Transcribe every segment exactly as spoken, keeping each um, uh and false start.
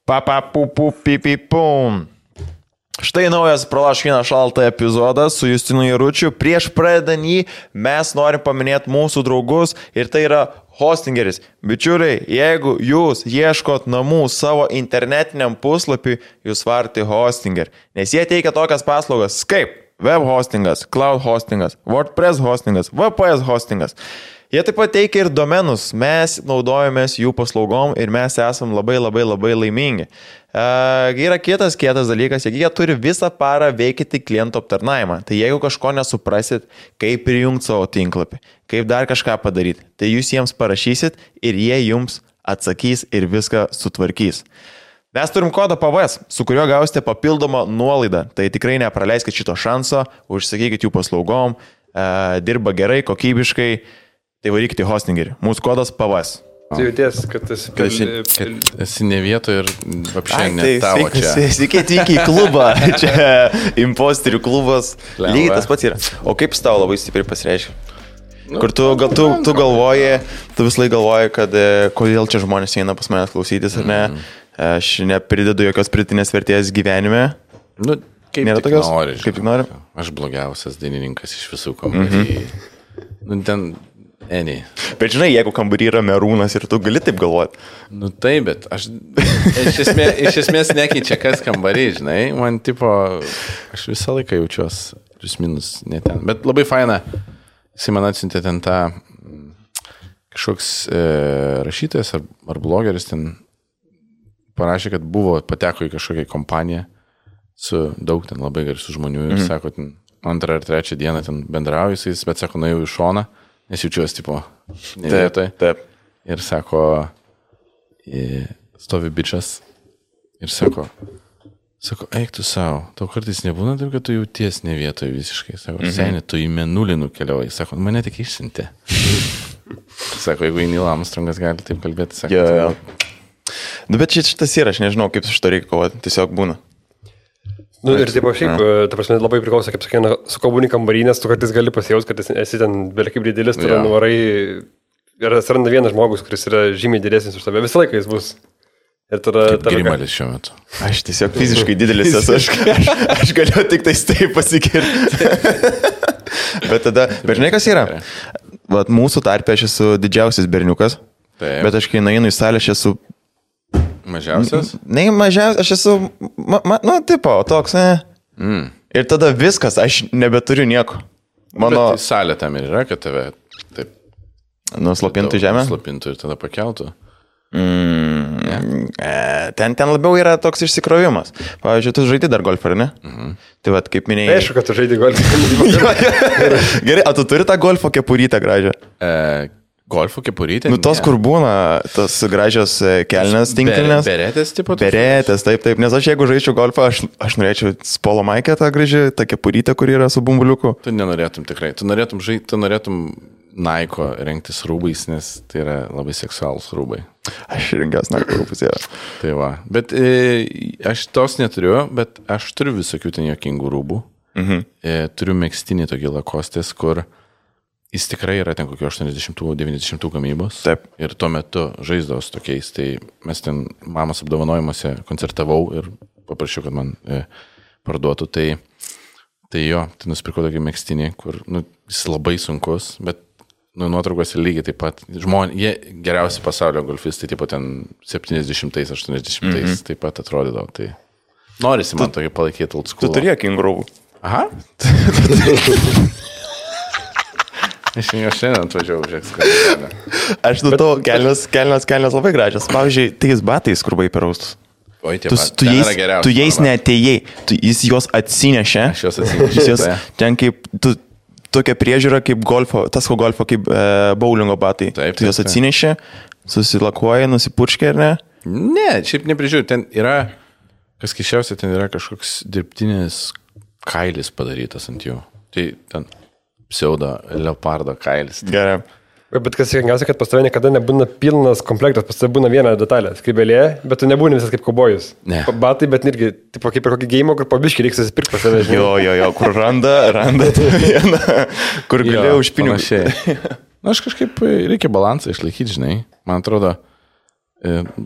Papa pupu pipi pum. Štai naujas Pralaškina šaltą epizodas su Justinu Jaručiu. Prieš pradedant jį mes norim paminėti mūsų draugus ir tai yra Hostingeris. Bičiuliai, jeigu jūs ieškot namų savo internetiniam puslapiui, jūs varti Hostinger. Nes jie teikia tokias paslaugas kaip web hostingas, cloud hostingas, WordPress hostingas, V P S hostingas. Jie taip pat teikia ir domenus, mes naudojamės jų paslaugom ir mes esam labai labai labai laimingi. E, yra kitas kietas dalykas, jie turi visą parą veikti klientų aptarnavimą. Tai jeigu kažko nesuprasit, kaip prijungti savo tinklapį, kaip dar kažką padaryti, tai jūs jiems parašysit ir jie jums atsakys ir viską sutvarkys. Mes turim kodą P V S, su kuriuo gausite papildomą nuolaidą. Tai tikrai nepraleiskit šito šanso, užsakykit jų paslaugom, e, dirba gerai, kokybiškai. Tai varykite Hostingerį. Mūsų kodas P V S. Tu jauties, kad esi, kad esi, kad esi ne vietoje ir apšiai ne tavo čia. Sveiki atvykę į klubą. Čia imposterių klubas. Lygiai tas pats yra. O kaip tau labai stipriai pasireiškia? Nu, Kur tu, gal, tu, tu galvoji, tu vis laik galvoji, kad kodėl čia žmonės eina pas manęs klausytis, ar ne? Aš nepridedu jokios pridėtinės vertės gyvenime. Nu, kaip Nėra tik tokios? nori. Kaip tik nori? Aš blogiausias dainininkas iš visų kambarį. Mm-hmm. Nu, ten... Eni. Bet žinai, jeigu kambarį yra merūnas ir tu gali taip galvoti. Nu taip, bet aš iš esmės, iš esmės nekeičia kas kambarį, žinai. Man tipo, aš visą laiką jaučiuos plius minus ne ten. Bet labai faina, jisai man atsiuntė ten tą kažkoks e, rašytojas ar, ar blogeris ten parašė, kad buvo, pateko į kažkokią kompaniją su daug ten labai garsių žmonių ir mm. sako, ten antrą ar trečią dieną ten bendrauju jisais, bet sako, nuėjau į šoną. Nes jaučiuosi, tipo, ne vietoj. Taip. Ir sako, stovi bičas ir sako, sako, eik tu savo, tau kartais nebūna taip, kad tu jauties ne vietoj visiškai. Sako, mm-hmm. Seni, tu į Mėnulį nukeliauji. Sako, mane tik išsiuntė. Sako, jeigu į Neil Armstrongas gali taip kalbėti, sako. Jo, jo. Nu, bet šitas yra, aš nežinau, kaip su šito reikia kovoti, tiesiog būna. Nu, ir taip šiaip, ta prasme, labai priklauso, kaip sakė, su kalbūni kambarį, nes tu kartais gali pasijaus, kad esi ten belia kaip didelis, tu ja. nuvarai ir atsiranda vienas žmogus, kuris yra žymiai didesnis už tave, visą laiką jis bus. Ir tada... Kaip Grimalis šiuo metu. Aš tiesiog fiziškai didelis esu, aš, aš, aš galiu tik tais taip pasikirti. Bet tada, bet žinai, kas yra? Vat mūsų tarpe aš esu didžiausias berniukas, taip. Bet aš kai nueinu į salę, aš esu... Mažiausias? Ne, mažiausias, aš esu, ma, ma, nu, tipo, toks, ne. Mm. Ir tada viskas, aš nebeturiu nieko. Mano... Bet salė tam ir yra, kad tave taip... Nuslopintų žemę? Nuslopintų ir tada pakeltų. Mm. Yeah. E, ten, ten labiau yra toks išsikrovimas. Pavyzdžiui, tu žaidži dar golfą, ar ne? Mm-hmm. Tai vat, kaip minėjai... Aišku, kad tu žaidži golfą. Gerai, o tu turi tą golfo kepurytę gražią? E... Golfo kepurytė? Nu, tos, ne. Kur būna, tos gražios kelnes, tinklinės. Beretės, tipo? Beretės, taip, taip. Nes aš jeigu žaičiau golfą, aš, aš norėčiau spolo maikę tą gražią, tą kepurytę, kur yra su bumbuliuku. Tu nenorėtum tikrai. Tu norėtum žaisti, tu norėtum Naiko rengtis rūbais, nes tai yra labai seksualus rūbai. Aš rengiausi Naiko rūbus, yra. Tai va. Bet e, aš tos neturiu, bet aš turiu visokių ten jokingų rūbų. Mhm. E, turiu megztinį tokį lakostės, kur jis tikrai yra ten kokio aštuoniasdešimtų devyniasdešimtų gamybos. Taip. Ir tuo metu žaisdavos tokiais. Tai mes ten mamos apdovanojimuose koncertavau ir paprašiau, kad man e, parduotų. Tai, tai jo, tai nusipirkau tokį megztinį, kur nu, jis labai sunkus, bet nu, nuotraukos lygiai taip pat. Žmonės, jie geriausi pasaulio golfistai, taip pat ten septyniasdešimtais, aštuoniasdešimtais mm-hmm. taip pat atrodydavo. Tai norisi man tu, tokį palaikyti old school. Tu turėjo kingurų. Aha. Aš jau šiandien atvažiavau, žiūrėk, skalbę. Aš nu to kelnes, kelnes, kelnes labai gražios. Pavyzdžiui, tais batais, kur buvai peraustus. Oi, tie tu, pat. Tu ten jais, tu jais neatėjai, tu, jis juos atsinešė. Aš juos atsinešė. Jos, ten kaip, tu, tokia priežiūra kaip golfo, tas ko golfo kaip e, bowlingo batai. Taip, tu juos atsinešė, susilakuoja, nusipurškė, ar ne? Ne, šiaip neprižiūrė. Ten yra, kas keiščiausia, ten yra kažkoks dirbtinis kailis padarytas ant jų. Tai ten... pseudo leopardo kailis. Gerai. Bet kas sėkmingiausia, kad pas tave niekada nebūna pilnas komplektas, pas tave būna viena detalė, skrybelė, bet tu nebūni visas kaip kaubojus. Ne. Batai, bet irgi, tipo, kaip ir kokį geimo, kur pabiškį reiks susipirkti pas tave. Jo, jo, jo, kur randa, randa tą vieną, kur galėjau už pinigus. Na, aš kažkaip reikia balansą išlaikyti, žinai. Man atrodo,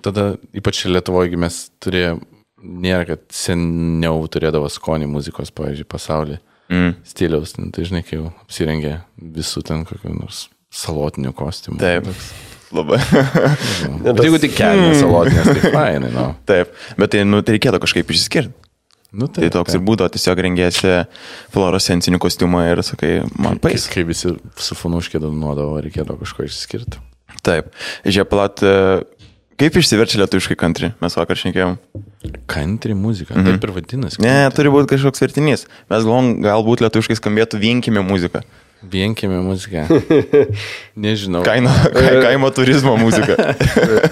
tada ypač Lietuvoje mes turėjome, nėra, kad seniau turėdavo skonį muzikos, pavyzdžiui, pasaulyje. Mm. Stiliaus, tai žinai, kai jau apsirengė visų ten kokių nors salotinių kostiumų. Taip, labai. Bet jeigu tik kelnės salotinės, tai fainai, no. Taip, bet tai, nu, tai reikėtų kažkaip išsiskirti. Nu, taip, tai toks taip. Ir būdavo, tiesiog rengėsi fluorescencinį kostiumą ir sakai, man pais. Kai, kai visi su funuškė dominuodavo, reikėdavo kažko išsiskirti. Taip. Žiūrėk, palat, kaip išsiverčia lietuviškai country? Mes vakar šnekėjom. Country muzika, mm-hmm. taip ir vadinasi. Ne, turi būti kažkoks vertinys. Mes galvom, galbūt lietuviškai skambėtų vienkime muzika. Vienkime muzika. Nežinau. Kaino, ka, kaimo turizmo muzika.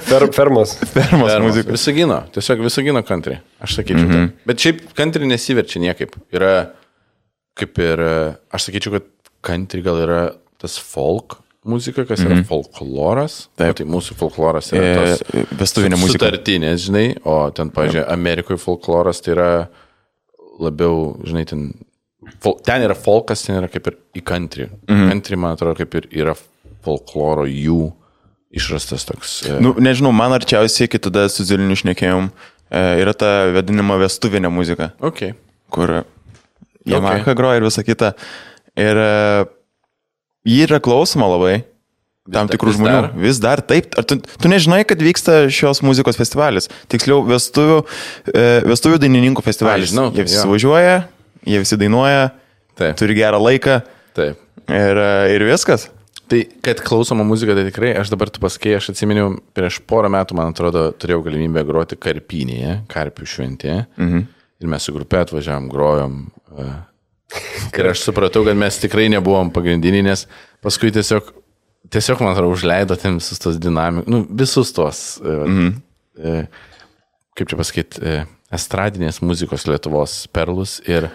Fer, fermos. Fermos, fermos muzika. Visagino, tiesiog Visagino country. Aš sakyčiau. Mm-hmm. Tai. Bet šiaip country nesiverčia niekaip. Yra kaip ir, aš sakyčiau, kad country gal yra tas folk muzika, kas yra mm-hmm. folkloras. Taip. O tai mūsų folkloras yra tos e, vestuvinė muzika. Sutartinės, žinai. O ten, pavyzdžiui, Amerikoje folkloras tai yra labiau, žinai, ten... Ten yra folkas, ten yra kaip ir į country. Mm-hmm. Country, man atrodo, kaip ir yra folkloro jų išrastas toks. E... Nu, nežinau, man arčiausiai, kai tada su Ziliniu šnekėjom, e, yra ta vadinama vestuvinė muzika. Okay. Kur Yamaha okay. groja ir visa kita. Ir e, jį yra klausoma labai. Tam tikrų žmonių. Dar? Vis dar taip. Ar tu, tu nežinai, kad vyksta šios muzikos festivalis? Tiksliau, vestuvių, e, vestuvių dainininkų festivalis. A, žinau, jie visi važiuoja. Jie visi dainuoja, taip. Turi gerą laiką. Taip. Ir, ir viskas. Tai, kad klausoma muzika, tai tikrai, aš dabar tu pasakėjai, aš atsiminiau, prieš porą metų, man atrodo, turėjau galimybę groti Karpinėje, Karpių šventėje. Mhm. Ir mes su grupė atvažiavam, grojom. Ir aš supratau, kad mes tikrai nebuvom pagrindiniai, nes paskui tiesiog, tiesiog man atrodo, užleido ten visus tos dinamikus, nu, visus tos, mhm. kaip čia pasakyti, estradinės muzikos Lietuvos perlus ir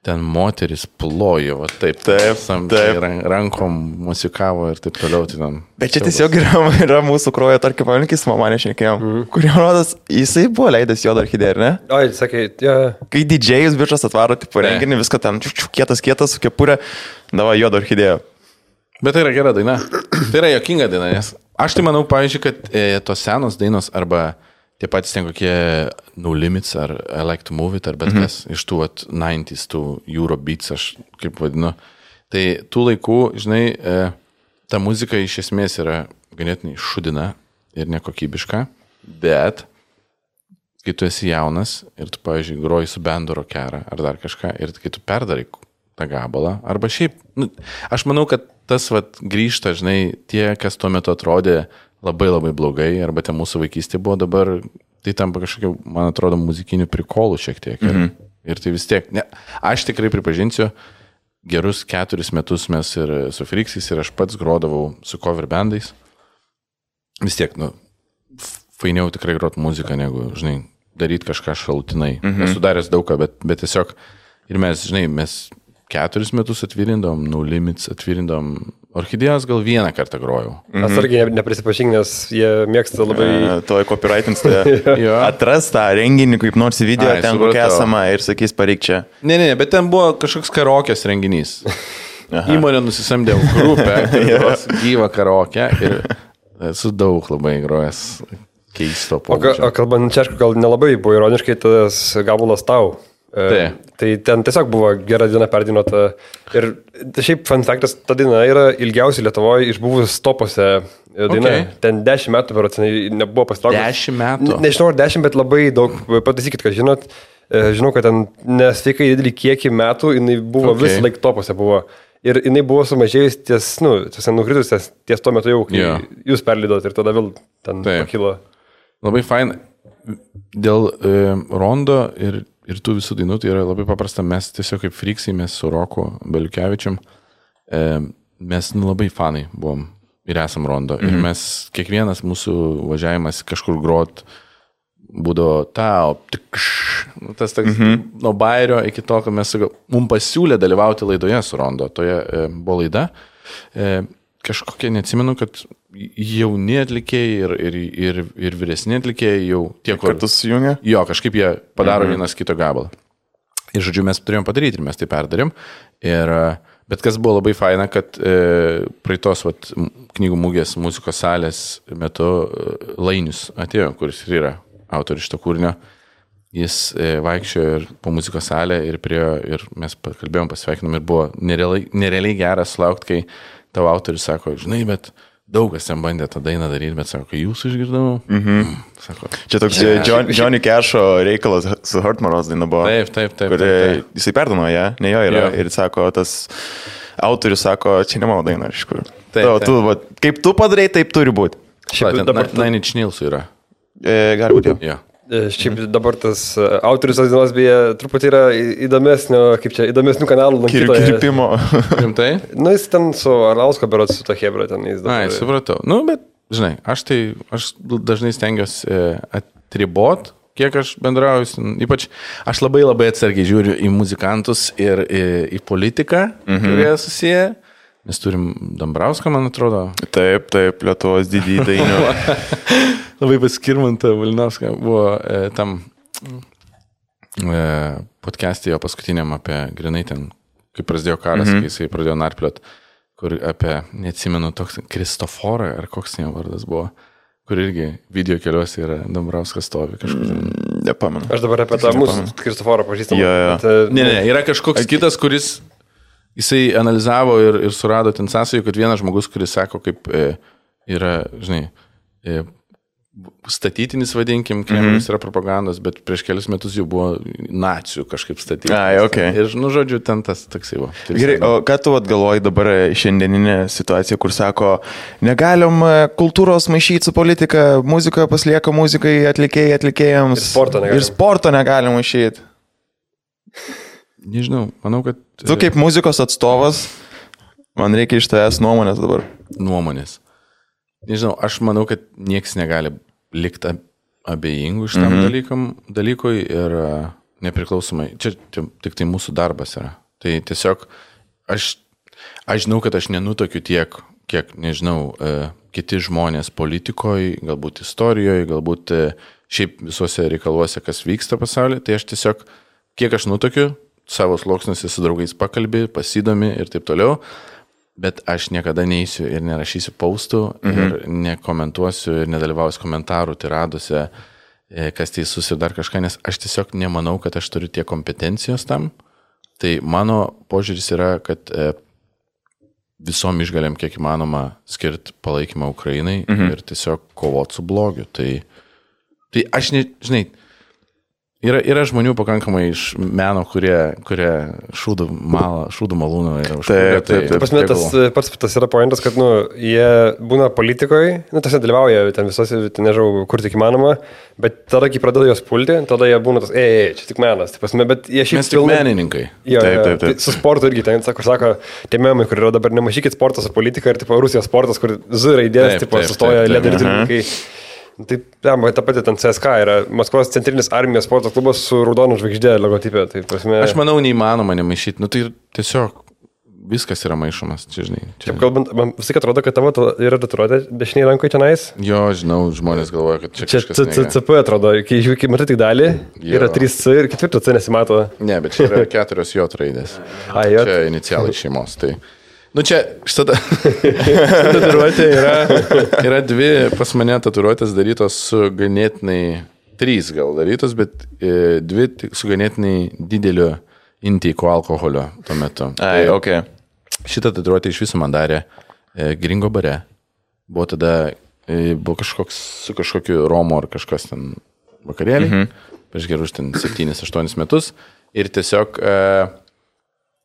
ten moteris plojo, va taip, taip, sam, taip. rankom musikavo ir taip toliau. Tai tam, bet čia tiesiog yra, yra mūsų krojo, tarkim, pavalinkis, mama nešnekėjom, mm. kurio rodas, jisai buvo leidęs Juodą orchidėją, ar ne? Oi, sakai, ja. Kai didžėjus bičas atvaro, tipo, renginį, viską ten, kietas, kietas, su kepurė, dava Juodą orchidėją. Bet tai yra gera daina. Tai yra jokinga daina, nes aš tai manau, pavyzdžiui, kad e, tos senos dainos arba tie patys ten kokie No Limits ar I Like to Move It ar bet mm-hmm. kas iš tų at devyniasdešimt, tų Eurobeats, aš kaip vadinu. Tai tų laikų, žinai, e, ta muzika iš esmės yra ganėtinai šudina ir nekokybiška, bet kai tu esi jaunas ir tu, pavyzdžiui, groji su bendu rockerą ar dar kažką ir kai tu perdarai tą gabalą, arba šiaip, nu, aš manau, kad tas vat grįžta, žinai, tie, kas tuo metu atrodė labai labai blogai, arba ten mūsų vaikystė buvo dabar, tai tampa kažkokia, man atrodo, muzikinių prikolų šiek tiek. Ir, mm-hmm. ir tai vis tiek, ne, aš tikrai pripažinsiu, gerus keturis metus mes ir su Friksais ir aš pats grodavau su cover bandais. Vis tiek, nu, fainiau tikrai grot muziką, negu, žinai, daryti kažką šalutinai. Mm-hmm. Esu daręs daug ką, bet, bet tiesiog, ir mes, žinai, mes keturis metus atvyrindom, No Limits atvyrindom, orchidėjos gal vieną kartą grojau. Mhm. Aš irgi neprisipažink, nes jie mėgsta labai... E, Toj copyrightins, tai atras tą renginį kaip nors video, Ai, ten kokia esama ir sakys, pareik čia. Ne, ne, ne, bet ten buvo kažkoks karaokės renginys. Aha. Įmonė nusisamdė grupę, gyvą karaokę ir esu daug labai grojęs keisto pobūdžio. O, o kalbant čia, aišku, gal nelabai buvo ironiškai tas gabalas tau. Tai. tai ten tiesiog buvo gera diena perdinuota. Ir šiaip fun factas, ta daina yra ilgiausiai Lietuvoje išbuvus topose daina. Okay. Ten dešimt metų, berotinai, nebuvo pasitraukus. Dešimt metų? Ne, nežinau, ar dešimt, bet labai daug. Pataisykit, kad žinot, žinau, kad ten nesveikai didelį kiekį metų, jinai buvo okay. vis laik topose buvo. Ir jinai buvo sumažėjus ties, nu, ties nukritus ties, ties tuo metu jau, kai yeah. jūs perlydot ir tada vėl ten Taip. pakilo. Labai fain. Dėl e, rondo ir Ir tų visų dainų, tai yra labai paprasta, mes tiesiog kaip Friksai, mes su Roku Beliukevičium, e, mes nu, labai fanai buvom ir esam rondo. Mm-hmm. Ir mes, kiekvienas mūsų važiavimas kažkur grot, būdavo tau, tikš, nu, tas toks, mm-hmm. nuo bairio iki to, kad mes, mums pasiūlė dalyvauti laidoje su rondo, toje e, buvo laida. E, kažkokie, neatsimenu, kad jauni atlikėjai ir, ir, ir, ir vyresni atlikėjai jau tie, kur... Kartu sujungia? Jo, kažkaip jie padaro mhm. vienas kito gabalą. Ir žodžiu, mes turėjom padaryti ir mes tai perdarėm. Ir Bet kas buvo labai faina, kad e, praeitos vat, knygų mūgės muzikos salės metu e, Lainius atėjo, kuris ir yra autorius šito kūrinio. Jis e, vaikščiojo ir po muzikos salę ir priejo ir mes kalbėjom, pasveikinom ir buvo nerealiai, nerealiai geras laukti, kai tavo autorius sako, žinai, bet daug kas ten bandė tą dainą daryti, bet sako, jūs išgirdau. Mhm. Sako, čia toks yeah. John, Johnny Cash'o reikalas su Hurtmaros daina buvo. Taip, taip, taip. Kur taip, taip. jisai perdano ją, ne jo yra. Jo. Ir sako, tas autorius sako, čia ne mano daina, iš kur. Taip, Tu, taip. tu, va, kaip tu padarai, taip turi būti. Šiaip Ten dabar, Nine Inch Nails yra. E, gali būti jau. Jo. šiaip dabar tas autorius tos dainos beje truputį yra įdomesnio, kaip čia, įdomesnių kanalų Kir, lankytojas. kirpimo. Rimtai? Nu, jis ten su Arlausko berots, su ta hebra ten jis dabar. Ai, supratau. Nu, bet, žinai, aš tai, aš dažnai stengiuosi e, atribot, kiek aš bendrauju, ypač aš labai labai atsargiai žiūriu į muzikantus ir į, į politiką, mhm. kurie susiję. Mes turim Dambrauską, man atrodo. Taip, taip, Lietuvos didį dainių. Labai paskirmanta Valinauską buvo e, tam e, podcast'e jo paskutiniam apie grinai ten, kai prasidėjo karas, mm-hmm. kai jisai pradėjo narpliot, kur apie, neatsimenu, toks Kristoforą, ar koks jo vardas buvo, kur irgi video keliuose yra Dambrauskas stovi kažkur. Mm, nepamenu. Aš dabar apie tą mūsų Kristoforą pažįstamą. Jo, jo. Bet, Ne, ne, yra kažkoks kitas, kuris jisai analizavo ir, ir surado ten sąsajų, kad vienas žmogus, kuris sako, kaip e, yra, žinai, e, statytinis, vadinkim, Kremlius mm-hmm. yra propagandos, bet prieš kelius metus jau buvo nacių kažkaip statytinis. Ai, okay. Ir, nu, žodžiu, ten tas toksai buvo. Tai Gerai, o ką tu atgalvoji dabar šiandieninė situacija, kur sako, negalim kultūros maišyti su politika, muzika paslieka muzikai, atlikėjai atlikėjams. Ir sporto negalim. Ir sporto negalim maišyti. Nežinau, manau, kad... Tu kaip muzikos atstovas, man reikia iš tavęs nuomonės dabar. Nuomonės. Nežinau, aš manau, kad nieks negali likti abejingų šitam mm-hmm. dalykam, dalykui ir uh, nepriklausomai. Čia, čia tik tai mūsų darbas yra. Tai tiesiog aš, aš žinau, kad aš nenutokiu tiek, kiek, nežinau, uh, kiti žmonės politikoje, galbūt istorijoje, galbūt uh, šiaip visuose reikaluose, kas vyksta pasaulyje. Tai aš tiesiog, kiek aš nutokiu, savo sluoksniuose su draugais pakalbė, pasidomi ir taip toliau, bet aš niekada neįsiu ir nerašysiu paustų mhm. ir nekomentuosiu ir nedalyvausiu komentarų tiraduose, kas teisus ir dar kažką, nes aš tiesiog nemanau, kad aš turiu tiek kompetencijos tam. Tai mano požiūris yra, kad visom išgalėm kiek įmanoma skirti palaikymą Ukrainai mhm. ir tiesiog kovoti su blogiu. Tai, tai aš, ne, žinai, Yra, yra žmonių pakankamai iš meno, kurie, kurie šūdų, malą, šūdų malūną yra užkūrę. Taip, taip, taip. Pasme, tas, pats tas yra pointas, kad nu, jie būna politikoje, nu, tas dalyvauja ten visose, ten nežinau, kur tik įmanoma, bet tada, kai pradeda jos pulti, tada jie būna tas, ei, ei čia tik menas. Tai pasme, bet jie šiaip... Mes tik pilna... menininkai. Jo, taip, taip, taip. Tai su sportu irgi ten, sako, sako, tie memai, kur yra dabar nemažykit sportą su politika ir tipo Rusijos sportas, kur Z raidės, tipo, sustoja lederininkai. Taip, ja, ta pati ten C S K yra Maskvos centrinis armijos sporto klubas su raudonu žvaigždė logotipė. Tai prasme... Aš manau, neįmanoma nemaišyti. Nu, tai tiesiog viskas yra maišomas, čia žinai. Čia... Taip, kalbant, man visai atrodo, kad tavo yra tatuiruotė dešiniai rankoje tenais. Jo, žinau, žmonės galvoja, kad čia, čia kažkas... Čia C P atrodo, kai, kai matai tik dalį, jo. Yra trys C ir ketvirto C nesimato. Ne, bet čia yra keturios J raidės. A, J. Čia inicialai šeimos, tai... Nu čia, šitą tatuiruotė yra, yra dvi pas mane tatuiruotės darytos su ganėtinai, trys gal darytos, bet e, dvi su ganėtinai dideliu intyko alkoholio tuo metu. Ai, ok. Šitą tatuiruotę iš viso man darė e, Gringo bare. Buvo tada, e, buvo kažkoks su kažkokiu Romo ar kažkas ten vakarėlį, mhm. prieš gerus ten septynis aštuonis metus ir tiesiog... E,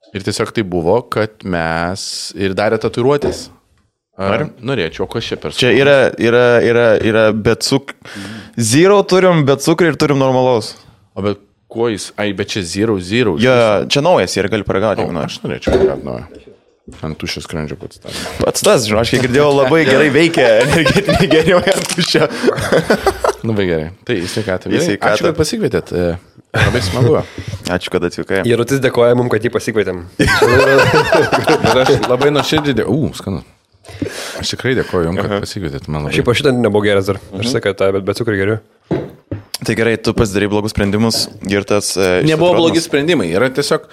Ir tiesiog tai buvo, kad mes ir darė tatuiruotės. Ar norėčiau, o kas čia per... Čia yra, yra, yra, yra be cuk... Zero turim be cukrį ir turim normalaus. O bet kuo jis... Ai, bet čia zero, zero. Jo, čia naujas ir gali paragauti, jeigu nori. Aš norėčiau paragauti naują. Ant tuščio skrandžio pats tas. Pats tas, žinau, aš kiek girdėjau, labai gerai veikia energetinį geriau ant tuščio. Labai gerai. Tai į sveikatą. Į sveikatą. Ačiū, kad pasikvietėt. Labai smagu. Ačiū, kad atvykai. Jarutis dėkoja mums, kad jį pasikvietėm. Ir aš labai nuoširdžiai dėkoju. U, skanu. Aš tikrai dėkoju jums, kad pasikvietėt. Man labai. Šiaip aš šitą nebuvo geras dar. Aš sakai, tą, bet be cukrį geriu. Tai gerai, tu pasidarai blogus sprendimus ir tas... Nebuvo blogi sprendimai. Yra tiesiog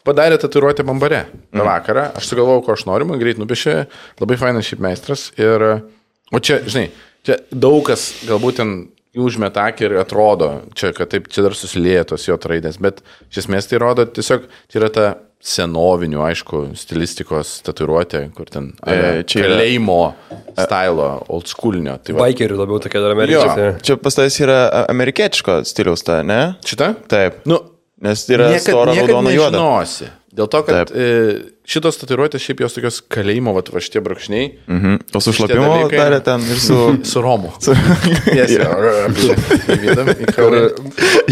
padarė tatuiruotę Bambare tą vakarą, aš sugalvojau, ko aš noriu, man greit nupiešė, labai fainas šiaip meistras. Ir, o čia, žinai, čia daug kas galbūt ten užmeta akį ir atrodo, čia, kad taip, čia dar susilieja tos jo raidės, bet iš esmės tai rodo tiesiog, tai yra ta senovinių, aišku, stilistikos tatuiruotė, kur ten e, čia kalėjimo stilo, old schoolinio. Tai Bikerių labiau tokia dar amerikiečiai. Čia pas tavęs yra amerikietiško stiliaus ta, ne? Šita? Taip. Nu, nes yra stora raudona juoda. Nežinosi. Dėl to, kad e, šitos tatuiruotės šiaip jos tokios kalėjimo, va, va šitie brūkšniai. Mhm. O su šlapimo darė ten ir su... su Romu. Su... Yes,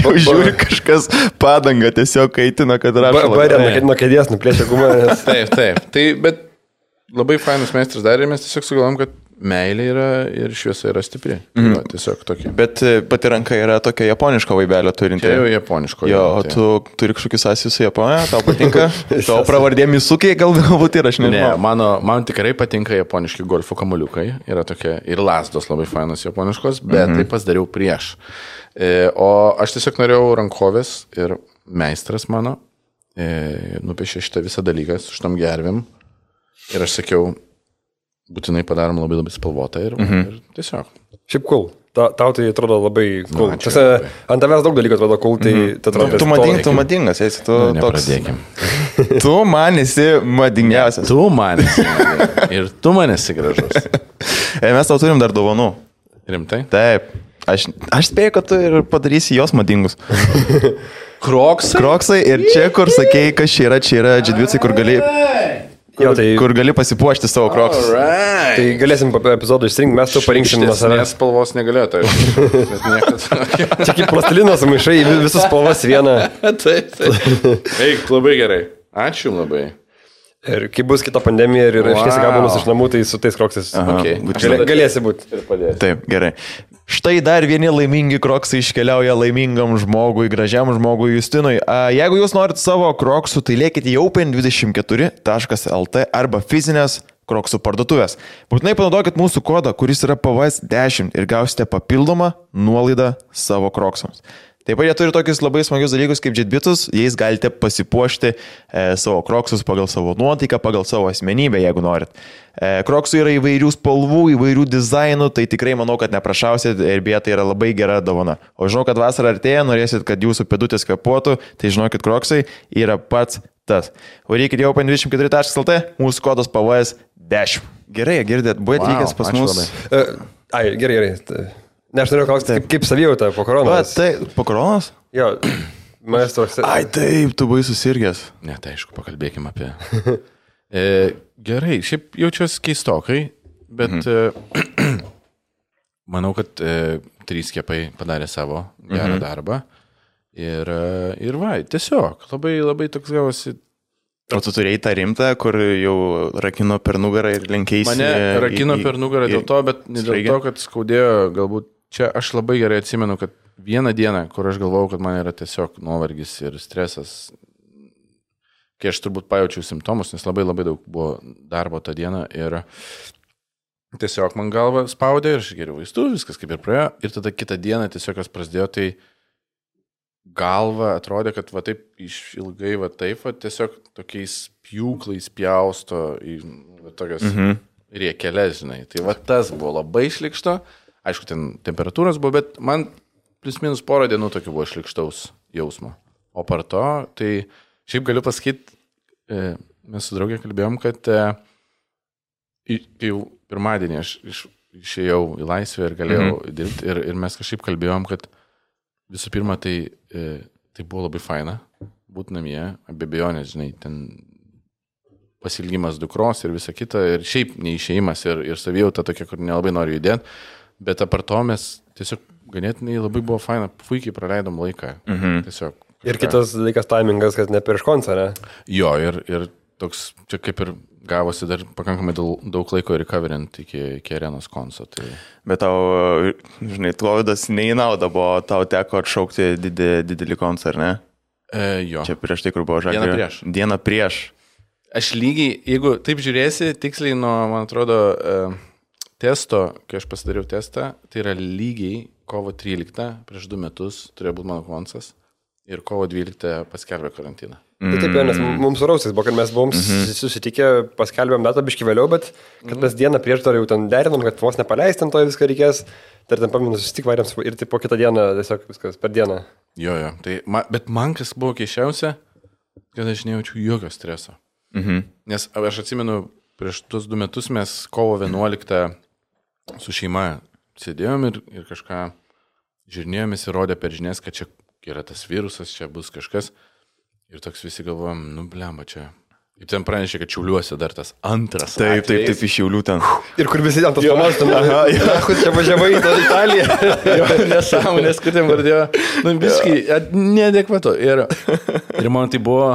Jau žiūri kažkas padangą tiesiog kaitina, kad rašo. Barė nuo kėdės nuplėšė gumą. Nes... Taip, taip. Tai, bet labai fainas meistras darė ir mes tiesiog sugalvom, kad meilė yra ir šviesa yra stipri. Mm. Va, tiesiog tokia. Bet pati ranka yra tokia japoniška vaibelė turinti. Tai jau japoniško. Jo, o tu turi kažkokius sąsius su Japonija, tau patinka? Tavo pravardė Misukiai galbūt ir aš nežinau. Ne, mano, man tikrai patinka japoniški golfo kamuoliukai. Yra tokia ir lasdos labai fainos japoniškos, bet mm-hmm. tai pasidariau prieš. E, o aš tiesiog norėjau rankovės ir meistras mano e, nupiešė šitą visą dalyką su šitom gervėm. Ir aš sakiau, būtinai padarom labai labai spalvotą ir, mm-hmm. ir tiesiog. Šiaip cool. Ta, tau tai atrodo labai cool. Nu, Tose, ant tavęs daug dalykų atrodo cool, tai mm-hmm. tu atrodo... Tu, mading, tu madingas, esi, tu nu, toks... Nepradėkim. Tu man esi madingiausias. Tu man esi madingiausias. Ir tu man esi gražus. E, mes tau turim dar dovanų. Rimtai? Taip. Aš, aš spėju, kad tu ir padarysi jos madingus. Kroksai? Kroksai ir čia, kur sakėjai, kas čia yra, čia yra džidviucai, kur gali... Kur, jo, tai, kur gali pasipuošti savo kroksus. Right. Tai galėsim po epizodo išsirinkti, mes tu parinksim nuo savęs. Nes spalvos negalėjo, tai bet niekas. Čia kaip plastilinos maišai, visus spalvas vieną. Taip, taip. Eik, labai gerai. Ačiū labai. Ir kai bus kita pandemija ir wow. Iškėsi gabalus iš namų, tai su tais kroksais okay. Galė, galėsi būti. Ir padėsi. Taip, gerai. Štai dar vieni laimingi kroksai iškeliauja laimingam žmogui, gražiam žmogui Justinui. A, jeigu jūs norite savo kroksų, tai lėkite į open dvidešimt keturi taškas el tė arba fizinės kroksų parduotuvės. Būtinai panaudokit mūsų kodą, kuris yra P V S dešimt ir gausite papildomą nuolaidą savo kroksams. Taip pat jie turi tokius labai smagius dalykus kaip džitbitus, jais galite pasipuošti e, savo kroksus pagal savo nuotaiką, pagal savo asmenybę, jeigu norit. E, kroksų yra įvairių spalvų, įvairių dizainų, tai tikrai manau, kad neprašausit ir beje tai yra labai gera dovana. O žinau, kad vasara artėja, norėsit, kad jūsų pėdutės kvepuotų, tai žinokit, kroksai yra pats tas. Varykit jau open dvidešimt keturi taškas el tė, mūsų kodas P V S dešimt. Gerai, girdėt, buvo atvykęs wow, pas mus. Uh, ai, gerai, gerai. Ne, aš noriu klausti, kaip, kaip savijauta po koronos. Va, tai, po koronos? Jo, maestros. Ai, taip, tu buvai susirgęs. Ne, tai aišku, pakalbėkime apie... e, gerai, šiaip jaučiuosi keistokai, bet mhm. e, manau, kad e, trys skiepai padarė savo gerą mhm. darbą. Ir, ir va, tiesiog, labai, labai toks gavosi... O tu turėjai tą rimtą, kur jau rakino per nugarą ir lenkiaisi... Mane rakino į, per nugarą dėl to, bet ne dėl to, kad skaudėjo galbūt... Čia aš labai gerai atsimenu, kad vieną dieną, kur aš galvojau, kad man yra tiesiog nuovargis ir stresas, kai aš turbūt pajaučiau simptomus, nes labai labai daug buvo darbo tą dieną ir tiesiog man galva spaudė ir aš geriau vaistų, viskas kaip ir praėjo. Ir tada kitą dieną tiesiog kas prasidėjo, tai galva atrodė, kad va taip iš ilgai va taip, va tiesiog tokiais pjūklais pjausto į va, tokias mhm. riekelės, žinai. Tai va tas buvo labai šlikšto. Aišku, ten temperatūros buvo, bet man plius minus porą dienų tokių buvo šlikštaus jausmo. O par to, tai šiaip galiu pasakyti, mes su draugė kalbėjom, kad kai jau pirmadienį aš iš, išėjau į laisvę ir galėjau mhm. dirbti ir, ir mes kažkaip kalbėjom, kad visų pirma, tai, tai buvo labai faina būti namie, be abejonės, žinai, ten pasilgimas dukros ir visa kita, ir šiaip neišėjimas ir, ir savijauta tokia, kur nelabai noriu judėti. Bet apart to mes tiesiog ganėtinai labai buvo faina, puikiai praleidom laiką. Mhm. Tiesiog. Kažką. Ir kitas dalykas taimingas, kad ne prieš koncą, ne? Jo, ir, ir toks, čia kaip ir gavosi dar pakankamai daug, daug laiko recoverint iki, iki arenos konco. Tai... Bet tau, žinai, Klovidas ne į naudą buvo, tau teko atšaukti didį, didelį koncą, ne? E, jo. Čia prieš tai, kur buvo žagrė. Dieną prieš. Dieną prieš. Aš lygiai, jeigu taip žiūrėsi, tiksliai nuo, man atrodo... E, testo, kai aš pasidariau testą, tai yra lygiai kovo tryliktą, prieš du metus turėjo būti mano koncas. ir kovo dvyliktą paskelbė karantiną. Mm. Tai taip, nes mums rausis buvo, kad mes buvom mm-hmm. susitikę, paskelbėm datą biškį vėliau, bet kad mes dieną prieš dar jau ten derinom, kad vos nepaleistam to viską reikės, tai ten paminu susitik varėm ir tai po kitą dieną tiesiog viskas per dieną. Jo, jo, tai, ma, bet man kas buvo keiščiausia, kad aš nejaučiu jokio streso. Mhm. Nes aš atsimenu, prieš tuos du metus mes kovo vienuoliktą su šeima sėdėjom ir, ir kažką žiūrinėjomės ir rodė per žinias, kad čia yra tas virusas, čia bus kažkas. Ir toks visi galvojam, nu blemba čia. Ir ten pranešė, kad Šiauliuose dar tas antras. Taip, taip, taip, iš Šiaulių ten. Ir kur visi ant tos panos, tam, na, kur čia važiavai į Italiją. Jo, nesąmonės, kur ten vardėjo. Nu, visiškai neadekvatu. Ir, ir man tai buvo...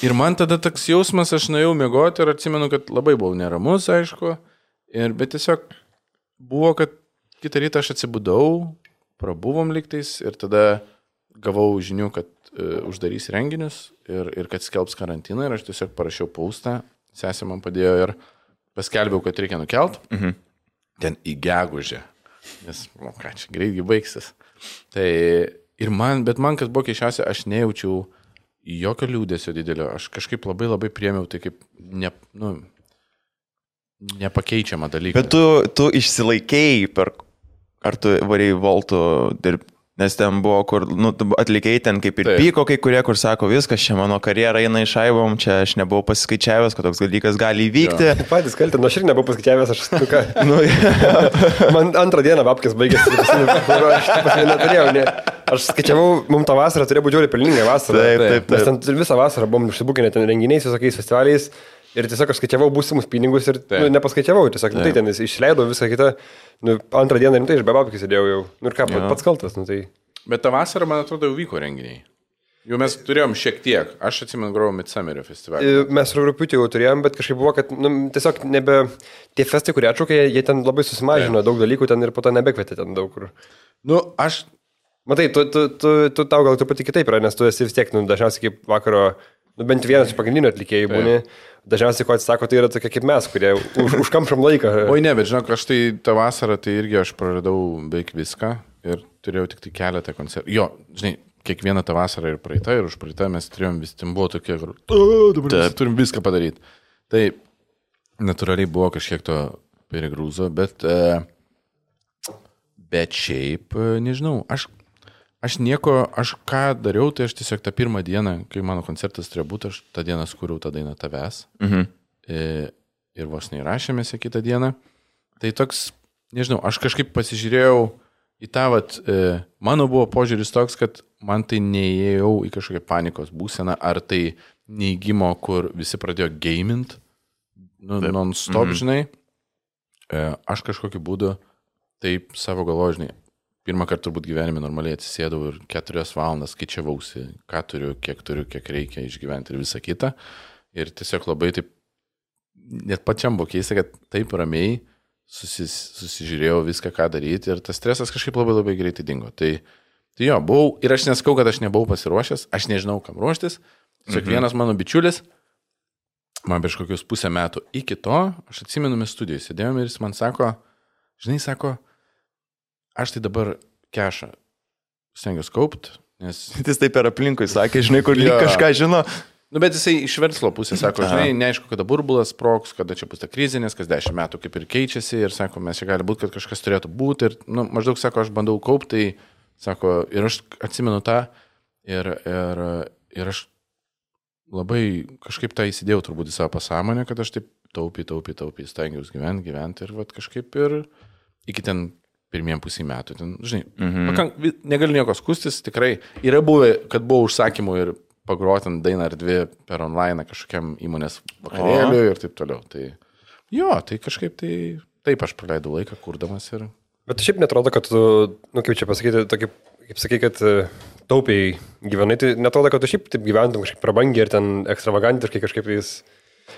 Ir man tada toks jausmas, aš nuėjau miegoti ir atsimenu, kad labai buvau neramus, aišku. Ir, bet tiesiog buvo, kad kitą rytą aš atsibudau, prabuvom lygtais ir tada gavau žinių, kad uh, uždarys renginius ir, ir kad skelbs karantiną ir aš tiesiog parašiau paustą, sesė man padėjo ir paskelbiau, kad reikia nukelt. Mhm. Ten į gegužę, nes, nu ką, čia greitgi baigsis. Tai ir man, bet man kas buvo keiščiausia, aš nejaučiau jokio liūdėsio didelio, aš kažkaip labai labai priėmiau tai kaip ne, nu, nepakeičiamą dalyką. Bet tu, tu išsilaikėjai per, ar tu varėjai Voltų dirbti? Nes ten buvo, kur nu, atlikėjai ten kaip ir Taip. Pyko kai kurie, kur sako, viskas, čia mano karjera eina išaibom, čia aš nebuvau pasiskaičiavęs, kad toks dalykas gali įvykti. Jo. Patys kalti, nu aš ir nebuvau pasiskaičiavęs, aš nu ką. nu, Man antrą dieną babkės baigėsi, aš neturėjau, ne. Aš skaičiavau, mums tą vasarą turėjo būti žiauriai pelninga vasara. Taip, taip, taip. Mes ten visą vasarą buvom užsibukinę ten renginiais, visokiais festivaliais. Ir tiesiog aš skaičiavau būsimus pinigus ir nu, nepaskaičiavau, tiesiog nu, tai ten išleidau visą kitą, nu, antrą dieną rimtai iš bebabkį sėdėjau jau. Nu ir ką, ja. Pats kaltas, nu tai. Bet tą vasarą, man atrodo, jau vyko renginiai. Jau mes turėjom šiek tiek, aš atsimenu, grojau Midsummerio festivalį. Mes rugpjūtį jau turėjom, bet kažkaip buvo, kad nu, tiesiog nebe, tie festai, kurie atšaukė, jie ten labai susimažino ja. Daug dalykų ten ir po to nebekvietė ten daug kur. Nu, aš... Matai, tu, tu, tu, tu tau gal truputį kitaip yra, nes tu esi vis tiek, nu, dažniausiai kaip vakaro, nu, bent vienas iš pagrindinių atlikėjų būni. Dažniausiai, ko atsisako, tai yra tokie kaip mes, kurie už, užkamšam laiką. Oi ne, bet žinok, aš tai tą vasarą, tai irgi aš praradau beveik viską ir turėjau tik tai keletą koncertų. Jo, žinai, kiekvieną tą vasarą ir praeitą, ir už praeitą mes turėjom vis, ten buvo tokie, kur, dabar turim viską padaryti. Tai natūraliai buvo kažkiek to perigrūzo, bet, bet šiaip, nežinau, aš... Aš nieko, aš ką dariau, tai aš tiesiog tą pirmą dieną, kai mano koncertas turėjo būti, aš tą dieną skūriau tą dainą Tavęs. Mhm. E, ir vos neįrašėmės kitą dieną. Tai toks, nežinau, aš kažkaip pasižiūrėjau į tą, vat, e, mano buvo požiūris toks, kad man tai neėjau į kažkokią panikos būseną, ar tai neįgymo, kur visi pradėjo gamint, nu, non-stop, mhm. žinai. E, aš kažkokiu būdu taip savo galvoju, žinai, pirmą kartą turbūt gyvenime normaliai atsisėdau ir keturias valandas skaičiavausi, ką turiu, kiek turiu, kiek reikia išgyventi ir visą kitą. Ir tiesiog labai taip, net pačiam buvo keista, kad taip ramiai susis, susižiūrėjau viską, ką daryti ir tas stresas kažkaip labai labai greitai dingo. Tai, tai jo, buvau, ir aš neskau, kad aš nebuvau pasiruošęs, aš nežinau, kam ruoštis. Tiesiog mhm. vienas mano bičiulis, man prieš kokius pusę metų iki to, aš atsimenu, mes studijoj sėdėjome ir jis man sako, žinai, sako, aš tai dabar kešą stengiuosi kaupt, nes... Jis taip per aplinkui sakė, žinai, kur lyg kažką žino. Nu, bet jisai iš verslo pusės sako, žinai, neaišku, kada burbulas sprogs, kada čia bus ta krizė, nes kas dešimt metų kaip ir keičiasi ir sako, mes čia gali būti, kad kažkas turėtų būti ir, nu, maždaug sako, aš bandau kaupti, tai sako, ir aš atsimenu tą ir, ir, ir aš labai kažkaip tą įsidėjau turbūt į savo pasąmonę, kad aš taip taupiai, taupiai, taupiai stengiausi gyventi, gyventi ir vat kažkaip ir iki ten pirmiem pusį metų. Ten, žinai, mhm. pakank, negaliu nieko skustis, tikrai yra buvę, kad buvo užsakymų ir pagrotant dainą ar dvi per online kažkokiam įmonės vakarėliui ir taip toliau. Tai jo, tai kažkaip tai taip aš praleidau laiką kurdamas ir... Bet šiaip netrodo, kad tu, nu kaip čia pasakyti, tokį, kaip sakai, kad taupiai gyvenai, tai netrodo, kad tu šiaip taip gyventum kažkaip prabangiai ir ten ekstravagantiškai kažkaip jis...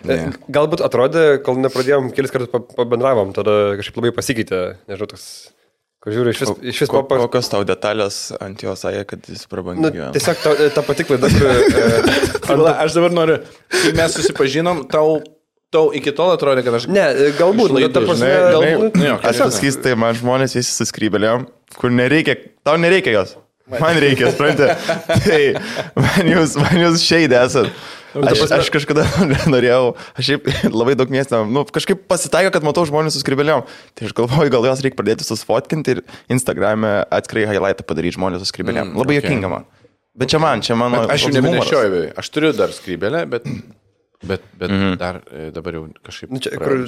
Ne. Galbūt atrodė, kol nepradėjom, kelis kartus pabendravom, tada kažkaip labai pasikeitė, nežinau, toks... Žiūrėjau, iš vis, iš vis ko, papas... Kokios tau detalės ant jo sąja, kad jis prabangiai gyvena? Nu, tiesiog ta, ta pati klaida, kur... e, ant... Aš dabar noriu, kai mes susipažinom, tau, tau iki tol atrodė, kad aš... Ne, galbūt, nu, ta prasme, galbūt... Ne, ne, aš pasakysiu, tai man žmonės visi suskrybelėjom, kur nereikia, tau nereikia jos. Man reikia, suprantate. Tai man jūs, man jūs šeidė esat. Aš, aš kažkada norėjau, aš šiaip labai daug miestą, nu, kažkaip pasitaiko, kad matau žmonės su skrybėlėm. Tai aš galvoju, gal jos reikia pradėti susfotkinti ir Instagram'e atskirai highlightą padaryti žmonės su skrybėlėm. Mm, labai okay. Jokinga man. Bet čia man, čia mano... Bet aš jau nebenešioju, aš turiu dar skrybėlę, bet, bet, bet mm-hmm. dar dabar jau kažkaip... Nu, čia, kur,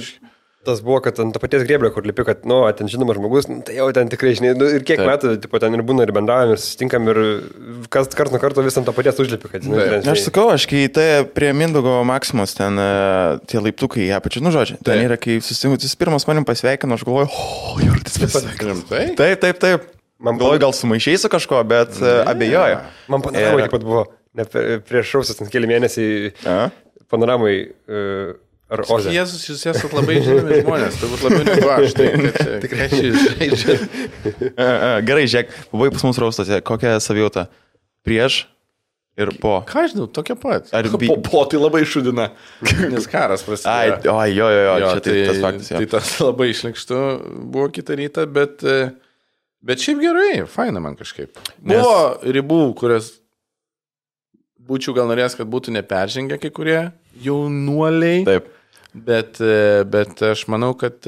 tas buvo, kad ant to paties grėblio, kur lipi, kad, nu, ten žinomas žmogus, nu, tai jau ten tikrai, žinai, nu, ir kiek Taip. metų, tipo, ten ir būna, ir bendraujam, ir susitinkam, ir kas kart nuo karto vis ant to paties užlipi, kad, žinai, ten, žinai. Aš sakau, aš kai tai prie Mindaugo Maksimos, ten tie laiptukai, ją pačiu, nu, žodžiu, ten yra, kai susitinkam, jis pirmas manim pasveikino, aš galvoju, o, oh, Jurtis pasveikinom. Taip, taip, taip. Man galvoju, gal sumaišiai su kažko, bet yeah. abejoju. Man panoramai taip pat buvo, ne, prieš šausias, ten keli mėnesiai panoramai... Uh, Ar Oze? Jėzus, jūs esate labai žinomi žmonės, turbūt labiau negu aš. Tai tikrai žaidžia. Gerai, žiūrėk, buvai pas mus raustose, kokia savijauta? Prieš ir po? Ką žinau, tokia pat. Ar bi... po, po tai labai šudina, nes karas prasidėjo. Ai, oi, jo, jo, jo, jo čia tai, tai tas faktas. Jo. Tai tas labai išlikštų buvo kitą rytą, bet, bet šiaip gerai, faina man kažkaip. Nes... Buvo ribų, kurias būčiau gal norėjęs, kad būtų neperžengę kai kurie jaunuoliai. Taip. Bet, bet aš manau, kad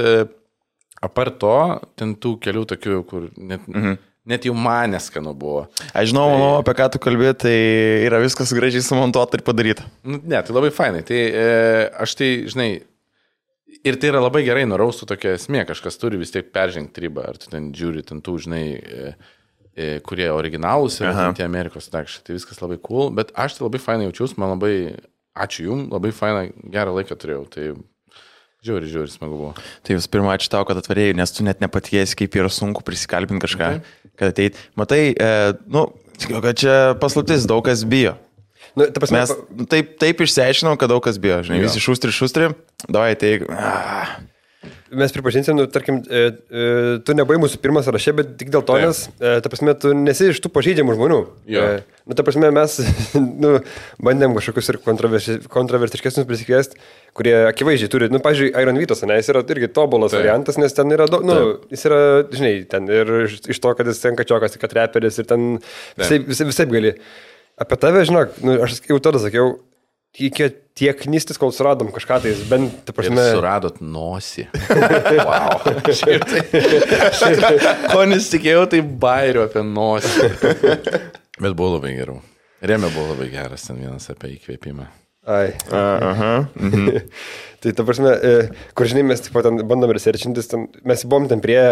apart to, ten tų kelių tokių, kur net, mhm. net jau man neskanu buvo. Aš žinau, tai, manau, apie ką tu kalbė, tai yra viskas gražiai sumontuota ir padaryta. Nu, ne, tai labai fainai. Tai e, aš tai, žinai, ir tai yra labai gerai nuraustų tokia esmė, kažkas turi vis tiek peržengti ribą, ar tu ten žiūri, ten tų, žinai, e, e, kurie originalūs yra, tie Amerikos takšai, tai viskas labai cool, bet aš tai labai fainai jaučiausi, man labai... Ačiū jums, labai fainą, gerą laiką turėjau, tai žiauri, žiauri smagu buvo. Tai jūs pirmą ačiū tau, kad atvarėjai, nes tu net nepatikėsi, kaip yra sunku prisikalbinti kažką, okay. kad ateit. Matai, e, nu, kad čia paslaptis, daug kas bijo. Nu, ta prasme, Mes nu, taip, taip išsiaiškinom, kad daug kas bijo, žinai, jo. Visi šustri, šustri, davai teik. Ah. Mes pripažinsim, nu, tarkim, e, e, tu nebuvai mūsų pirmas sąraše, bet tik dėl to, nes, e, ta prasme, tu nesi iš tų pažeidžiamų žmonių. E, nu, ta prasme, mes nu, bandėm kažkokius ir kontroversi, kontroversiškesnius prisikviesti, kurie akivaizdžiai turi, nu, pavyzdžiui, Iron Vytas, ne, jis yra irgi tobulas Taip. variantas, nes ten yra, nu, Taip. jis yra, žinai, ten ir iš to, kad jis ten kačiokas, kad reperis ir ten visai, visai, visai gali. Apie tave, žinok, nu, aš jau tada sakiau, Tiek, tiek knystis, kol suradom kažką, tai bent, ta prasme... Ir suradot nosį. Wow. Ko nesitikėjau, tai bairiu apie nosį. Bet buvo labai gerai. Remė buvo labai geras, ten vienas apie įkvėpimą. Ai. Aha. Mhm. Tai ta prasme, kur žinai, mes taip pat bandom researchintis, ten, mes buvom ten prie,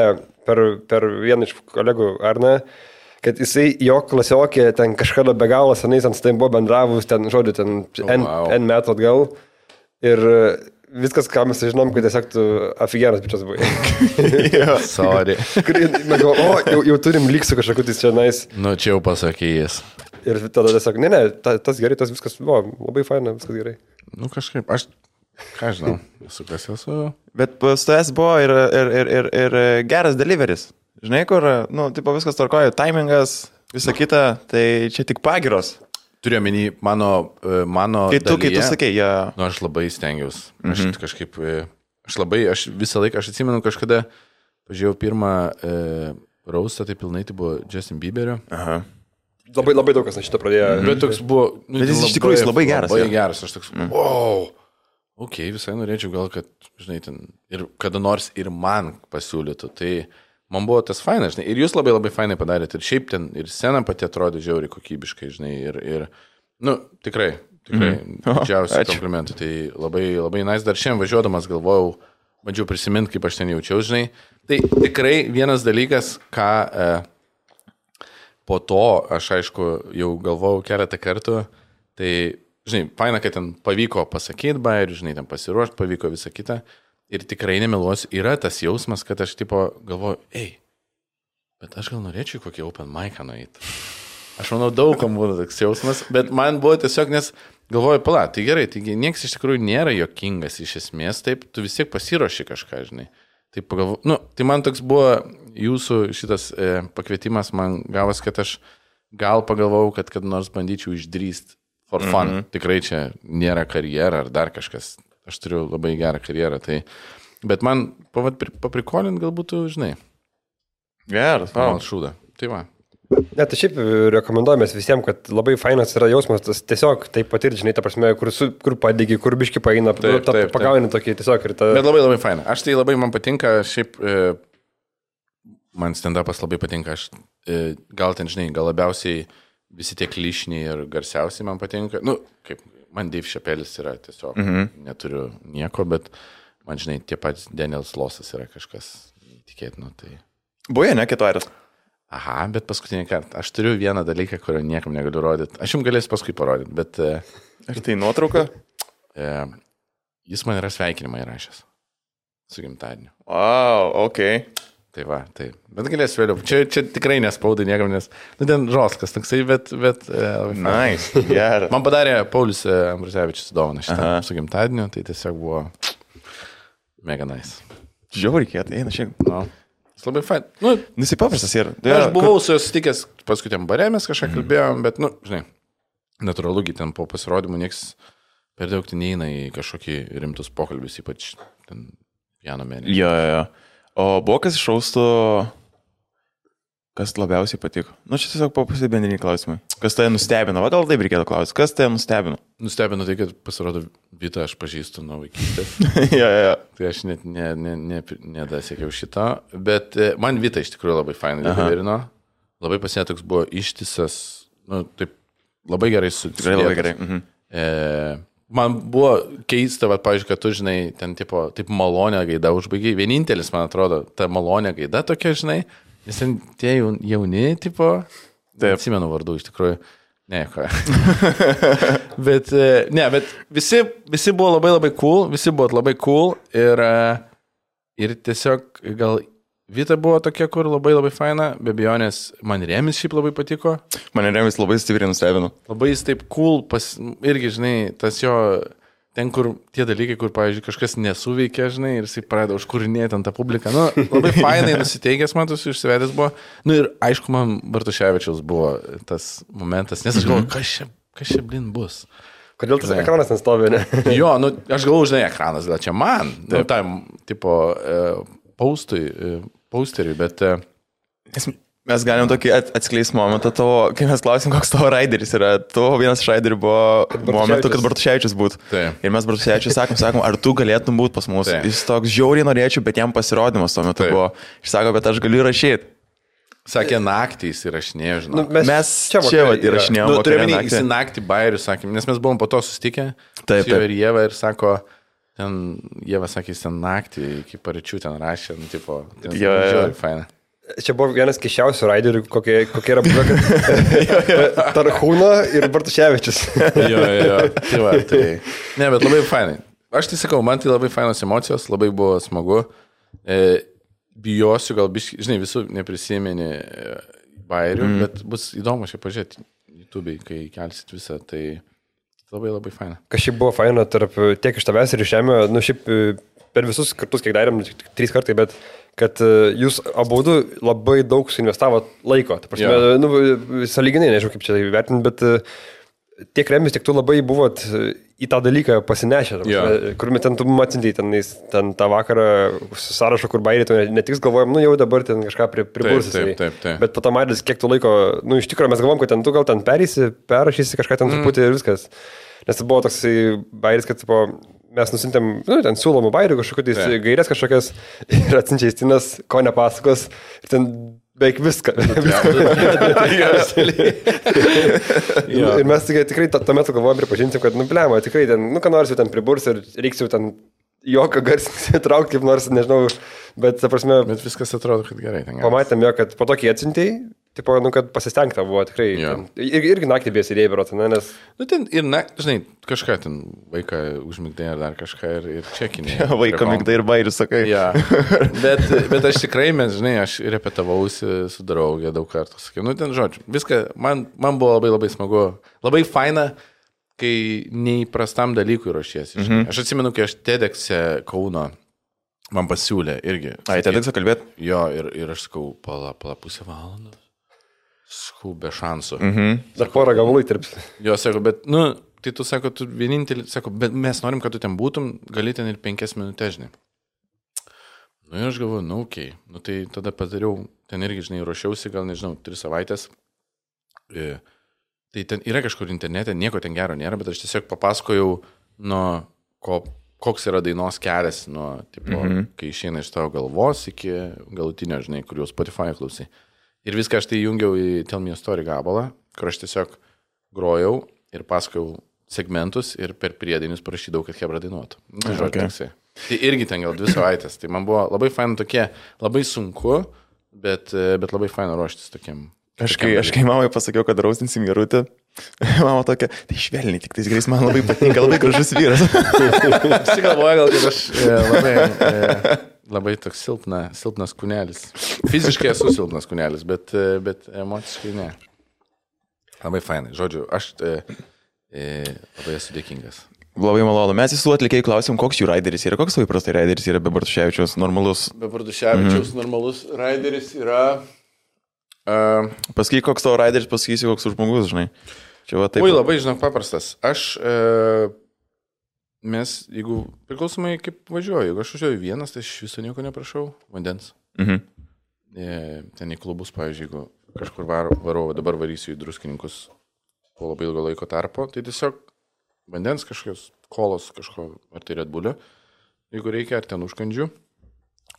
per, per vieną iš kolegų, Arną, kad jisai, jo klasiokė, ten kažkada be galo senai, ten su tai buvo bendravus, ten, žodžiu, ten oh, N, wow. N metų atgal. Ir viskas, ką mes žinom, kad tiesiog tu afigeras bičias buvai. yeah. Sorry. Mes galvom, o, jau, jau turim lygsų kažkokiu tai čia nais. Nu, čia jau pasakėjęs. Ir tada tiesiog, ne, ne, ta, tas gerai, tas viskas buvo, labai faina, viskas gerai. Nu, kažkaip, aš, ką žinau, esu kas esu. Bet pas tavęs buvo ir, ir, ir, ir, ir geras deliveris. Žinai, kur, nu, tipo viskas tvarkoja, timingas, visa kita, tai čia tik pagiros. Turiu menį mano, mano kai tu, dalyje. Kai tu sakei, ja. Nu, aš labai stengiausi. Aš mm-hmm. kažkaip, aš labai, aš visą laiką, aš atsimenu kažkada, pažiūrėjau pirmą e, raustą, tai pilnai tai buvo Justin Bieberio. Aha. Labai, labai daug kas nuo šito pradėjo. Mm-hmm. Bet toks buvo, nu, bet jis iš tikrųjų labai geras. Labai geras, aš toks, mm. wow, ok, visai norėčiau gal, kad, žinai, ten, ir kada nors ir man pasiūlytų, tai... Man buvo tas fainas, žinai, ir jūs labai labai fainai padarėte, ir šiaip ten, ir scena pati atrodė žiauriai kokybiškai, žinai, ir, ir nu, tikrai, tikrai, mm. didžiausi komplimentai, tai labai, labai nice, dar šiandien važiuodamas galvojau, bandžiau prisiminti, kaip aš ten jaučiau, žinai, tai tikrai vienas dalykas, ką e, po to aš, aišku, jau galvojau keletą kartų, tai, žinai, faina, kad ten pavyko pasakyti bairių, žinai, ten pasiruošti, pavyko visą kitą. Ir tikrai nemeluosiu, yra tas jausmas, kad aš tipo galvoju, ei, bet aš gal norėčiau kokį open mic'ą nueiti. Aš manau, daugam būtų toks jausmas, bet man buvo tiesiog, nes galvoju, pala, tai gerai, tai niekas iš tikrųjų nėra jokingas iš esmės, taip, tu vis tiek pasiruoši kažką, žinai. Tai pagalvoju, nu, tai man toks buvo jūsų šitas e, pakvietimas, man gavas, kad aš gal pagalvojau, kad kad nors bandyčiau išdrįsti for fun. Mm-hmm. Tikrai čia nėra karjera ar dar kažkas. Aš turiu labai gerą karjerą, tai... Bet man paprikolint galbūt, žinai. Geras, wow. Šūda. Tai va. Ne, tai šiaip rekomenduojamės visiems, kad labai fainas yra jausmas, tas tiesiog taip patirti, žinai, ta prasme, kur, su, kur padėgi, kur biški paeina, taip, ta, taip, pagauni taip. Tokį tiesiog ir ta... Bet labai labai faina. Aš tai labai man patinka, šiaip e, man stand-upas labai patinka, aš e, gal ten, žinai, gal labiausiai visi tie klišiniai ir garsiausiai man patinka. Nu, kaip, man Dave Chappelle'is yra tiesiog, mhm. neturiu nieko, bet man, žinai, tie patys Daniel Slossas yra kažkas neįtikėtino. Tai... Buvo, ne, kitvarės. Aha, bet paskutinį kartą. Aš turiu vieną dalyką, kurio niekam negaliu rodyti. Aš jums galėsiu paskui parodyti, bet... Ar tai nuotrauka? E, jis man yra sveikinimą įrašęs. Su gimtadieniu. Wow, okei. Okay. Tai va, tai. Bet galėsiu vėliau. Čia, čia tikrai nespaudai niekam, nes... Nu, ten žoskas toksai, bet... bet nice, geras. Man padarė Paulius Ambrusevičius dovaną šitą su gimtadieniu, tai tiesiog buvo mega nice. Žiauriai kietai, eina šiek. No. Labai fain. Nu, nusipaprastas yra. Aš buvau su juos sutikęs paskutiniam barė, mes kažką kalbėjom, bet, nu, žinai, natūralu, ten po pasirodymų nieks per daug ten neina į kažkokį rimtus pokalbius, ypač ten piano mėnesį. Jo, jo, jo. O buvo kas iš šaustų, kas labiausiai patiko? Nu, čia tiesiog po pasibendriniai klausimai. Kas tai nustebino? Va, gal taip reikėtų klausyti. Kas tai nustebino? Nustebino tai, kad pasirodo Vitą aš pažįstu nuo vaikystės. ja, ja. Tai aš net ne, ne, ne, nedasiekiau šito, bet man Vita iš tikrųjų labai fainai dabarino. Labai pasė toks buvo ištisas, nu, taip, labai gerai su... Tikrai labai gerai. Mhm. E, man buvo keista, va, pavyzdžiui, kad tu, žinai, ten tipo, taip malonę gaidą užbaigiai. Vienintelis, man atrodo, ta malonė gaida tokia, žinai, nes ten tie jauni, tipo, tai atsimenu vardų iš tikrųjų. Ne, ką. bet, ne, bet visi, visi buvo labai labai cool, visi buvo labai cool ir, ir tiesiog gal Vita buvo tokia, kur labai labai faina, be abejonės man Remis šiaip labai patiko. Man Remis labai stipriai nustebino. Labai jis taip cool, pas, irgi, žinai, tas jo, ten kur tie dalykai, kur, pavyzdžiui, kažkas nesuveikia, žinai, ir jisai pradeda užkūrinėti ant tą publiką. Nu, labai fainai nusiteikęs, matus, išsivedęs buvo. Nu ir aišku, man Bartuševičiaus buvo tas momentas, nes aš galvoju, kas čia, kas čia blin bus. Kodėl tas žinai, ekranas ten stovi, ne? Jo, nu, aš galvoju, žinai, ekranas, gal čia man, nu, tam, tipo, paustui, pausteriui, bet... Mes galim tokį atskleisti momentą tavo, kai mes klausim, koks tavo raideris yra. Tavo vienas iš raiderių buvo momentu, kad Bartuševičius būtų. Taip. Ir mes Bartuševičius sakom, sakom, ar tu galėtum būti pas mus. Taip. Jis toks žiauriai norėčiau, bet jam pasirodymas tuo metu Taip. Buvo. Jis sako, bet aš galiu rašyti. Sakė, naktį jis įrašinėjo, žinau. Nu, mes, mes čia, čia va, įrašinėjom. Nu, turėjome naktį. Jis naktį bairių, sakė, nes mes buvom po to susitikę. Taip, taip. Ir Jeva ir sako, ten, Jeva sakė, jis ten naktį iki paryčių ten rašė, nu, tipo, ten, jo, žiauriai faina. Čia buvo vienas keisčiausių raiderių, kokie, kokie yra buvę, kad Tarhūno ir Bartuševičius. jo, jo, jo. Tai va, tai... Ne, bet labai fainai. Aš tai sakau, man tai labai fainos emocijos, labai buvo smagu. E, bijosiu, gal biškai, žinai, visų neprisimeni bairių, mm. bet bus įdomu šiaip pažiūrėti YouTube'ai, kai kelsit visą, tai labai labai faina. Kas šiaip buvo faina tarp tiek iš tavęs ir iš Žemio, nu šiaip per visus kartus, kiek darėm, trys kartai, bet kad jūs abudu labai daug suinvestavot laiko. Ta prasme, yeah. nu, sąlyginai, nežinau kaip čia vertinti, bet tiek Remis, tiek tu labai buvot į tą dalyką pasinešę. Yeah. Kur ten tu matintai, ten, ten tą vakarą sąrašą, kur bairį, tu ne tik galvojom, nu jau dabar ten kažką pri, pribursis. Taip, taip, taip, taip. Bet po to matys, kiek tu laiko, nu iš tikrųjų mes galvom, kad ten tu gal ten perėsi, perrašysi kažką ten truputį mm. ir viskas. Nes tai buvo toks bairis, kad tipo, mes nusintėm, nu, ten siūlomų bairių kažkokius gairės kažkokias ir atsinčia Justinas, ko nepasakos ir ten beveik viską. Ir mes tikrai tuo metu galvojom pripažinti, kad, nu, blema, tikrai ten, nu, ką nors jau ten priburs ir reiks jau ten jokio garsinti traukti, kaip nors, nežinau, bet, ta prasme... Bet viskas atrodo, kad gerai. Pamatėm jo, kad po to, kai atsintėjai, tipo, nu, kad pasistengta buvo tikrai. Ten, ir, irgi naktį bės įdėjai, berot, ne, nes... Nu, ten ir, na, žinai, kažką ten vaiką užmigdai ar dar kažką ir, ir čekinį. Ja, vaiką migdai ir bairių, sakai. Ja. bet, bet aš tikrai, mes, žinai, aš repetavausi su draugė daug kartų, sakiau, nu, ten, žodžiu, viską, man, man buvo labai labai smagu, labai faina, kai neįprastam dalykui ruošiesi. Mhm. Aš atsimenu, kai aš TEDx'e Kauno man pasiūlė irgi. Ai, TEDx'e kalbėt? Jo, ir, ir aš sakau, pala, pala pusę valandos. Sakau, be šansų. Mhm. Dar porą gavalų įtirps. Jo, sakau, bet, nu, tai tu sako, tu vienintelį, sako, bet mes norim, kad tu ten būtum, gali ten ir penkias minutės, žinai. Nu ir aš galvoju, nu, okei, okay. Nu tai tada padariau, ten irgi, žinai, ruošiausi, gal nežinau, tris savaitės. E, tai ten yra kažkur internete, nieko ten gero nėra, bet aš tiesiog papasakojau, nuo ko, koks yra dainos kelias, nuo, tipo, mm-hmm. kai išeina iš tavo galvos iki galutinio, žinai, kur jau Spotify klausai. Ir viską aš tai jungiau į Tell Me a Story gabalą, kur aš tiesiog grojau ir pasakojau segmentus ir per priedainius parašydavau, kad Hebra dainuotų. Tai žodžiu, okay. Toksai. Tai irgi ten gal dvi savaitės. Tai man buvo labai faina tokie, labai sunku, bet, bet labai faina ruoštis tokiam. Aš kai, aš kai mamai pasakiau, kad raustinsim Gerutę, mama tokia, tai švelniai, tik tais grės man labai patinka, labai gražus vyras. Aš tik galvoju, gal kad aš e, labai, e, labai toks silpna, silpnas kūnelis. Fiziškai esu silpnas kūnelis, bet, bet emociškai ne. Labai fainai. Žodžiu, aš e, e, labai esu dėkingas. Labai malonu. Mes visų atlikėjų klausim, koks jų raideris yra, koks įprastai raideris yra be Bartuševičiaus normalus. Be Bartuševičiaus mm-hmm. normalus raideris yra... Uh, Pasakyk, koks tavo raideris, pasakysi, koks žmogus, žinai. Čia va taip. Ui, labai, žinok, paprastas. Aš, uh, mes, jeigu priklausomai kaip važiuoju, jeigu aš važiuoju vienas, tai aš viso nieko neprašau, vandens. Mhm. E, ten į klubus, pavyzdžiui, jeigu kažkur varau, varau, dabar varysiu į Druskininkus po labai ilgo laiko tarpo, tai tiesiog vandens kažkokios kolos kažko, ar tai Red Bull'o, jeigu reikia, ar ten užkandžių.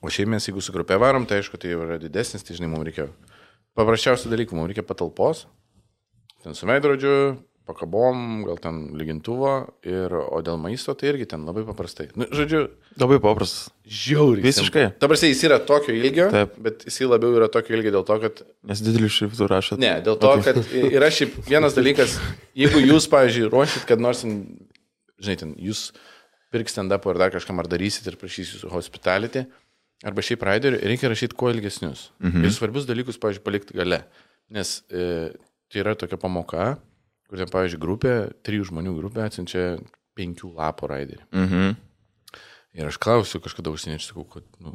O šiaip mes, jeigu su grupė varom, tai aišku, tai yra didesnis, tai žinai, mums reikia paprasčiausių dalykų, mums reikia patalpos, ten su veidrodžiu, pakabom, gal ten lygintuvo, ir, o dėl maisto tai irgi ten labai paprastai. Nu, žodžiu, labai paprastas. Žiauriai. Visiškai. Ta prasme, jis yra tokio ilgio, taip. Bet jis labiau yra tokio ilgio dėl to, kad... Nes didelį šriftų rašot. Ne, dėl to, okay. Kad yra šiaip vienas dalykas, jeigu jūs, pavyzdžiui, ruošit, kad nors, žinai, ten, jūs pirks stand-upą ar dar kažkam ar darysit ir prašysit jūsų hospitality, arba šiaip raiderių, reikia rašyti kuo ilgesnius. Mhm. Ir svarbius dalykus, pavyzdžiui, palikti gale. Nes e, tai yra tokia pamoka, kur ten, pavyzdžiui, grupė, trijų žmonių grupė atsiunčia penkių lapų raiderį. Mhm. Ir aš klausiu kažkada užsieniečių, sakau, kad, nu,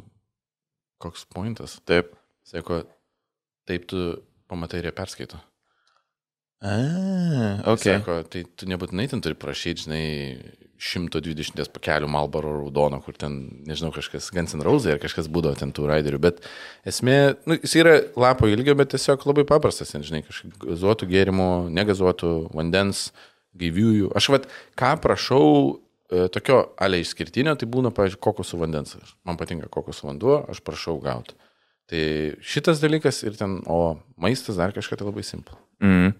koks pointas? Taip. Sako, taip tu pamatai ir jie perskaito. A, ok. Sako, tai tu nebūtinai ten turi prašyti, žinai, šimto dvidešimt pakelių Marlboro raudono, kur ten, nežinau, kažkas Guns N' Roses ar kažkas būdavo ten tų raiderių, bet esmė, nu, jis yra lapo ilgio, bet tiesiog labai paprastas, ten, žinai, kažkaip gazuotų gėrimų, negazuotų vandens, gaiviųjų. Aš vat, ką prašau e, tokio ale išskirtinio, tai būna, pavyzdžiui, kokosų vandens. Man patinka kokosų vanduo, aš prašau gauti. Tai šitas dalykas ir ten, o maistas dar kažką tai labai simple. Mm.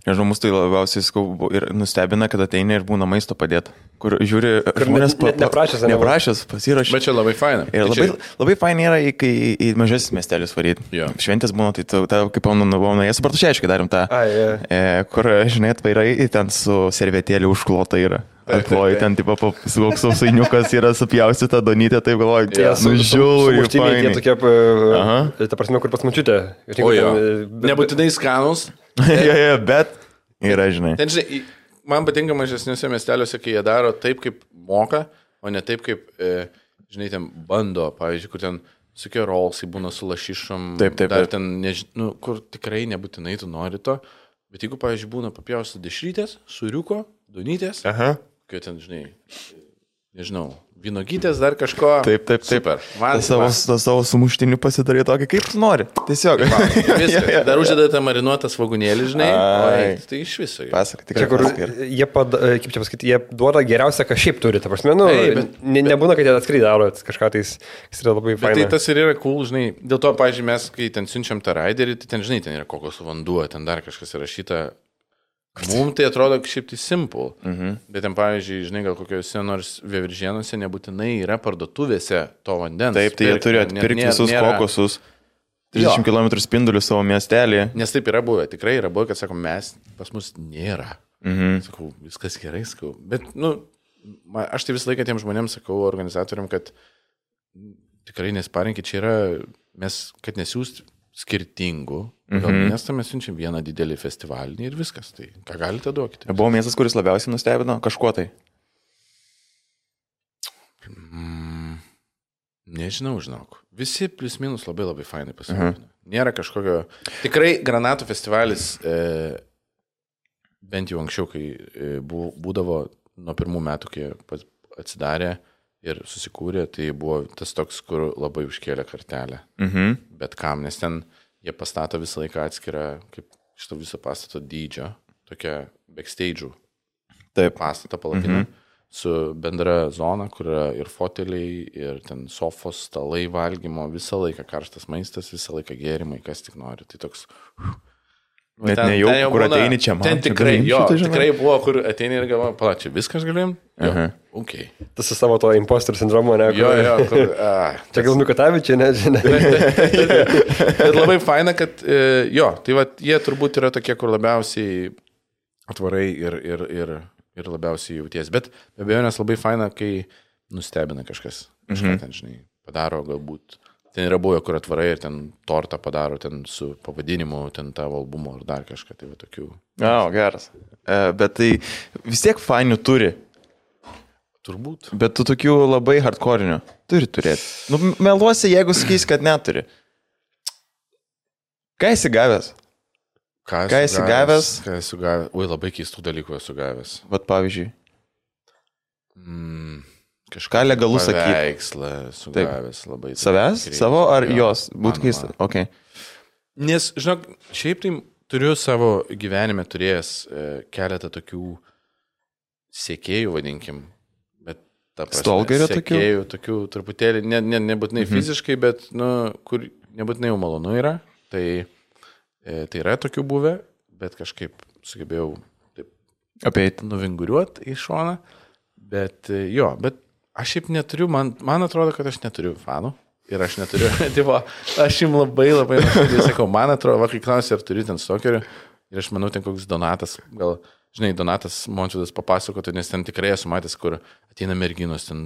Nežinau, mus tai labiausiai skau ir nustebina, kad ateina ir būna maisto padėti. Kur žiūri, žmonės ne, ne, neprašęs, neprašęs, pasirašė. Bet čia labai faina. Ir labai, čia... labai faina yra, kai į mažesnis miestelius varyti. Jo. Šventės būna, tai ta, ta, kaip pamenu, buvau nuėjęs, Bartuševičiui darim tą, A, yeah. e, kur, žinai, atvairai, ten su servetėlė užklota yra. Atloji, ten tipo koks sausainiukas yra supjaustyta donytė, taip galvoju, yeah, nu žiūri. Tie tokie, uh, ta prasme, kur pas mačiutė. O jo, nebūtinai skanus. Jo, jo, bet yra, žinai. Ten, žinai, man patinka mažesniuose miesteliuose, kai jie daro taip, kaip moka, o ne taip, kaip, e, žinai, ten bando, pavyzdžiui, kur ten sukie rolsai būna su lašišom. Taip, taip, dar taip. ten, než... nu, kur tikrai nebūtinai tu nori to, bet jeigu, pavyzdžiui, būna papjausta dešrytės, suriuko, donytės, Aha. kai ten, žinai, nežinau, vynogytės, dar kažko. Taip, taip, taip. Super. Man, tas savo, tas savo sumuštinių pasidarė tokį, kaip tu nori. Tiesiog. Viską. Dar uždedate marinuotą svogūnėlį, žinai. Oi, tai iš viso. Pasak, tikrai. Čia, kur jie, pad, kaip čia pasakyti, jie duoda geriausią, ką šiaip turi. Ta prasme, nu, Ei, bet, ne, nebūna, kad jie atskrai daro kažką, tai jis yra labai faina. Tai tas ir yra cool, žinai. Dėl to, pavyzdžiui, mes, kai ten siunčiam tą raiderį, tai ten, žinai, ten yra kokosų vanduo, ten dar kažkas įrašyta. Mums tai atrodo šiaip tai simple, mhm. Bet ten, pavyzdžiui, žinai, gal kokiuose nors Veiviržėnuose nebūtinai yra parduotuvėse to vandens. Taip, tai jie turi atpirkti visus nėra... kokosus, trisdešimt kilometrų spindulių savo miestelį. Nes taip yra buvę, tikrai yra buvę, kad, sako, mes, pas mus nėra. Mhm. Sakau, viskas gerai, sakau. Bet, nu, aš tai visą laiką tiem žmonėms sakau, organizatoriam, kad tikrai nesparinkit, čia yra, mes, kad nesiūst skirtingų. Gal mm-hmm. miestą mes siunčiam vieną didelį festivalį ir viskas. Tai ką galite duokite? Buvo miestas, kuris labiausiai nustebino kažkuo tai? Mm, nežinau, žinok. Visi plius minus labai labai fainai pasirūpino. Uh-huh. Nėra kažkokio... Tikrai Granatų festivalis, e, bent jau anksčiau, kai e, būdavo nuo pirmų metų, kai atsidarė, ir susikūrė, tai buvo tas toks, kur labai užkėlė kartelę. Mhm. Bet kam, nes ten jie pastato visą laiką atskirą, kaip šito viso pastato dydžio, tokia backstage'ų Taip. pastato palapinę, Mhm. su bendra zona, kur yra ir foteliai, ir ten sofos, stalai valgymo, visą laiką karštas maistas, visą laiką gėrimai, kas tik nori. Tai toks... Net nejau, kur būna, ateini čia, man. Ten čia tikrai, galim jo, šitą, žinai. tikrai buvo, kur ateini ir galvoju, palačiai, viskas galim? Jo, Aha. ok. Tas su savo to impostor sindromo, ne? Jo, jo, kur, a, Čia gal Mikutavičiai, nežinia. bet labai faina, kad, e, jo, tai va, jie turbūt yra tokie, kur labiausiai atvarai ir, ir, ir, ir labiausiai jauties. Bet be abejo, nes labai faina, kai nustebina kažkas. Kažką Mhm. ten, žinai, padaro galbūt. Ten yra buvę, kur atvarai ir ten tortą padaro, ten su pavadinimu, ten tavo albumo ar dar kažką, tai va tokių. O, geras. E, bet tai vis tiek fainių turi. Turbūt. Bet tu tokių labai hardcore'inių turi turėti. Nu, meluosi, jeigu sakys, kad neturi. Ką esi gavęs? Ką Ką esi gavęs? Ką esu gavęs? Ui, labai keistų dalykų esu gavęs. Vat pavyzdžiui. Mm, Ką legalu sakyt? Paveikslą esu Taip. gavęs labai. Savęs? Greitai. Savo ar Jo, jos? Būtų mano, keista. mano. Okay. Nes, žinok, šiaip tai turiu savo gyvenime turėjęs e, keletą tokių sekėjų, vadinkim. Bet ta prasme, Stalkerio tokių? sekėjų, tokių truputėlį, ne, ne, nebūtinai mhm. fiziškai, bet, nu, kur nebūtinai jau malonu yra. Tai, e, tai yra tokių buvę, bet kažkaip sugebėjau taip Apeit. nuvinguriuoti į šoną. Bet e, jo, bet aš šiaip neturiu, man, man atrodo, kad aš neturiu fanų. Ir aš neturiu, tipo, aš jums labai labai nuoširdžiai sakau, man atrodo, va, kai klausia, ar turi ten stalkerių, ir aš manau, ten koks Donatas, gal, žinai, Donatas Mončiudas papasakotų, nes ten tikrai esu matęs, kur ateina merginos, ten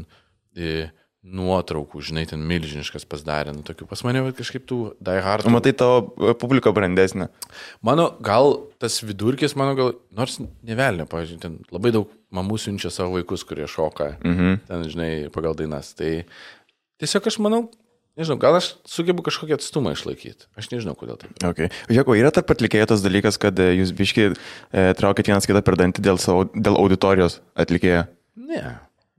e, nuotraukų, žinai, ten milžiniškas pasidarė, nu, tokių. Pas mane va, kažkaip tų die hard. Matai tavo publiką brandesnę. Mano, gal tas vidurkis, mano gal, nors nevelnė, pavyzdžiui, ten labai daug mamų siunčia savo vaikus, kurie šoka, Mhm. ten, žinai, pagal dainas. Tai tiesiog aš manau, nežinau, gal aš sugebu kažkokį atstumą išlaikyti. Aš nežinau, kodėl taip. Okay. Žiūrėk, o yra tarp atlikėjų tas dalykas, kad e, jūs biškiai e, traukit vienas kitą per dantį dėl, savo, dėl auditorijos atlikėjo? Ne.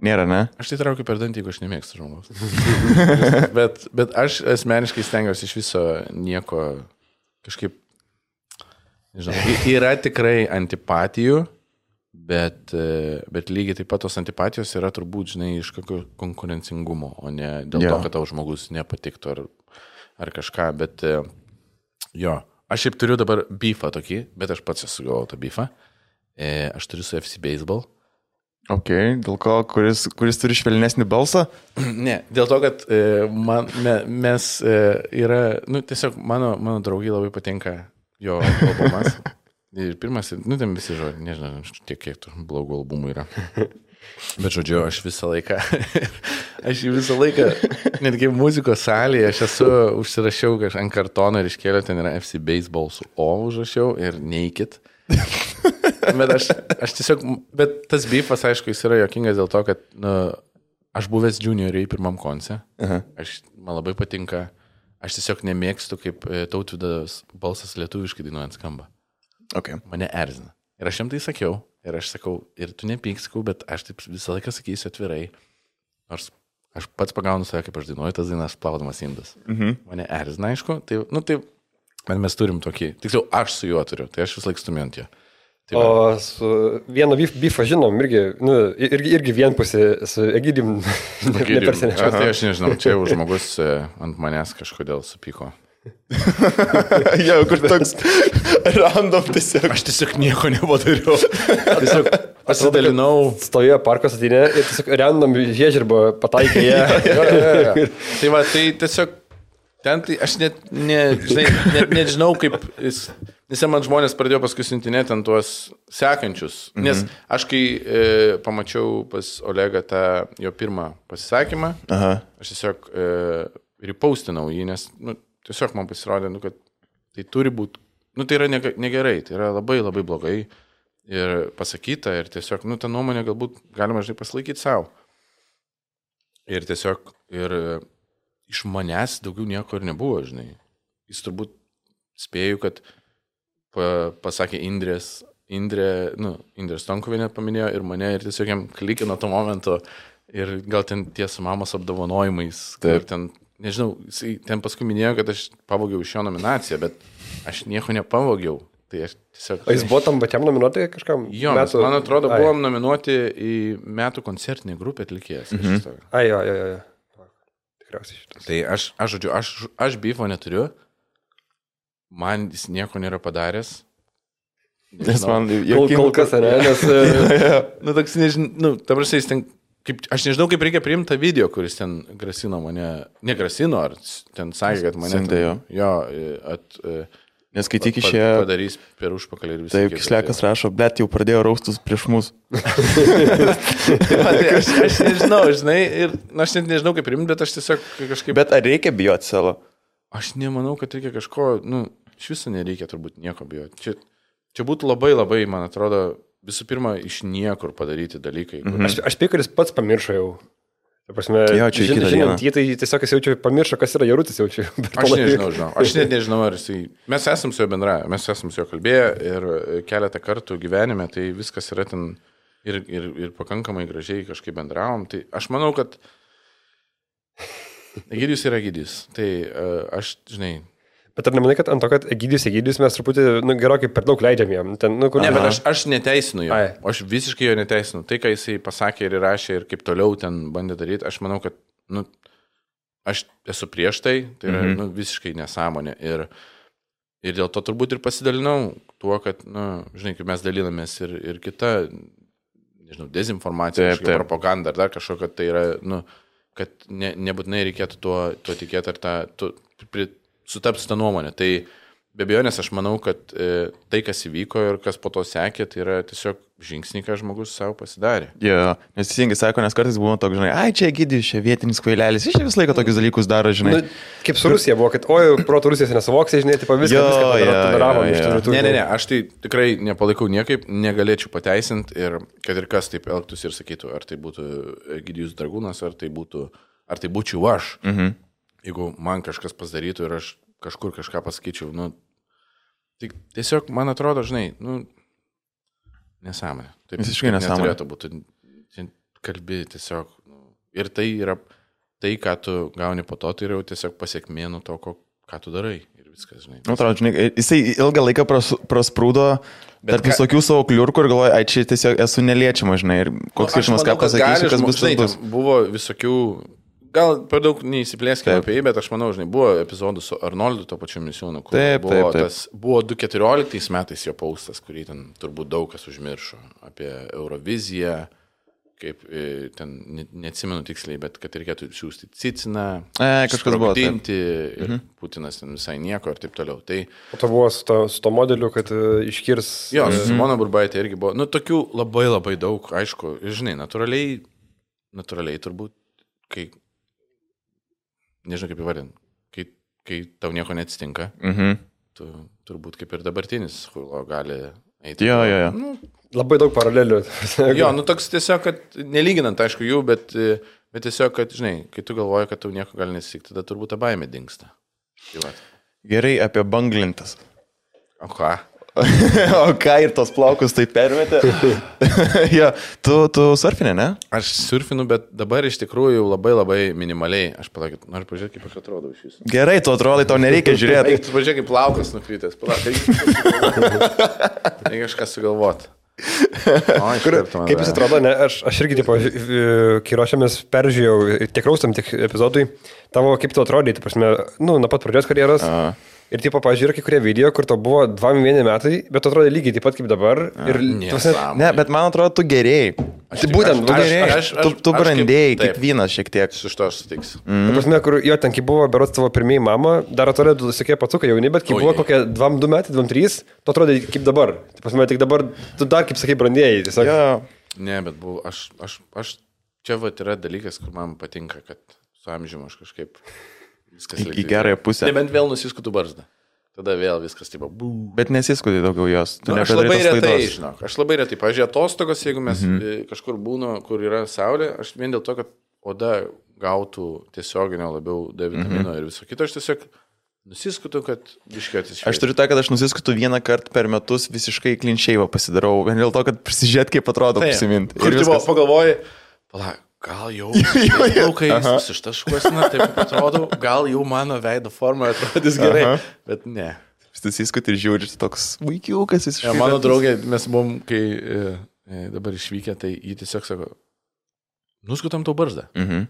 Nėra, ne? Aš tai traukiu per dantį, jeigu aš nemėgstu žmogaus. bet, bet aš asmeniškai stengiuosi iš viso nieko kažkaip, nežinau, y- yra tikrai antipatijų, bet, e, bet lygiai taip pat tos antipatijos yra turbūt, žinai, iš kokio konkurencingumo, o ne dėl Jo. to, kad tau žmogus nepatiktų ar, ar kažką, bet e, jo, aš šiaip turiu dabar beefą tokį, bet aš pats esu gavau tą beefą. E, aš turiu su F C Baseball. Ok, dėl ko, kuris, kuris turi švelnesnį balsą? Ne, dėl to, kad e, man, me, mes e, yra, nu tiesiog mano, mano draugai labai patinka jo albumas. Ir pirmas, nu ten visi žodžiai, nežinau, tiek kiek tų blogų albumų yra. Bet žodžiu, aš visą laiką, aš visą laiką, netgi muzikos salėje, aš esu užsirašiau kažką ant kartono ir iškėliau, ten yra F C Baseball su O užrašiau ir Naked. Bet aš, aš tiesiog, bet tas beefas, aišku, jis yra jokingas dėl to, kad nu, aš buvęs junioriai pirmam konce, Aha. aš, man labai patinka, aš tiesiog nemėgstu, kaip e, Tautvydas balsas lietuviškai dainuojant skamba. Okay. Mane erzina. Ir aš jam tai sakiau, ir aš sakau, ir tu nepyk, sakau, bet aš taip visą laiką sakysiu atvirai, nors aš pats pagaunu save, kaip aš dainuoju tas dainas, plaudamas indas. Mhm. Mane erzina, aišku, tai, nu tai, bet mes turim tokį, tiksliau, aš su juo turiu, tai aš vis laik stumiant jo. Tai va. O su vieno bifą žinom, irgi, nu, irgi, irgi vienpusė su Egidijum. Egidijum. A, tai aš nežinau, čia jau žmogus e, ant manęs kažkodėl supyko. Jau, kur toks random tiesiog. Aš tiesiog nieko nepadariau. Tiesiog pasidalinau. Stovėjo parko satinė ir tiesiog random žiežirbą pataikė ją. Jo, jo, jo. Tai va, tai tiesiog ten, tai aš net, ne, žinai, net nežinau, kaip jis, nes man žmonės pradėjo paskui siuntinėti ant tuos sekančius, nes aš kai e, pamačiau pas Olegą tą jo pirmą pasisakymą, Aha. aš tiesiog e, repostinau jį, nes nu, tiesiog man pasirodė, nu, kad tai turi būti, nu, tai yra nege- negerai, tai yra labai labai blogai ir pasakyta ir tiesiog, nu, tą nuomonę galbūt galima, žinai, pasilaikyti savo. Ir tiesiog, ir iš manęs daugiau nieko ir nebuvo, žinai. Jis turbūt spėjau, kad pa, pasakė Indrės, Indrė, nu, Indrė Stonkovienė paminėjo ir mane ir tiesiog jam klikino tuo momentu Ir gal ten tie su mamos apdovanojimais. Ir ten, nežinau, jisai ten paskui minėjo, kad aš pavogiau iš jo nominaciją, bet aš nieko nepavogiau. Tai aš tiesiog... O jis buvo tam pačiam nominuoti kažkam? Jo, metų... man atrodo, Ai. buvom nominuoti į metų koncertinį grupę atlikėjas. Mhm. Ai, jo, jo, jo. Tikriausiai šitas. Tai aš, aš žodžiu, aš, aš bifo neturiu. Man jis nieko nėra padaręs. Nes man jau kol kas, ne? Nes... nu, toks, nežinau, nu, ta prasme, jis ten... Kaip, aš nežinau, kaip reikia priimti tą video, kuris ten grasino mane... Negrasino, ar ten sakė, kad mane... Sintė jo. Jo, at... Nes kai tik išėjo... Padarys per užpakalį ir visą. Taip, Kislekas rašo, bet jau pradėjo raustus prieš mus. tai man, tai aš, aš nežinau, žinai, ir na, aš net nežinau, kaip priimti, bet aš tiesiog kažkaip... Bet ar reikia bijoti savo? Aš nemanau, kad reikia kažko, nu, iš viso nereikia turbūt nieko bijoti. Čia, čia būtų labai labai, man atrodo, visų pirma, iš niekur padaryti dalykai. Mhm. Aš, aš spėjau, kad jis pats pamiršo jau. Ta prasme, jo, čia žin, žinant, jį tai tiesiog jis jaučia, pamiršo, kas yra Jarutis jaučia. Aš nežinau, žinau. Aš net nežinau, ar jisai... Mes esam su juo bendravę, mes esam su juo kalbėję ir keletą kartų gyvenime, tai viskas yra ten ir, ir, ir pakankamai gražiai kažkaip bendravom. Tai aš manau, kad Egidijus yra Egidijus. Tai aš, žinai... Bet ar nemanai, kad ant to, kad Egidijus, Egidijus mes truputį, nu, gerokai per daug leidžiam jam? Ten, nu, kur... Ne, bet aš, aš neteisinu jo. Ai. Aš visiškai jo neteisinu. Tai, ką jisai pasakė ir įrašė ir kaip toliau ten bandė daryti, aš manau, kad, nu, aš esu prieš tai, tai yra, mm-hmm. nu, visiškai nesąmonė. Ir, ir dėl to turbūt ir pasidalinau tuo, kad, nu, žinai, kaip mes dalinamės ir, ir kita, nežinau, dezinformacija, taip, taip. propaganda ar dar kažko, kad tai yra, nu, kad ne, nebūtinai reikėtų tuo, tuo tikėti ar tą... Tu, pri, sutaps tą nuomonę. Tai be abejonės aš manau, kad e, tai, kas įvyko ir kas po to sekė, tai yra tiesiog žingsniai, ką žmogus savo pasidarė. Jo, ja, nes teisingai sako, nes kartais buvo toks, žinai, ai, čia Egidijus, čia vietinis kvailelis, jis čia visą laiką tokius dalykus daro, žinai. Nu, kaip su Rusija buvo, kad oi, proto Rusijos nesuvoksai, žinai, tipo viską, jo, viską padaravo iš tų rytų. Ne, ne, ne, aš tai tikrai nepalaikau niekaip, negalėčiau pateisinti ir kad ir kas taip elgtųsi ir sakytų, ar tai būtų Egidijus Dragūnas, ar tai būtų, ar tai būčiau aš. Mhm. Jeigu man kažkas pasidarytų ir aš kažkur kažką pasakyčiau, nu, tik tiesiog, man atrodo, žinai, nu, nesąmonė. Taip, visiškai nesąmonė. Neturėtų būti, kalbi tiesiog, nu, ir tai yra, tai, ką tu gauni po to, tai yra jau tiesiog pasiekmė nuo to, ko, ką tu darai ir viskas, žinai. Nu, atrodo, žinai, jisai ilgą laiką pras, prasprūdo tarp ką... visokių savo kliurkų ir galvoja, ai, čia tiesiog esu neliečiama, žinai, ir koks skirtumas, ką pasakysiu, kas bus, žinai, tas bus. Buvo visokių... Gal per daug neįsiplėskime apie jį, bet aš manau, žinai, buvo epizodų su Arnoldu, to pačiu misiūnu, kur taip, buvo, taip, taip. Tas, buvo du tūkstančiai keturioliktais metais jo paustas, kurį ten turbūt daug kas užmiršo, apie Euroviziją, kaip ten, neatsimenu tiksliai, bet kad reikėtų siūsti Ciciną, e, kažkas buvo, sprogdinti, ir mhm. Putinas ten visai nieko ir taip toliau. Tai, o to buvo su to, su to modeliu, kad uh, iškirs... Jo, su Simona Burbaitė irgi buvo, nu, tokių labai labai daug, aišku, žinai, natūraliai, natūraliai turbūt, kai nežinau kaip įvardinti, kai, kai tau nieko neatsitinka, mhm. tu turbūt kaip ir dabartinis huilo gali eiti. Jo, jo, jo. Nu, labai daug paralelių. Jo, nu toks tiesiog, kad nelyginant, aišku, jų, bet, bet tiesiog, kad, žinai, kai tu galvoji, kad tau nieko gali nesitikti, tada turbūt ta baimė dingsta. Gerai, apie banglintas. O ką? O ką ir tos plaukus tai permetė? Ja, tu, tu surfinė, ne? Aš surfinu, bet dabar iš tikrųjų labai labai minimaliai. Aš palaukit, noriu pažiūrėti, kaip aš atrodau iš jūsų. Gerai, tu atrodai, tau nereikia žiūrėti. Eik, tu pažiūrėk, kaip plaukas nukrytęs. Palauk, reikia kažką sugalvoti. O, Kur, kaip jis atrodo, ne, aš, aš irgi, tipo, kai ruošiamės peržiūrėjau, tiek raustam, tiek epizodui, tavo kaip tu atrodai, tai prasme, nu, nuo pat pradžios karjeros. A. Ir tipo, pažiūrėjau, kai kurie video, kur to buvo dviem vieni metai, bet atrodė lygiai taip pat kaip dabar. Ir, tose, ne, bet man atrodo, tu gerėjai. Tai būtent, tu gerėjai. Tu, tu brandėjai kaip, kaip vynas šiek tiek. Su šito aš sutiksiu. Mm. Ta prasme, kur jo ten, kai buvo berots tavo pirmieji mama, dar atrodė, tu sakė patukai jauni, bet kai o, buvo kokie dvam du metai, dvam trys, tu atrodė kaip dabar. Ta prasme, tik dabar tu dar kaip sakai brandėjai. Tiesiog. Ja. Ne, bet buvo, aš, aš, aš, čia va yra dalykas, kur man patinka, kad su amžiumi aš kažkaip viskas į, į gerąją pusę. Nebent vėl nusiskutų barzdą. Tada vėl viskas taip, bū. Bet nesiskutai daugiau jos. Nu, aš labai retai, žinok, aš labai retai. Pavyzdžiui, atostogos, jeigu mes mm-hmm. kažkur būnu, kur yra saulė, aš vien dėl to, kad oda gautų tiesioginio labiau D vitamino mm-hmm. ir viso kito, aš tiesiog nusiskutu, kad biškėtis švies. Aš turiu tą, kad aš nusiskutu vieną kartą per metus visiškai klinšeivą pasidarau, vien dėl to, kad prisižiūrėt, kaip atrodo prisiminti. Kur tu pagalvoji, palauk, gal jau plaukais ištaškuosina, taip atrodo, gal jau mano veido forma atrodys gerai, Aha. bet ne. Stasiskut ir žiūri, toks vaikiukas jis. Ja, mano draugė, mes buvom, kai e, e, dabar išvykę, tai jį tiesiog sako, nuskutam tau barzdą. Mhm.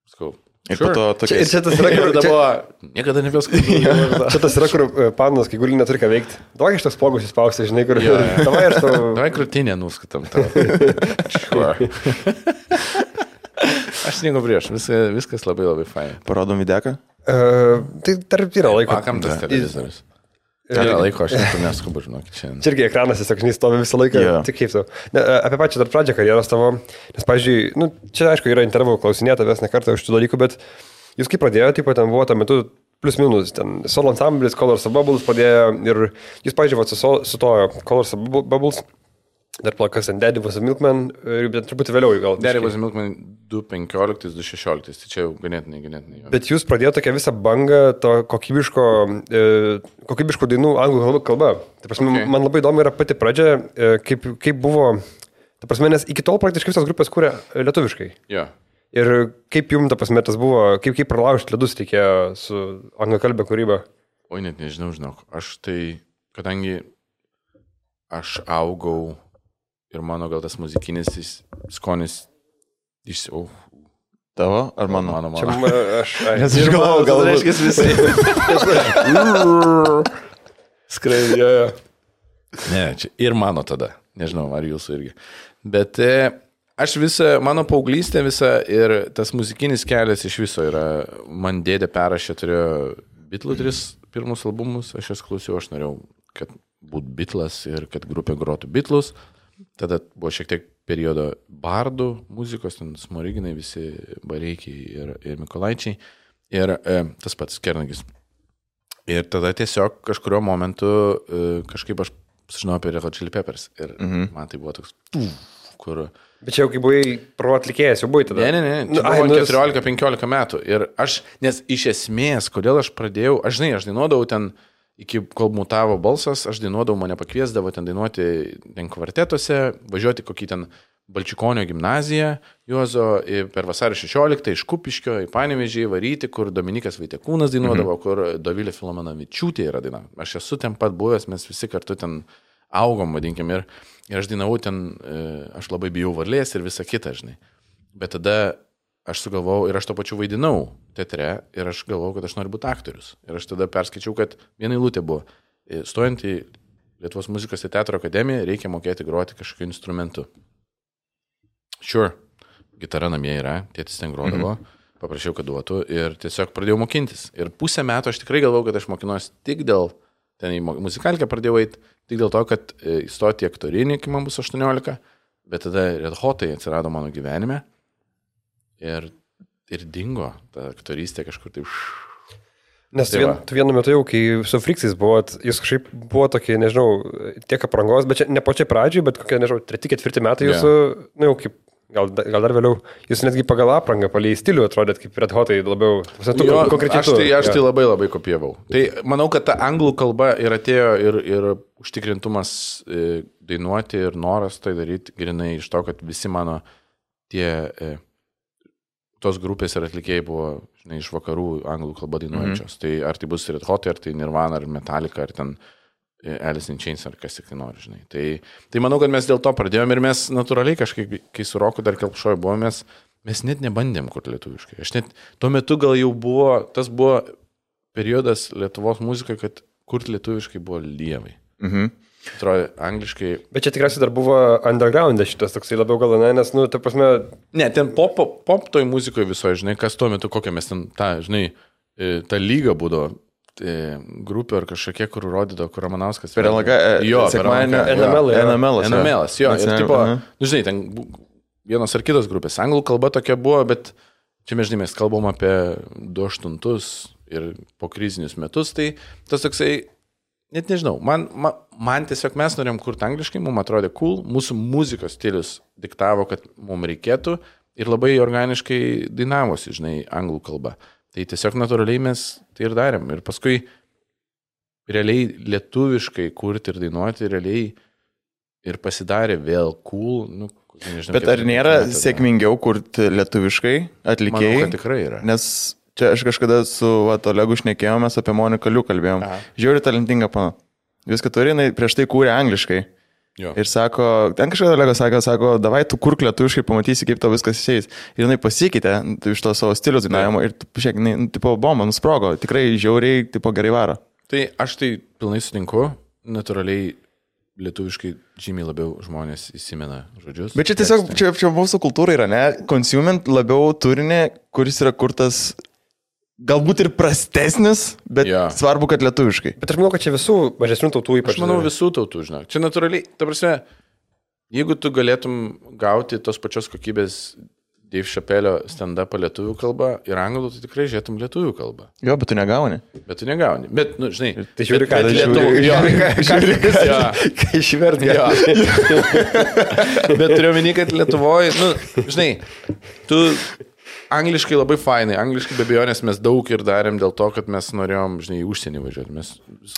Sakau, ir sure. po to tokia... Ir čia tas yra, kur dabar... Niekada nepėskau. Čia tas yra, kur panas, kai guli neturi ką veikti. Davai iš tos pogus įspausti, žinai, kur... Ja, ja. Davai aš tau... Davai krūtinę nuskutam tau. Sure. Aš nieko prieš, viskas, viskas labai labai fain. Parodom videką? Uh, tai tarp yra laiko. Pakam tas televizorius. Yra laiko, aš net neskubu, žinokit, šiandien. Čia irgi ekranas tiesiog, žinai, stovi visą laiką, yeah. tik kaip tau. Ne, apie pačią dar pradžią karjeros tavo, nes, pavyzdžiui, nu, čia, aišku, yra interviu klausinėta vis ne kartą už tų dalykų, bet jūs kaip pradėjote, taip pat ten buvo tuo metu plus minus, ten solo ansamblis, Colors of Bubbles padėjo ir jūs, pavyzdžiui, vat, su, su to Colors of Bubbles, dar plakas ten Daddy was a Milkman, bet truputį vėliau gal. Daddy was a Milkman du penkioliktais du šešioliktais, tai čia jau ganėtinai, ganėtinai. Jo. Bet jūs pradėjote tokią visą bangą to kokybiško, e, kokybiško dainų anglų kalba. Tai prasme, okay. man labai įdomu yra pati pradžia, e, kaip, kaip buvo, ta prasme, nes iki tol praktiškai visos grupės kūrė lietuviškai. Yeah. Ir kaip jums, ta prasme, tas buvo, kaip, kaip pralaužti ledus reikėjo su anglakalbė kūryba? Oi, net nežinau, žinok. Aš tai, kadangi aš augau ir mano gal tas muzikinis skonis iš... Oh. Tavo ar mano? Mano, mano. Čia, aš, aš, Nes aš galvoju, gal reiškia visi. Skraidėjo. Ne, čia ir mano tada. Nežinau, ar jūsų irgi. Bet e, aš visą, mano paauglystė visa ir tas muzikinis kelias iš viso yra, man dėdė perrašė, turėjo Beatlų tris pirmus albumus, aš jas klausiau, aš norėjau, kad būtų Beatlas ir kad grupė grotų Beatlus. Tada buvo šiek tiek periodo bardų muzikos, ten Smoriginai, visi Bareikiai ir, ir Mikolaičiai ir e, tas pats Kernagis. Ir tada tiesiog kažkurio momentu e, kažkaip aš sužinojau apie Red Hot Chili Peppers ir mm-hmm. man tai buvo toks, kur... Bet čia jau kai buvai pro atlikėjas, jau buvai tada? Ne, ne, ne, čia nu, buvo keturiolika penkiolika metų ir aš, nes iš esmės, kodėl aš pradėjau, aš žinai, aš dainuodavau ten iki kol mutavo balsas, aš dainuodavau, mane pakviesdavo ten dainuoti ten kvartetuose, važiuoti kokį ten Balčikonio gimnaziją, Juozo per vasario šešioliktą iš Kupiškio į Panevėžį varyti, kur Dominikas Vaitekūnas dainuodavo, mhm. kur Dovilė Filomenovičiūtė yra daina. Aš esu ten pat buvęs, mes visi kartu ten augom, vadinkim, ir, ir aš dainavau ten, aš labai bijau varlės ir visą kitą, žinai. Bet tada aš sugalvojau ir aš to pačiu vaidinau teatre ir aš galvojau, kad aš noriu būti aktorius. Ir aš tada perskaičiau, kad viena eilutė buvo, stojant į Lietuvos muzikos ir teatro akademiją, reikia mokėti groti kažkokiu instrumentu. Sure, gitara namie yra, tėtis ten grodavo, mm-hmm. paprašiau, kad duotų ir tiesiog pradėjau mokintis. Ir pusę metų aš tikrai galvojau, kad aš mokinuosi tik dėl, ten į muzikalkę pradėjau eiti, tik dėl to, kad įstoti į aktorinį, kai man bus aštuoniolika, bet tada Red Hotai atsirado mano gyvenime. Ir, ir dingo ta aktorystė kažkur taip. Nes tai vien, tu vienu metu jau, kai su Friksais buvot, jūs kažkaip buvo tokie, nežinau, tiek aprangos, bet čia ne pačiai pradžiai, bet kokie, nežinau, treti, ketvirti metai jūsų, yeah. nu jau kaip, gal, gal dar vėliau, jūs netgi pagal aprangą, palei stilių atrodėt kaip Red Hotai labiau. Tu, jo, konkrečiai aš tai, aš tai labai labai kopijavau. Tai manau, kad ta anglų kalba ir atėjo ir, ir užtikrintumas e, dainuoti ir noras tai daryti grinai iš to, kad visi mano tie... E, tos grupės ir atlikėjai buvo, žinai, iš vakarų anglų kalbą dainuojančios. Mm-hmm. Tai ar tai bus Red Hot, ar tai Nirvana, ar Metallica, ar ten Alice in Chains, ar kas tik tai nori, žinai. Tai, tai manau, kad mes dėl to pradėjome ir mes natūraliai kažkaip, kai su Roku dar Kelpšoj buvome, mes, mes net nebandėm kurti lietuviškai. Aš net tuo metu gal jau buvo, tas buvo periodas Lietuvos muzikai, kad kurti lietuviškai buvo lievai. Mhm. Atrodo, angliškai. Bet čia tikriausiai dar buvo underground šitas toksai labiau gal, ne, nes, nu, ta prasme... Ne, ten pop, pop toj muzikoje visoje, žinai, kas tuo metu, kokią mes ten, ta, žinai, ta lyga būdavo, grupė ar kažkokie, kur rodydavo, kur Ramanauskas... Per L G, jo, per L G. N M L, N M L, N M L, jo, ir tipo, nu, žinai, ten vienos ar kitos grupės. Anglų kalba tokia buvo, bet čia mes, žinai, mes kalbam apie du aštuntus ir po krizinius metus, tai tas toksai... Net nežinau, man, man, man tiesiog mes norėjom kurti angliškai, mums atrodė cool, mūsų muzikos stilius diktavo, kad mums reikėtų ir labai organiškai dainavosi, žinai, anglų kalba. Tai tiesiog natūraliai mes tai ir darėm. Ir paskui realiai lietuviškai kurti ir dainuoti, realiai ir pasidarė vėl cool. Nu, nežinau, bet ar nėra sėkmingiau kurti lietuviškai atlikėjai? Manau, kad tikrai yra. Nes čia aš kažkada su vat, Olegu šnekėjomės apie Moniką Liu kalbėjom. Aha. Žiauri talentinga pana. Viską turi, jinai prieš tai kūrė angliškai. Jo. Ir sako, ten kažkada Olegas sako, sako, davai tu kurk lietuviškai, pamatysi, kaip tau viskas išeis. Ir jinai pasikeitė iš to savo stiliaus dainavimo ir, žiūrėk, jinai, nu, tipo, bomba, nusprogo. Tikrai žiauriai, tipo, gerai varo. Tai aš tai pilnai sutinku, natūraliai lietuviškai žymiai labiau žmonės įsimena žodžius. Bet čia tiesiog, čia, čia mūsų kultūra yra, ne? Consumint labiau turinį, kuris yra kurtas galbūt ir prastesnis, bet ja. Svarbu, kad lietuviškai. Bet aš manau, kad čia visų mažesnių tautų ypač. Aš manau visų tautų, žinok. Čia natūraliai, ta prasme, jeigu tu galėtum gauti tos pačios kokybės Dave Chappelle'o stand-upą lietuvių kalbą ir anglų, tai tikrai žiūrėtum lietuvių kalbą. Jo, bet tu negauni. Bet tu negauni. Bet, nu, žinai, tai žiūri, ką lietuvių. Ką išverti. Bet turiu omeny, kad Lietuvoje, nu, žinai, tu angliškai labai fainai, angliškai be abejonės mes daug ir darėm dėl to, kad mes norėjom, žinai, į užsienį važiuoti. Mes,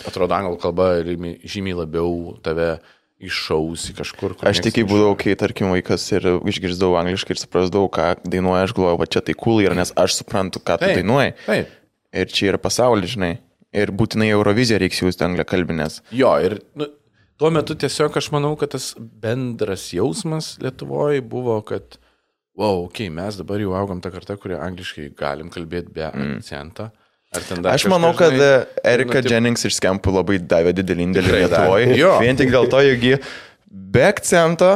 atrodo, anglų kalba žymiai labiau tave iššausi kažkur. Aš tik būdavau, kai, tarkim, vaikas ir išgirsdavau angliškai ir suprasdavau, ką dainuoja, aš galvoju, va čia tai cool yra, nes aš suprantu, ką tu taip, dainuoji. Taip. Ir čia yra pasaulis, žinai. Ir būtinai Euroviziją reiks jūsti anglę kalbinės. Jo, ir nu, tuo metu tiesiog aš manau, kad tas bendras jausmas Lietuvoje buvo, kad wow, okei, okay, mes dabar jau augam tą kartą, kurie angliškai galim kalbėti be mm. akcentą. Aš manau, kad žinai, Erika nu, taip... Jennings iš Skempų labai davė didelį indėlį Lietuvoje. Vien tik dėl to, jog ji be akcento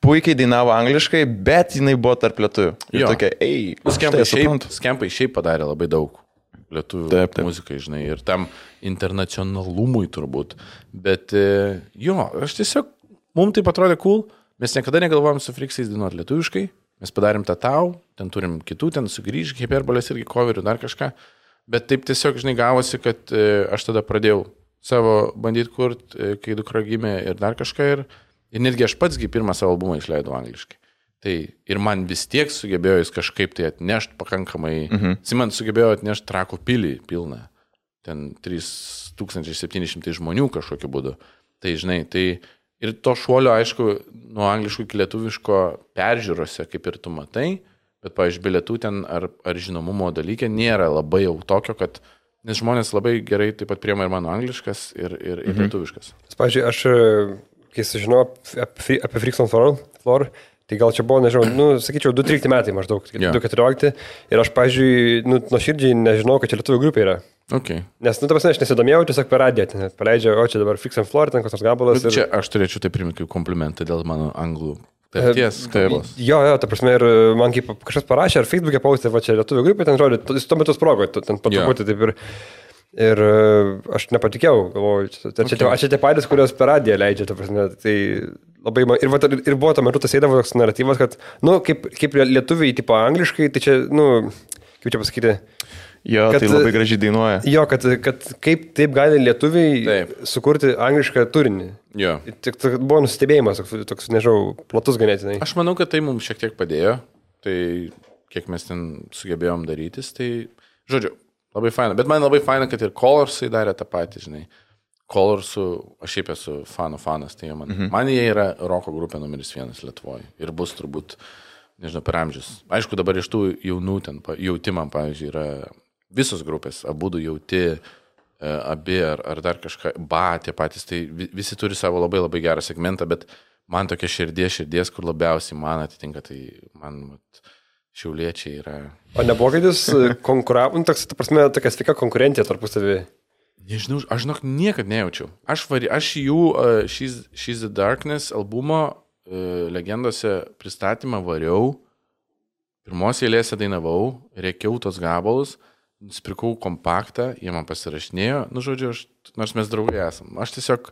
puikiai dainavo angliškai, bet jinai buvo tarp lietuvių. Ir tokia, ei, Skempai šiaip, Skempai šiaip padarė labai daug lietuvių taip, taip. muzikai, žinai, ir tam internacionalumui turbūt. Bet jo, aš tiesiog, mums tai atrodė cool, mes niekada negalvojom su Friksais dainuoti lietuviškai. Mes padarėm tą tau, ten turim kitų, ten sugrįž, hiperbolės irgi coverių, dar kažką. Bet taip tiesiog, žinai, gavosi, kad e, aš tada pradėjau savo bandyti kurti, e, kai dukra gimė ir dar kažką. Ir, ir netgi aš patsgi pirmą savo albumą išleidau angliškai. Tai ir man vis tiek sugebėjo jis kažkaip tai atnešti pakankamai. Mhm. Jis man sugebėjo atnešti Trakų pilį pilną. Ten trys tūkstančiai septyni šimtai žmonių kažkokiu būdu. Tai, žinai, tai... Ir to šuolio, aišku, nuo angliškų iki lietuviško peržiūrose, kaip ir tu matai, bet, pavyzdžiui, bilietų ten ar, ar žinomumo dalykė nėra labai jau tokio, kad, nes žmonės labai gerai taip pat priema ir mano angliškas, ir, ir, ir mhm. lietuviškas. Pavyzdžiui, aš, kai sužinau apie, apie Freaks on Floor, tai gal čia buvo, nežinau, nu, sakyčiau, du trylikti metai maždaug, yeah. du keturiolikti, ir aš, pavyzdžiui, nu, nuoširdžiai nežinau, kad čia lietuvių grupė yra. Okay. Nes, nu, ta prasme, aš nesidomėjau, tiesiog per radiją, ten paleidžia, o čia dabar Freaks on Floor, ten koks nors gabalas. Ir... Čia aš turėčiau tai primti kaip komplimentą dėl mano anglų tarties kalbos. Jo, jo, ta prasme, ir man kaip kažkas parašė, ar Facebook'e paustė, va čia lietuvių grupė, ten žodžiu, jis tuo metu sprogo, ten patruputį taip ir... Ir aš nepatikėjau, galvoju, čia, okay. Aš čia tie patys, kurios per radiją leidžia, ta prasme, tai labai... Ir, va, ir buvo tuo metu tas eidavo toks naratyvas, kad, nu, kaip, kaip lietuviai, tipo angliškai, tai čia, nu, kaip čia pasakyti... Jo, kad, tai labai gražiai dainuoja. Jo, kad, kad kaip taip gali lietuviai taip. Sukurti anglišką turinį. Jo. Tik buvo nustebėjimas, toks, toks, nežinau, platus ganėtinai. Aš manau, kad tai mums šiek tiek padėjo. Tai kiek mes ten sugebėjom darytis, tai, žodžiu, labai faina. Bet man labai faina, kad ir Colorsai darė tą patį, žinai. Colorsų, aš šiaip esu fanų fanas, tai man, mhm. man jie yra roko grupė numeris vienas Lietuvoje. Ir bus turbūt, nežinau, per amžius. Aišku, dabar iš tų jaunų ten, jautimam, pavyzdžiui, yra... Visos grupės, abudu jauti, abi ar, ar dar kažką, ba, tie patys, tai visi turi savo labai labai gerą segmentą, bet man tokia širdies, širdies, kur labiausiai man atitinka, tai man mat, šiauliečiai yra... O nebuvo, kad jūs konkuravo, toks, ta prasme, tokia sveika konkurencija tarpusavy? Nežinau, aš žinok, niekad nejaučiau. Aš, vari, aš jų uh, She's, She's the Darkness albumo uh, legendose pristatymą variau, pirmos eilėse dainavau, reikiau tos gabalus, nusipirkau kompaktą, jie man pasirašinėjo, nu žodžiu, aš, nors mes draugai esam. Aš tiesiog,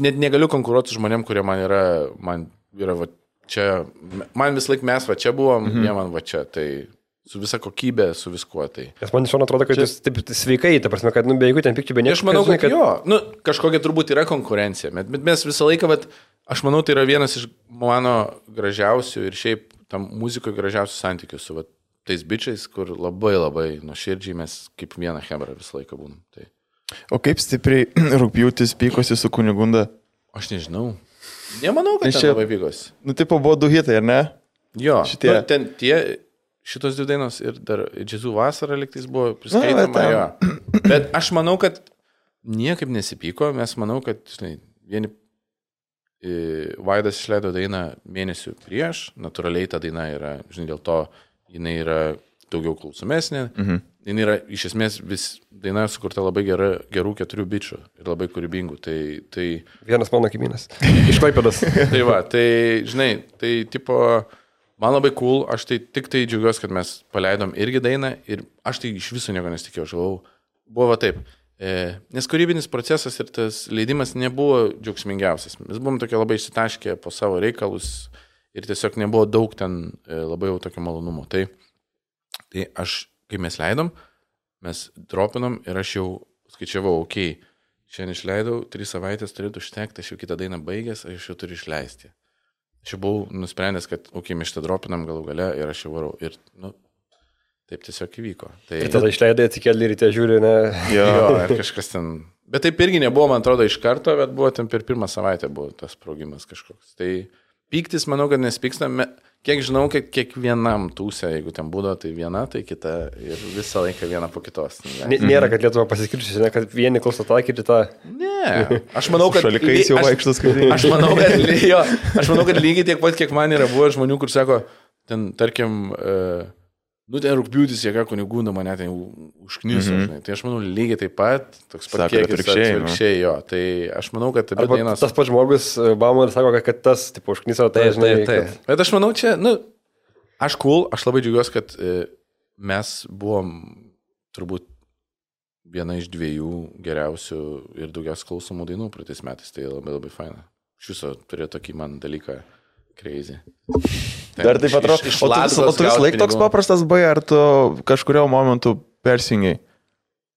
net negaliu konkuruoti su žmonėm, kurie man yra, man yra va čia, man vis laik mes va čia buvom, mhm. jie man va čia, tai su visa kokybė, su viskuo tai. Nes man iš šono atrodo, kad čia... jūs taip sveikai, ta prasme, kad, nu, be jeigu ten pikčių, be nieko. Aš manau, kad, kad jo, nu, kažkokia turbūt yra konkurencija, bet, bet mes visą laiką, vat, aš manau, tai yra vienas iš mano gražiausių ir šiaip tam muzikoje gražiausių santykių su vat, tais bičiais, kur labai labai nuoširdžiai mes kaip vieną hebrą visą laiką būnam. Tai. O kaip stipriai rugpjūtis pykosi su Kunigunda? Aš nežinau. Nemanau, kad čia labai pykos. Nu, tipo, buvo du hitai, ar ne? Jo, šitie. Nu, ten tie, šitos dvi dainos ir dar Džiazų vasara liktais buvo priskaitama, jo. Bet aš manau, kad niekaip nesipyko, mes manau, kad, žinai, vieni Vaidas išleido dainą mėnesių prieš, natūraliai ta daina yra, žinai, dėl to jinai yra daugiau klausomesnė, mhm. jinai yra iš esmės vis daina sukurta labai gera, gerų keturių bičių ir labai kūrybingų. Tai, tai... Vienas mano kaimynas. Iš Klaipėdos. Tai va, tai žinai, tai tipo, man labai cool, aš tai tik tai džiaugiuosi, kad mes paleidom irgi dainą ir aš tai iš viso nieko nesitikėjau, aš galvau, buvo va taip. Nes kūrybinis procesas ir tas leidimas nebuvo džiaugsmingiausias. Mes buvom tokie labai išsitaškę po savo reikalus ir tiesiog nebuvo daug ten labai jau tokio malonumo. Tai, tai aš, kai mes leidom, mes dropinom ir aš jau skaičiavau, okei, okay, šiandien išleidau, tris savaitės turėtų užtekti, aš jau kitą dainą baigęs, aš jau turiu išleisti. Aš jau buvau nusprendęs, kad, okei, okay, mes šitą dropinam galų gale ir aš jau varau. Ir, nu, taip tiesiog įvyko. Tai... Ir tada išleidai atsikėlį ryte žiūri, ne? Jo, jo, ir kažkas ten... Bet taip irgi nebuvo, man atrodo, iš karto, bet buvo ten per pirmą savaitę buvo tas sprogimas kažkoks. Tai pyktis, manau, kad nespykstame. Kiek žinau, kad kiekvienam tūsė, jeigu ten būdo, tai viena, tai kita ir visą laiką viena po kitos. N- nėra, kad Lietuva pasiskirčiusi, ne, kad vieni klauso tą, kiti tą. Ne, aš manau, kad... Šalikais jau vaikštas skaitėjai. Aš manau, kad, jo, aš manau, kad lygiai tiek pat, kiek man yra buvo žmonių, kur sako, ten, tarkim... Uh, Nu, ten rūpjūtis, jėga kunigų, mane ten užkniso, mm-hmm. žinai. Tai aš manau, lygiai taip pat, toks pat kiekis atvirkščiai, jo. Tai aš manau, kad taip pat vienas... Tas pats žmogus, Bauman, sako, kad tas, tipo, užkniso, tai, tai žinai, taip, taip. Kad... Bet aš manau, čia, nu, aš cool, aš labai džiaugiuosi, kad e, mes buvom turbūt viena iš dviejų geriausių ir daugiausiai klausomų dainų praeitais metais. Tai labai labai faina. Iš viso turėjo tokį man dalyką crazy. Ten, Dar taip atrodo, o tu, o tu vis laik toks paprastas bai, ar tu kažkurio momentu persijungiai?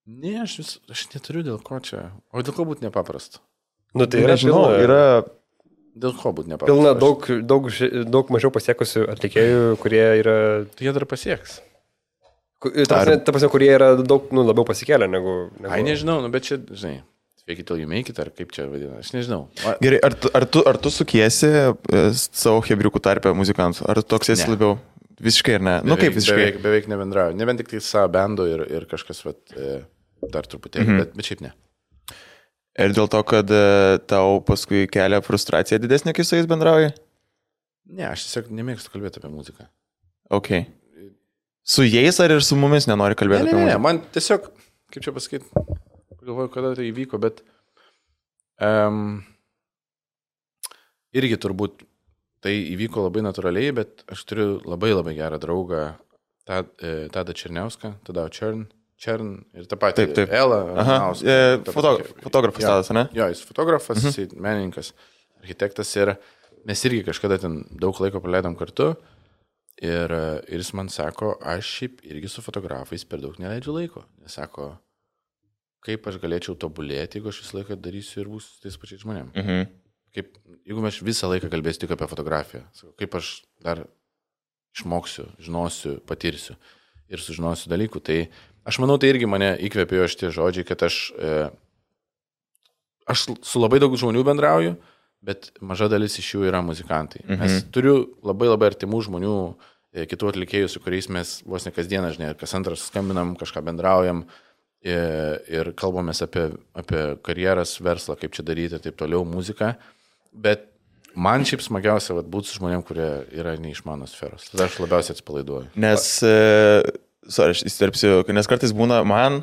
Ne, aš, vis, aš neturiu dėl ko čia. O dėl ko būti nepaprasta? Nu, tai yra, nežinau, pilna, yra... Dėl ko būti nepaprasta? Pilna daug, daug, daug mažiau pasiekusių atlikėjų, kurie yra... Tai jie dar pasieks. Ta prasme, ta prasme, kurie yra daug, nu, labiau pasikėlę negu... negu... Ai, nežinau, nu, bet čia, žinai... Fake it till you make it, ar kaip čia vadina, aš nežinau. Gerai, ar tu, ar tu, ar tu sukiesi savo hebriukų tarpę muzikantų? Ar toks esi ne. Labiau? Visiškai ar ne? Beveik, nu kaip visiškai? Beveik, beveik nebendrauju. Ne vien tik tai savo bendu ir, ir kažkas vat, dar truputėlį, mm-hmm. bet, bet šiaip ne. Ir dėl to, kad tau paskui kelia frustracija didesnė, kai su jais bendrauji? Ne, aš tiesiog nemėgstu kalbėti apie muziką. Ok. Su jais ar ir su mumis nenori kalbėti ne, apie ne, muziką? Ne, man tiesiog, kaip čia pasakyti... Galvoju, kada tai įvyko, bet um, irgi turbūt tai įvyko labai natūraliai, bet aš turiu labai labai gerą draugą, Tadą Černiauską, Tada Čern, Čern ir tą patį taip, taip. Ela. Aha, e, foto, fotografas Tadas, ne? Jo, jis fotografas, mhm. jis menininkas, architektas ir mes irgi kažkada ten daug laiko praleidom kartu ir, ir jis man sako, aš šiaip irgi su fotografais per daug neleidžiu laiko. Jis sako, kaip aš galėčiau tobulėti, jeigu aš visą laiką darysiu ir būsiu tais pačiais žmonėm. Mhm. Kaip, jeigu aš visą laiką kalbėsiu tik apie fotografiją, kaip aš dar išmoksiu, žinosiu, patirsiu ir sužinosiu dalykų. Tai aš manau, tai irgi mane įkvėpėjo šitie žodžiai, kad aš, e, aš su labai daug žmonių bendrauju, bet maža dalis iš jų yra muzikantai. Mhm. Mes turiu labai labai artimų žmonių, e, kitų atlikėjų, su kuriais mes vos ne kasdieną, žinai, kas antras skambinam, kažką bendraujam, ir kalbamės apie, apie karjeras, verslą, kaip čia daryti ir taip toliau, muziką, bet man šiaip smagiausia vat, būti su žmonėm, kurie yra ne iš mano sferos. Tada aš labiausiai atpalaiduoju. Nes, e, sorry, aš įsterpsiu, nes kartais būna man,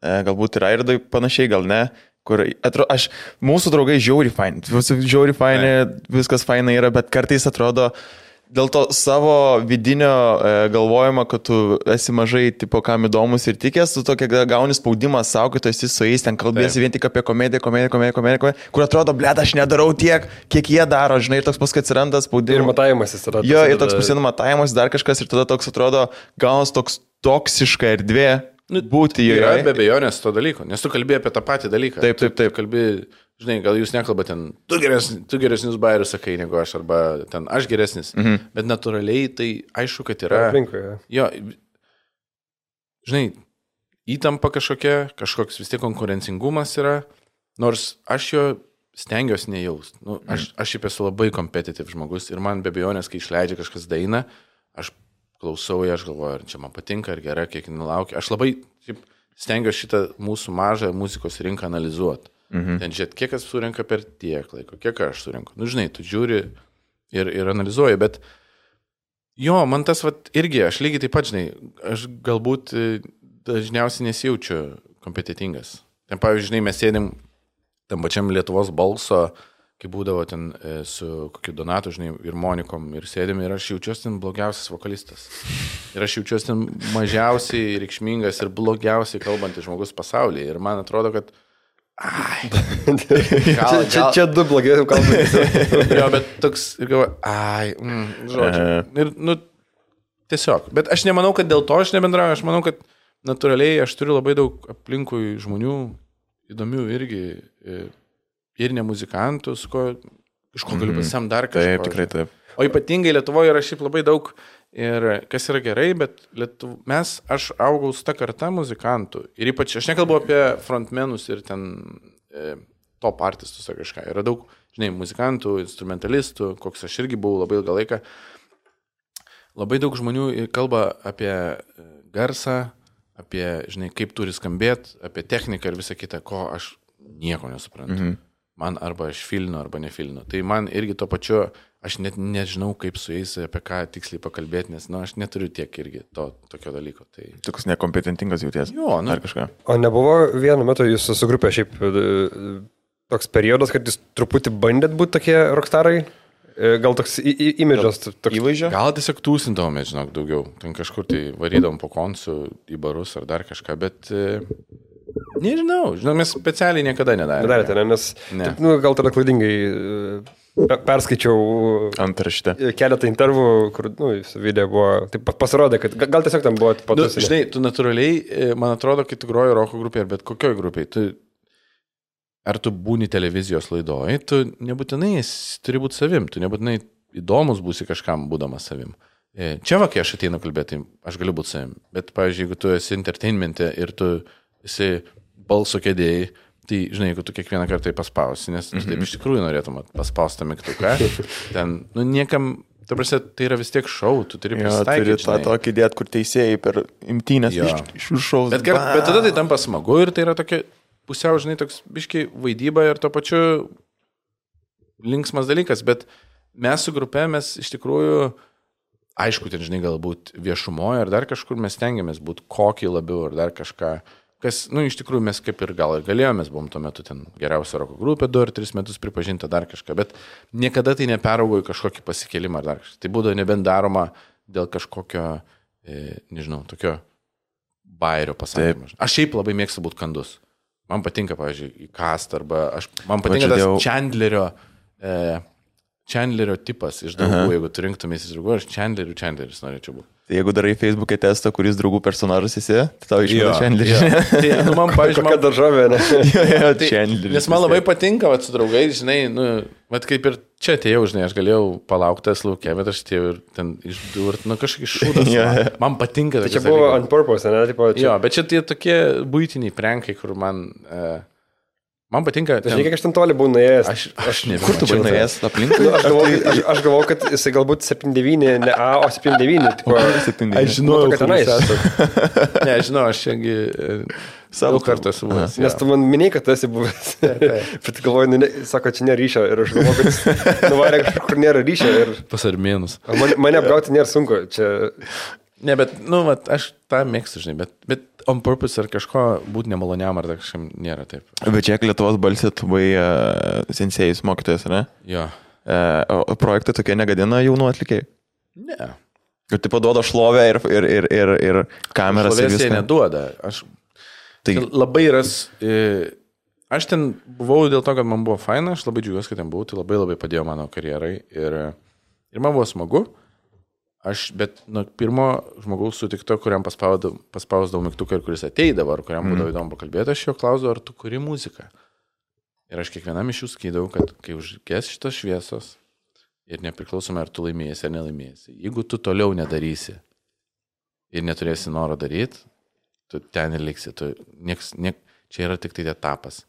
e, galbūt ir Airdai panašiai, gal ne, kur, atrodo, aš, mūsų draugai žiauri faini, žiauri faini, viskas faina yra, bet kartais atrodo, dėl to savo vidinio e, galvojimo, kad tu esi mažai, tipo, kam įdomus ir tikės, tu tokia gauni spaudimą savo, kad tu esi su jais, ten kalbėsi Taip. Vien tik apie komediją, komediją, komediją, komediją, kur atrodo, blėt, aš nedarau tiek, kiek jie daro, žinai, ir toks paskui atsiranda spaudimas. Ir matavimas jis tada. Jo, ir toks pasidama matavimas, dar kažkas, ir tada toks atrodo, gaunas toks toksiška erdvė nu, būti joje. Yra be abejonės to dalyko, nes tu kalbėjai apie tą patį dalyką. Taip, taip, taip. Tu kalbi, žinai, gal jūs nekalbate ten, tu, geresni, tu geresnius bairius sakai negu aš, arba ten aš geresnis, mhm. bet natūraliai tai aišku, kad yra... Aplinkoje. Jo, žinai, įtampa kažkokia, kažkoks vis tiek konkurencingumas yra, nors aš jo stengiuosi nejaust. Nu, aš, aš šiaip esu labai kompetitiv žmogus ir man be abejonės, kai išleidžia kažkas dainą, aš klausau ją, aš galvoju, ar čia man patinka, ar gera, kiek nelaukia. Aš labai šiaip, stengiuosi šitą mūsų mažą muzikos rinką analizuoti. Mhm. Ten žiūrėt, kiek kas surinka per tiek laiko, kiek aš surinku. Nu, žinai, tu žiūri ir, ir analizuoji, bet jo, man tas vat, irgi, aš lygiai taip pat, žinai, aš galbūt dažniausiai nesijaučiu kompetitingas. Ten, pavyzdžiui, žinai, mes sėdim tam pačiam Lietuvos balso, kai būdavo ten e, su kokiu Donatu, žinai, ir Monikom, ir sėdim, ir aš jaučiuosi ten blogiausias vokalistas. Ir aš jaučiuosi ten mažiausiai reikšmingas ir blogiausiai kalbantis žmogus pasaulyje. Ir man atrodo, kad ai, gal, čia, čia, čia du blogiausiai kalbantis. Jo, bet toks, ir galvoju, ai, mm, žodžiu. Ir, nu, tiesiog. Bet aš nemanau, kad dėl to aš nebendrauju, aš manau, kad natūraliai aš turiu labai daug aplinkui žmonių, įdomių irgi, ir ne muzikantų, su ko, iš ko galiu pasam dar kažką. Taip, tikrai taip. O ypatingai Lietuvoje yra šiaip labai daug, ir kas yra gerai, bet Lietuv... mes, aš augau su ta karta muzikantų. Ir ypač, aš nekalbu apie frontmenus ir ten e, top artistus ar kažką. Yra daug, žinai, muzikantų, instrumentalistų, koks aš irgi buvau labai ilgą laiką. Labai daug žmonių kalba apie garsą, apie, žinai, kaip turi skambėti, apie techniką ir visą kitą, ko aš nieko nesuprantu. Mhm. Man arba aš filinu, arba nefilinu. Tai man irgi to pačiu, aš net nežinau, kaip su jais apie ką tiksliai pakalbėti, nes, nu, aš neturiu tiek irgi to tokio dalyko. Tai... Toks nekompetentingas jauties. Jo, nu. Ar kažką. O nebuvo vienu metu jūsų su grupė šiaip toks periodas, kad jūs truputį bandėt būti tokie rockstarai? Gal toks imidžas? Toks... Įvaizdžio? Gal tiesiog tūsindavome, žinok, daugiau. Ten kažkur tai varydavom po konsų į barus ar dar kažką, bet e, nežinau, žinau, mes specialiai niekada nedarėme. Nedarėte, ne, nes ne. Taip, nu, gal tada klaidingai e, perskaičiau antraštę. Keletą intervų, kur, nu, video buvo, taip pasirodė, kad gal tiesiog ten buvo patus. Nu, žinai, tu natūraliai, man atrodo, kai tu groji roko grupėje, bet kokioj grupėje, tu ar tu būni televizijos laidoj, tu nebūtinai turi būti savim, tu nebūtinai įdomus būsi kažkam būdamas savim. Čia va, kai aš ateinu kalbėti, aš galiu būti savim, bet, pavyzdžiui, jeigu tu esi entertainmente ir tu esi balso kėdėjai, tai, žinai, jeigu tu kiekvieną kartą paspausi, nes tu taip iš tikrųjų norėtum paspaustą mygtuką, ten, nu, niekam, ta prasme, tai yra vis tiek šou, tu turi prisitaikyti. Turi tą tokį dėt, kur teisėjai per imtynės iš, iš viršaus. Bet, bet tada tai tampa smagu ir tai yra tokia pusiau, žinai, toks biškiai vaidyba ir to pačiu linksmas dalykas, bet mes su grupe, mes iš tikrųjų, aišku, ten, žinai, galbūt viešumoje ar dar kažkur mes stengiamės būti kokį labiau ar dar kažką, kas, nu, iš tikrųjų mes kaip ir gal ir galėjome, mes buvom tuo metu ten geriausia roko grupė, du ar tris metus pripažinta dar kažką, bet niekada tai neperaugo į kažkokį pasikėlimą ar dar kažką. Tai būdavo nebent daroma dėl kažkokio, e, nežinau, tokio bairio pasakymo. Aš šiaip labai mėgstu būti kandus. Man patinka, pavyzdžiui, į cast arba aš, man patinka tas dėl... Chandlerio, e, Chandlerio tipas iš draugų, Aha. jeigu tu rinktumės iš draugų, aš Chandlerių Chandleris norėčiau būti. Tai jeigu darai Facebook'e testą, kuris draugų personažas esi, tai tau išmeta Chandlerį. Tai, nu, man, pavyzdžiui, man... daržovė, ne? jo, jo, tai, nes man labai patinka, vat, su draugai, žinai, nu, vat, kaip ir čia atėjau, žinai, aš galėjau palauktas laukia, bet aš atėjau ir ten išdurt, nu, kažkokį šūdas. yeah. man, man patinka. Tai čia buvo dalykai. On purpose, ne? Tipo, čia... Jo, bet čia tie tokie buitiniai prankai, kur man... Uh, Man patinka... Ten... Žiūrėk, aš ten toli buvau nuėjęs. Aš, aš nežinau. Kur tu buvai nuėjęs aplinkui? Nu, aš, galvau, aš, aš galvau, kad jisai galbūt septyni devyni, ne A, o septyni devyni. Tipo, aš žinau, kad tenais. Ne, aš žinau, aš šiandį daug kartų esu buvęs. Nes tu man minėjai, kad tu esi buvęs. Bet galvoju, nu, ne, sako, čia nėra ryšio. Ir aš galvoju, kad nuvarė kažkur, kur nėra ryšio. Ir... Pas armėnus. Man, mane apgauti nėra sunku. Čia... Ne, bet, nu, vat, aš tą mėgstu, žinai, bet, bet on purpose ar kažko būti nemaloniam ar kažkam nėra taip. Bet čia Lietuvos balsė, tu buvai uh, sensėjus mokytojas, ne? Jo. Uh, o projektai tokie negadina jaunų atlikėjų? Ne. Ir taip duoda šlovę ir, ir, ir, ir, ir kameras. Šlovės jie neduoda. Aš tai... labai ras... E, aš ten buvau dėl to, kad man buvo faina, aš labai džiugiuosi, kad ten buvau, tai labai labai padėjo mano karjerai ir, ir man buvo smagu. Aš, bet nuo pirmo žmogaus sutikto, kuriam paspausdavau mygtuką ir kuris ateidavo, ar kuriam būdavo įdomu pakalbėti, aš jo klausdavau, ar tu kuri muziką. Ir aš kiekvienam iš jų skydavau, kad kai užges šitos šviesos ir nepriklausomai, ar tu laimėsi ar nelaimėsi, jeigu tu toliau nedarysi ir neturėsi noro daryti, tu ten ir liksi. Tu, nieks, niek, čia yra tik tai etapas.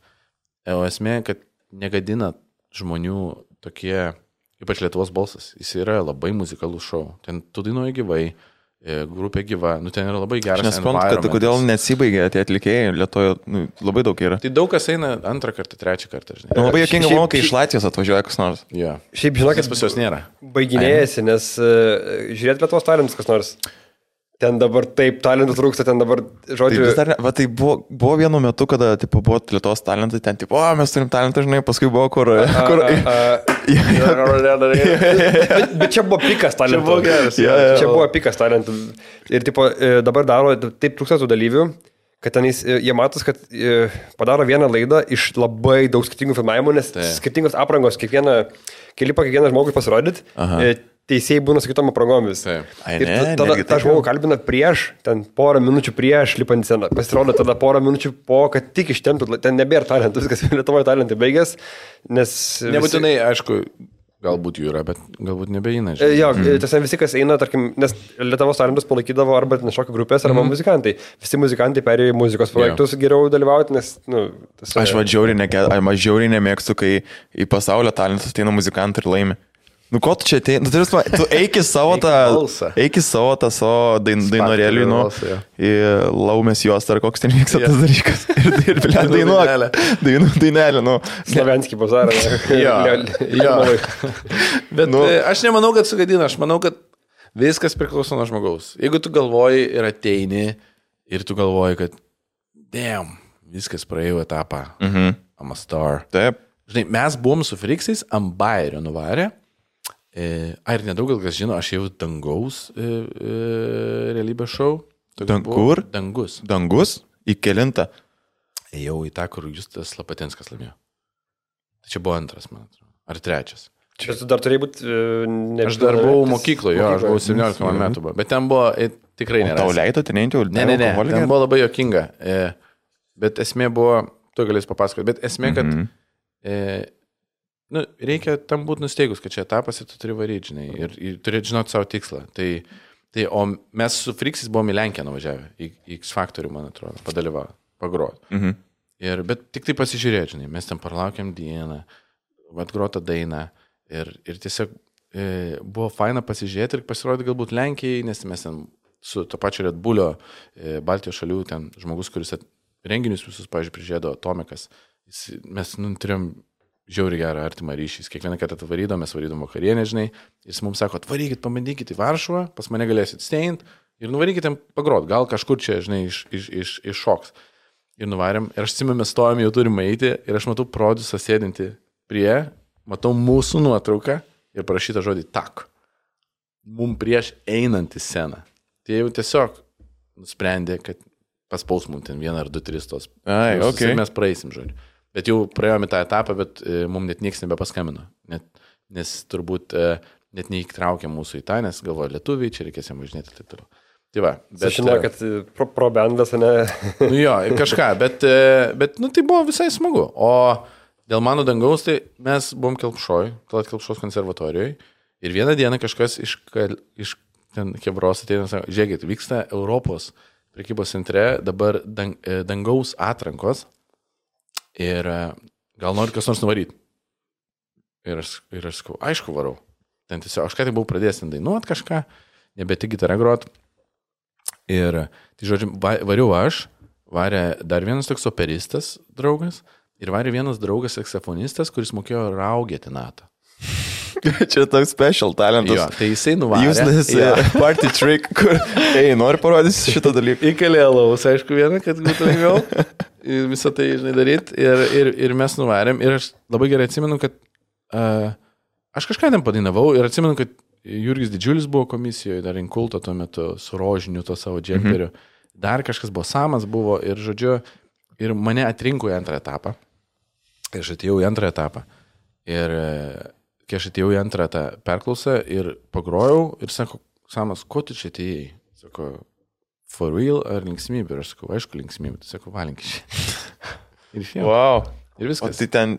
O esmė, kad negadina žmonių tokie, ypač Lietuvos balsas. Jis yra labai muzikalus šou. Ten tu dainuoji gyvai, grupė gyva, nu ten yra labai geras. Aš nesuprantu, kad kodėl nesibaigė tie atlikėjai, Lietuvoje nu, labai daug yra. Tai daug kas eina antrą kartą, trečią kartą, žinai. Nu, labai jokinga, manau, kai iš Latvijos atvažiuoja kas nors. Jo. Šiaip žinokit, pas jos nėra. Baiginėjasi, nes uh, žiūrėt Lietuvos talentus kas nors. Ten dabar taip talentų trūksta, ten dabar, žodžiu... Tai, dar, va, tai buvo, buvo vienu metu, kada tipo, buvo Lietuvos talentai, ten tipo, o, mes turim talentą, žinai, paskui buvo kur... A, kur... A, a, bet, bet čia buvo pikas talentų. Čia buvo geras. Ja, ja, čia buvo pikas talentų. Ir tipo, dabar daro taip trūksta tų dalyvių, kad ten jis, jie matos, kad padaro vieną laidą iš labai daug skirtingų filmavimų, nes tai. Skirtingos aprangos, kiekvieną, kelipą kiekvieną žmogui pasirodyti. Teisėjai būna su kitom aprangomis. Ai, ir ne, tada tą žmogų kalbina prieš, ten porą minučių prieš lipant sceną. Pasirodo tada porą minučių po, kad tik ištemptų, ten nebėra talentų, viskas Lietuvoje talentai baigęs, nes... Nebūtinai, visi... aišku, galbūt jų yra, bet galbūt nebeina. Žinai. Jo, mm. tiesiog visi, kas eina, tarkim, nes Lietuvos talentus palaikydavo arba šokių grupės, arba mm. muzikantai. Visi muzikantai perėjo į muzikos projektus yeah. geriau dalyvauti, nes... Nu, tas, aš va žiauriai, ne, aš žiauriai nemėgstu, kai į pasaulio talentus ateina muzikantai ir laimi. Nu, ko tu čia ateini? Nu, tu eik į savo tą, eik į savo tą savo dain, dainorėlį, nu, į laumės juos, ar koks ten vyksta tas dalykas. Ir, ir blė, dainuok. Dainų dainelė, nu. Slavenskį bazarą. Jo, jo. Bet nu, aš nemanau, kad sugadina, aš manau, kad viskas priklauso nuo žmogaus. Jeigu tu galvoji ir ateini, ir tu galvoji, kad damn, viskas praėjo etapą. Mhm. I'm a star. Taip. Žinai, mes buvom su Friksais, ant Bairio nuvarė. E, ar nedaug gal kas žino, aš jau Dangaus e, e, realybės šou. Dan, kur? Dangus. Dangus? Į kelintą? Ėjau į tą, kur Justas Lapatinskas laimėjo. Tai čia buvo antras, man atrodo. Ar trečias. Čia tu dar turėjai būti... Ne, aš dar buvau mokykloje, jo, aš buvau septyniolika metų. Buvo. Bet ten buvo e, tikrai nėra. Tau leido, ten eintį? Ne, ne, ne, ten buvo labai jokinga. E, bet esmė buvo, tu galės papasakoti, bet esmė, kad... Mm-hmm. E, Nu, reikia tam būti nusteigus, kad čia etapas ir tu turi varyti, žinai, ir, ir turi žinoti savo tikslą. Tai, tai, o mes su Friksis buvom į Lenkiją nuvažiavę, į, į X Factorių, man atrodo, padalyvavo, pagroti. Mhm. Ir, bet tik tai pasižiūrėti, žinai, mes ten parlaukiam dieną, atgrotą dainą ir, ir tiesiog e, buvo faina pasižiūrėti ir pasirodyti galbūt Lenkijai, nes mes ten su to pačio Red Bullio e, Baltijos šalių, ten žmogus, kuris at, renginius visus, pavyzdžiui, prižiūrėdavo Tomikas, jis, mes nu, turėjom žiauri gerą artimą ryšį. Kiekvieną kartą atvarydom, mes varydom vakarienę, žinai. Jis mums sako, atvarykit, pabandykit į Varšuvą, pas mane galėsit steint ir nuvarykit ten pagrot. Gal kažkur čia, žinai, iš, iš, iš, iš šoks. Ir nuvarėm. Ir aš atsimenu, mes stovėm, jau turim eiti. Ir aš matau produsą sėdinti prie, matau mūsų nuotrauką ir parašytą žodį tak. Mum prieš einant į sceną. Tai jau tiesiog nusprendė, kad paspaus mum ten vieną ar du, tris tos. Ai, okay. Mes praeisim, žodžiu. Bet jau praėjome tą etapą, bet e, mums net niekas nebepaskambino. Net, nes turbūt e, net neįtraukė mūsų į tą, nes galvoja lietuviai, čia reikės jam važinėti ir taip toliau. Tai va. Bet žinau, kad pro, pro bendas, ne? Nu jo, kažką, bet, e, bet nu, tai buvo visai smagu. O dėl mano Dangaus, tai mes buvom Kelpšoj, Talat Kelpšos konservatorijoje. Ir vieną dieną kažkas iš, iš ten Kebros ateina, sako, žiūrėkit, vyksta Europos prekybos centre dabar dang, Dangaus atrankos. Ir gal nori kas nors nuvaryti. Ir aš, ir aš sakau, aišku varau. Ten tiesiog, aš ką tai buvau pradėjęs ten dainuot kažką, nebeti gitarą grot. Ir, tai žodžiu, variau aš, varė dar vienas toks operistas draugas ir varė vienas draugas saksofonistas, kuris mokėjo raugėti natą. Čia toks special talentas. Jo, tai jisai nuvarė. Useless ja. Party trick, kur, ei, nori parodyti šitą dalyką. Įkalė alaus, aišku, vieną, kad būtų lengviau. Ir visą tai, žinai, daryti. Ir, ir, ir mes nuvarėm. Ir aš labai gerai atsimenu, kad uh, aš kažką ten padainavau. Ir atsimenu, kad Jurgis Didžiulis buvo komisijoje, dar Inkulto tuo metu, su rožiniu to savo džemperiu. Mm-hmm. Dar kažkas buvo, Samas buvo. Ir, žodžiu, ir mane atrinko į antrą etapą. Ir aš atėjau į antrą etapą. Ir kai aš atėjau į antrą tą perklausą ir pagrojau ir sako, Samas, ko tu čia atėjai? Sako, for real ar linksmybė? Ir aš sakau, aišku, linksmybė. Tai sako, valink iš. Ir iš jau. Wow. Ir viskas. O tai ten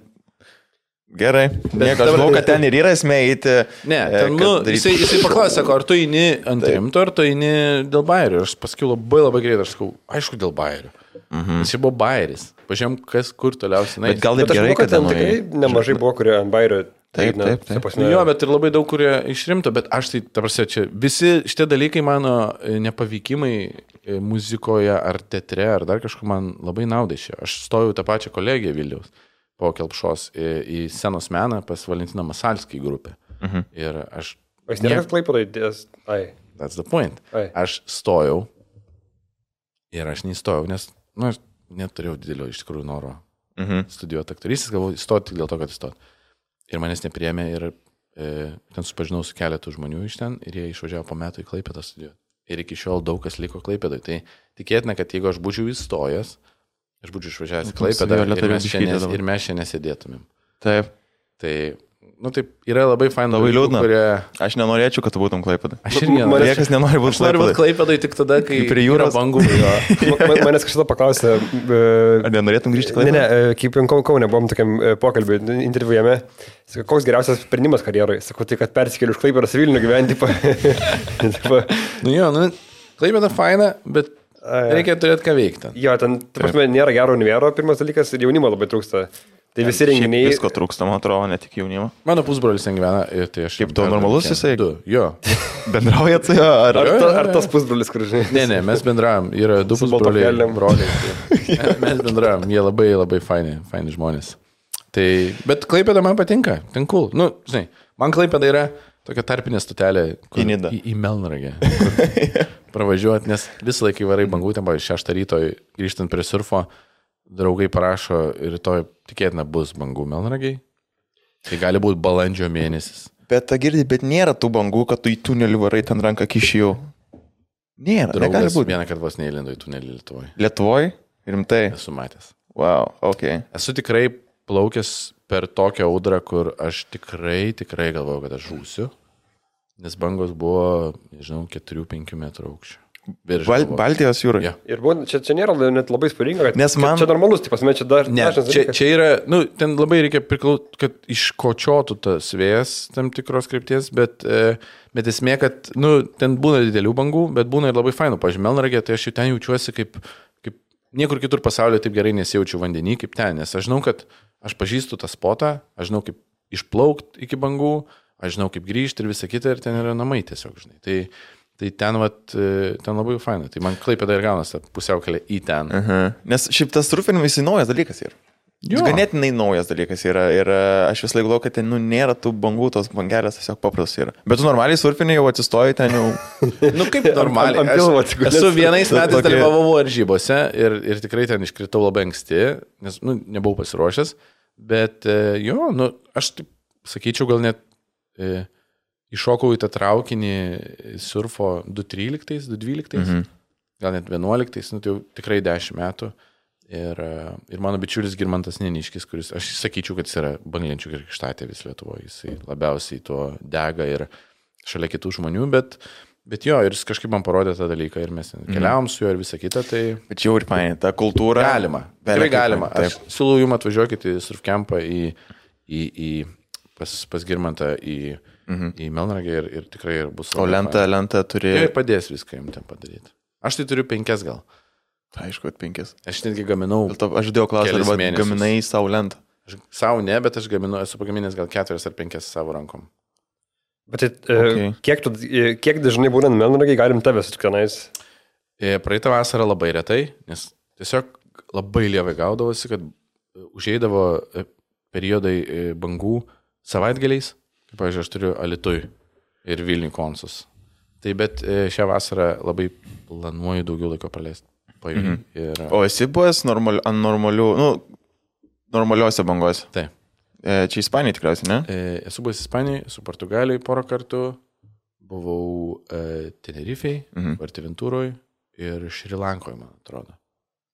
gerai. Nieko, aš žinau, kad ten ir yra esmė eiti. Ne, ten, nu, jisai, jisai paklausė, sako, ar tu eini ant rimto, ar tu eini dėl Bairio. Ir aš pasakiau labai labai greit, aš sakau, aišku, dėl Bairio. Mhm. Jis buvo bairis. Pažiūrėjom, kas kur toliausiai. Bet gal ir Bet gerai, žinau, kad ten tenai- tikrai nemažai buvo, kurie ant bairio. Taip, taip, taip. Nu, jo, bet ir labai daug, kurie išrimto, bet aš tai, ta prasme, čia visi šitie dalykai mano e, nepavykimai e, muzikoje ar teatre ar dar kažkur man labai naudai šio. Aš stojau tą pačią kolegiją Vilniaus po Kelpšos į, į scenos meną pas Valentiną Masalskį grupę. Mhm. Ir aš... O jis nėra Klaipėdoj dės... Ai. That's the point. Ai. Aš stojau ir aš neįstojau, nes, nu, aš neturėjau didelio iš tikrųjų noro Mhm. studijuoti aktorystės, galvoju, įstoti tik dėl to, kad įstoti. Ir manęs nepriėmė ir e, ten supažinau su keletu žmonių iš ten ir jie išvažiavo po metų į Klaipėdą studijuoti. Ir iki šiol daug kas liko Klaipėdai. Tai tikėtina, kad jeigu aš būčiau įstojęs, aš būčiau išvažiavęs į Klaipėdą ir mes, čia nes, ir mes čia nesėdėtumėm. Taip. Tai, nu taip, yra labai fainų Labai dalykų, liūdna. kurie... Aš nenorėčiau, kad tu būtum Klaipėda. Aš irgi Man- nenorėčiau. Niekas nenori būti Aš noriu būti Klaipėdai. Klaipėdai tik tada, kai Kai prie jūros. yra bangų. Jo. Man- Manęs kažkada paklausė... Ar nenorėtum grįžti į Ne, Klaipėdą? ne, e, kaip Kau- Kaune buvom tokiam e, pokalbiui, interviu jame. Sakau, koks geriausias sprendimas karjerai? Sakau, tai kad persikėliu iš Klaipėdos į Vilnių gyventi. Tipo, tipo, Nu jo, nu, Klaipėda faina, bet Ai, reikia turėti ką veikti. jo, ten, ta prasme, nėra gero univero, pirmas dalykas, ir jaunimo labai trūksta. Tai visi Šiaip renginiai... Visko trūksta, man atrodo, ne tik jaunimo. Mano pusbrolis ten gyvena ir tai aš... Kaip tu, normalus jisai? Du, jo. Bendraujat su juo? Ar... Ar, Jo, ta, jo, ar jo. tas pusbrolis, kur žinai? Ne, ne, mes bendravom. Yra du Su pusbroliai. baltakelnėm. Broliai. Tai. Mes bendravom. Jie labai, labai faini, faini žmonės. Tai, bet Klaipėda man patinka. Ten cool. Nu, žinai, man Klaipėda yra tokia tarpinė stotelė. kur- Į Nidą. Į, į Melnragę. Pravažiuoti, nes visą laiką varai bangų, ten, pavyzdžiui, šeštą ryto grįžtant prie surfo, draugai parašo ir rytoj tikėtina bus bangų Melnragiai. Tai gali būti balandžio mėnesis. Bet ta girdi, bet nėra tų bangų, kad tu į tunelį varai ten ranką kišijau. Nėra, negali Draugas būti. vieną kartą vos neįlindo į tunelį Lietuvoje. Lietuvoje? Rimtai? Esu matęs. Wow, ok. Esu tikrai plaukęs per tokią audrą, kur aš tikrai, tikrai galvojau, kad aš žūsiu, nes bangos buvo, nežinau, keturių penkių metrų aukščio. Virš Bal galvos. Baltijos jūroje. Jo. Ir buvo, čia, čia nėra net labai spūdinga, kad Nes man- kad čia normalus, tai pasme, čia dar... Ne, dažnas čia, dalykas. čia yra, nu, ten labai reikia priklausyti, kad iškočiotų tas vėjas tam tikros krypties, bet, e, bet esmė, kad, nu, ten būna didelių bangų, bet būna ir labai fainų. Pavyzdžiui, Melnragė, tai aš jau ten jaučiuosi kaip, kaip niekur kitur pasaulyje taip gerai nesijaučiu vandenį kaip ten, nes aš žinau, kad aš pažįstu tą spotą, aš žinau, kaip išplaukti iki bangų, aš žinau, kaip grįžti ir visa kita, ir ten yra namai tiesiog, žinai. Tai, tai ten, vat, e, ten labai faina. Tai man Klaipėda ir gaunasi pusiaukelė į ten. Uh -huh. Nes šiaip tas surfinimas jisai naujas dalykas yra. Jo. Jis ganėtinai naujas dalykas yra ir e, aš vis laik galvoju, kad ten nu, nėra tų bangų, tos bangelės tiesiog paprastos yra. Bet tu normaliai surfini jau atsistoji ten jau. Nu kaip normaliai. ant pilvo Aš atsigulęs. esu vienais metais Tokia- dalyvavau varžybose ir, ir tikrai ten iškritau labai anksti, nes nu, nebuvau pasiruošęs. Bet e, jo, nu, aš taip sakyčiau, gal net e, iššokau į tą traukinį surfo du tryliktais, du dvyliktais, mhm. gal net vienuoliktais, nu, tai jau tikrai dešimt metų. Ir, e, ir mano bičiulis Girmantas Neniškis, kuris, aš sakyčiau, kad jis yra banglenčių krikštatė vis Lietuvoje, jisai labiausiai tuo dega ir šalia kitų žmonių, bet, bet jo, ir jis kažkaip man parodė tą dalyką ir mes keliavom su juo ir visą kitą, tai Bet čia jau ir painė, ta kultūra. galima, tikrai galima. Aš siūlau jums atvažiuokit į surfcampą, į, į, į pas, pas Girmantą, į, mhm. į Melnragę ir, ir tikrai ir bus. O lentą, lentą turi. Ir padės viską jums ten padaryti. Aš tai turiu penkias gal. Aišku, kad penkis. Aš netgi gaminau. Dėl to aš dėjau klausimą, Kelis arba mėnesius. gaminai savo lentą. Aš savo ne, bet aš gaminu, esu pagaminęs gal keturias ar penkias savo rankom. Bet tai, Okay. okay. kiek, tu, e, kiek dažnai būnant Melnragiai galim tavęs tik tenais? E, praeitą vasarą labai retai, nes tiesiog labai lievai gaudavosi, kad užeidavo e, periodai e, bangų savaitgaliais, kaip, pavyzdžiui, aš turiu Alitui ir Vilnių konsus. Tai bet e, šią vasarą labai planuoju daugiau laiko praleisti pajūry. Mhm. Ir, O esi buvęs normal, ant normalių, nu, normaliuose bangose. taip. E, čia Ispanija tikriausiai, ne? E, esu buvęs Ispanijoje, esu Portugalijoje porą kartų, buvau e, Tenerifei, Mhm. Vartiventūroje ir Šrilankoje, man atrodo.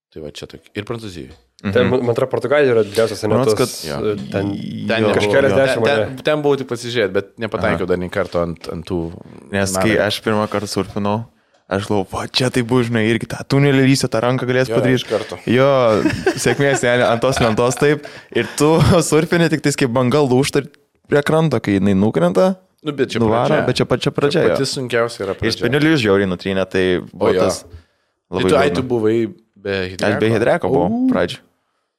Tai va čia tokia. Ir Prancūzijoje. Mhm. Ten, man atrodo, Portugalija yra didžiausias Rods, senetas. kad- Jo. Ten, Ten, Jo. nebuvau. Kažkeliasdešimt, ten, ane? ten, ten buvau tik pasižiūrėti, bet nepataikiau dar nei karto ant, ant tų. Nes kai Melnragės. aš pirmą kartą surfinau, aš galvoju, va čia tai bus, žinai, irgi tą tunelį lysia, tą ranką galės Jo, padaryti. iš karto. Jo, sėkmės, ne, ant tos lentos taip. Ir tu surfini tik tais kaip banga lūžta prie kranto, kai jinai nukrenta, Nu, bet čia nuvaro, pradžia. bet čia pačia pradžia. Pati jo. sunkiausia yra Ir pradžia. spinelius žiauriai nutrynė, tai O buvo jo. tas Tai labai tu, ai, tu liūdna. buvai be Aš hidreko. be hidreko buvau pradžiu.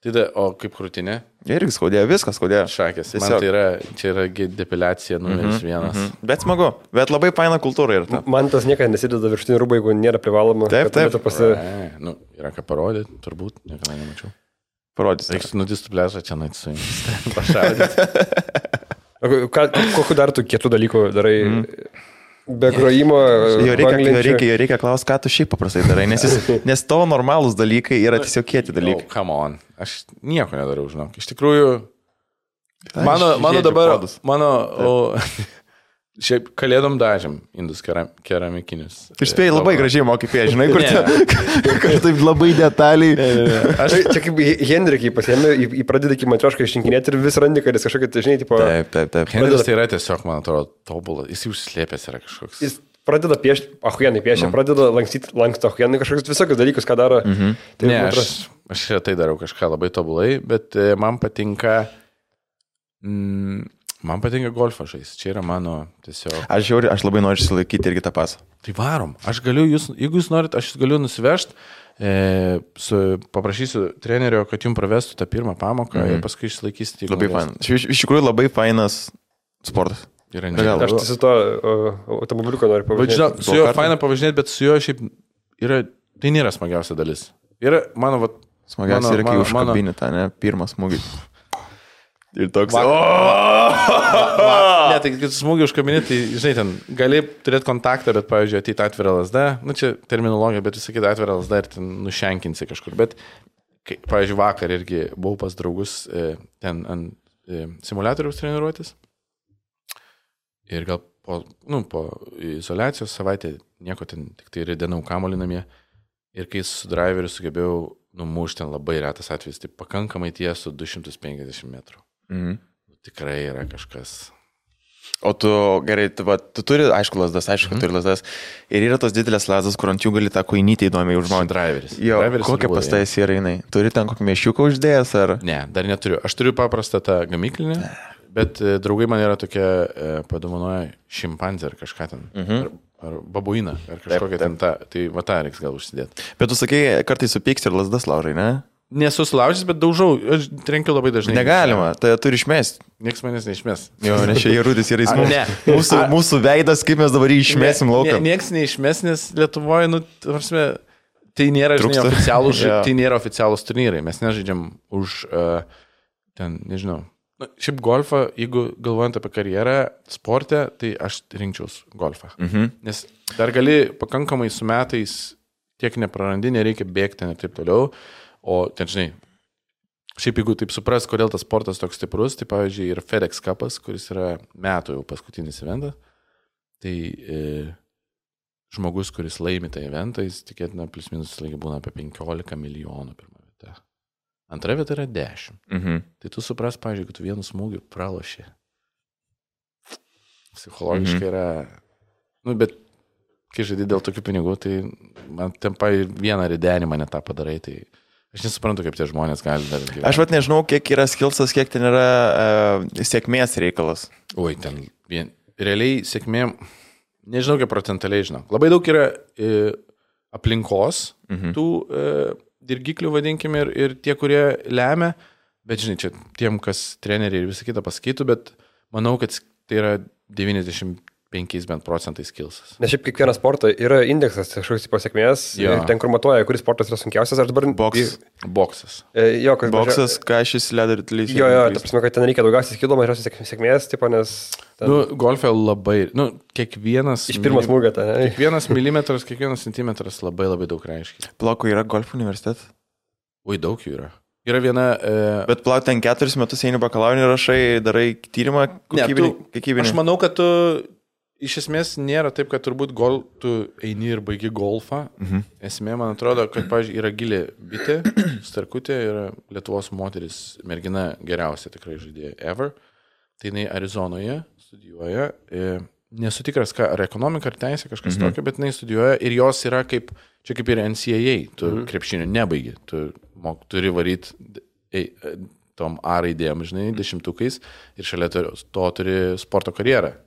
Tai da, o kaip krūtinė? Irgi skaudėjo, viskas skaudėjo. Šakės. Tiesiog. Man tai yra, čia yra depiliacija numeris mm-hmm, vienas. Mm-hmm. Bet smagu, bet labai faina kultūra ir ta. Man tas niekada nesideda viršutinį rūbą, jeigu nėra privaloma. Taip, taip. Pasi... Ai, nu, yra ką parodyti, turbūt, niekada nemačiau. Parodys. Reiks nudistų plėšą čia nait su jums. Pašaudyti. Kokiu dar tu kietų dalykų darai? Mm. Be grojimo. Jo reikia, jo reikia, jo reikia klausti, ką tu šiaip paprastai darai, nes, jis, nes tavo normalūs dalykai yra tiesiog kieti dalykai. No, come on. Aš nieko nedariau, žinok. Iš tikrųjų, mano, mano dabar, podus. mano, o, šiaip kalėdom dažėm indus keram, keramikinius. Ir spėjai labai gražiai mokai pėti, žinai, kur, kur taip labai detaliai. Ne, ne, ne. Aš čia kaip Hendrikai pasiėmė, į pradėdą iki matriošką išrinkinėti ir vis randi, kad jis kažkokia, žinai, tipo... Taip, taip, taip. Hendrikas tai yra tiesiog, man atrodo, tobulas. Jis užslėpęs yra kažkoks. Jis pradeda piešti, ahuienai piešia, mm. pradeda lankstyti, lanksto ahuienai kažkokius visokius dalykus, ką daro. Mm-hmm. Tai ne, aš, aš tai darau kažką labai tobulai, bet man patinka... Mm, Man patinka golfą žaisti, čia yra mano tiesiog... Aš, jau, aš labai noriu išsilaikyti irgi tą pasą. Tai varom, aš galiu jūs, jeigu jūs norit, aš galiu nusivežti, e, su, paprašysiu trenerio, kad jums pravestų tą pirmą pamoką mm. ir paskui išsilaikysite. Labai fainas. Iš, iš tikrųjų labai fainas sportas. Yra negal. Aš su to automobiliuko noriu pavažinėti. Su juo faina pavažinėti, bet su juo šiaip yra, tai nėra smagiausia dalis. Yra mano... Vat, smagiausia mano, yra, kai mano, užkabini tą, ne, pirmą smūgį. Ir toks... Va, va, va, ne, tai kai smūgį užkabini, tai, žinai, ten gali turėti kontaktą, bet, pavyzdžiui, ateiti atvirą lasdą, nu čia terminologija, bet visakyti atvirą lasdą ir ten nušenkinsi kažkur. Bet, kai, pavyzdžiui, vakar irgi buvau pas draugus e, ten ant e, simuliatoriaus treniruotis. Ir gal po, nu, po izoliacijos savaitę nieko ten, tik tai ridenau kamuolį namie. Ir kai su driveriu sugebėjau numušti ten labai retas atvejis, tai pakankamai tiesų du šimtus penkiasdešimt metrų. Mhm. Tikrai yra kažkas. O tu, gerai, tu, va, tu turi, aišku, lasdas, aišku, mhm. turi lasdas. Ir yra tos didelės lasdas, kur ant jų gali tą koinytę įdomiai užmauti. Driveris. Jo, Driveris kokia pastais yra jinai? Turi ten kokį mėšiuką uždėjęs, ar? Ne, dar neturiu. Aš turiu paprastą tą gamyklinę, bet e, draugai man yra tokia, e, padovanoja šimpanzę ar kažką ten. Mhm. Ar, ar babuiną, ar kažkokią ten tą. Tai va tą reiks gal užsidėti. Bet tu sakai, kartais supyksti ir lasdas laužai, ne? Nesu sulaužęs, bet daužau, aš trenkiu labai dažnai. Negalima, tai turi išmesti. Niekas manęs neišmes. Jo, nes čia Jarudis yra įsmūs. Ne. Mūsų, A, mūsų veidas, kaip mes dabar jį išmesim ne, lauką. Ne, niekas neišmes, nes Lietuvoje, nu, tarsi, tai nėra, žinai, oficialūs, ja. tai nėra oficialūs turnyrai. Mes nežaidžiam už, uh, ten, nežinau. Na, šiaip golfą, jeigu galvojant apie karjerą, sportę, tai aš rinkčiaus golfą. Mhm. Nes dar gali pakankamai su metais tiek neprarandi, nereikia bėgti ir taip toliau. O ten, žinai, šiaip jeigu taip supras, kodėl tas sportas toks stiprus, tai pavyzdžiui ir FedEx Cupas, kuris yra metų jau paskutinis eventas, tai e, žmogus, kuris laimi tą eventą, jis tikėtina plus minus laigi būna apie penkiolika milijonų pirmą vietą. Antra vieta yra dešimt. Mhm. Tai tu supras, pavyzdžiui, kad tu vienu smūgiu praloši. Psichologiškai mhm. yra, nu, bet kai žaidži dėl tokių pinigų, tai man tempai vieną ridenimą netą padarai, tai aš nesuprantu, kaip tie žmonės gali dar gyventi. Aš vat nežinau, kiek yra skilsas, kiek ten yra uh, sėkmės reikalas. Oi, ten vien, realiai sėkmė, nežinau, kiek procentaliai žinau. Labai daug yra e, aplinkos, mhm. tų e, dirgiklių, vadinkime, ir, ir tie, kurie lemia, bet žinai, čia tiem, kas treneriai ir visą kitą pasakytų, bet manau, kad tai yra devyniasdešimt penkiais bent procentais skilsas. Nes šiaip kiekvieną sportą yra indeksas kažkoks pasiekmės, ten kur matuoja, kuris sportas yra sunkiausias, aš dabar... Boks. Boksas. E, jo, kas Boksas, ką šis ledo ritulys. Jo, jo, ta prasme, kad ten reikia daugiausiai skilų, mažiausiai sėkmės, tipo, nes... Ten... Nu, golfe labai, nu, kiekvienas... Iš pirmo smūgio, tai ne? Kiekvienas milimetras, kiekvienas centimetras labai labai daug reiškia. Plauko yra golfo universitetas? Oi, daug jų yra. Yra viena... E... Bet plauk ten keturis metus eini bakalaurinį rašai, darai tyrimą kokybinį. Ne, tu, aš manau, kad tu... Iš esmės nėra taip, kad turbūt gol, tu eini ir baigi golfą. Mhm. Esmė, man atrodo, kad, pavyzdžiui, yra gilė bitė, Starkutė, yra Lietuvos moteris, mergina geriausia tikrai žaidėja ever. Tai jinai Arizonoje studijuoja. E, nesu tikras, ką, ar ekonomika, ar teisė, kažkas mhm. tokio, bet jinai studijuoja ir jos yra kaip, čia kaip ir N C A A, tu mhm. krepšinio nebaigi, tu mok, turi varyti ei, tom A raidėjom, žinai, dešimtukais ir šalia to, to turi sporto karjerą.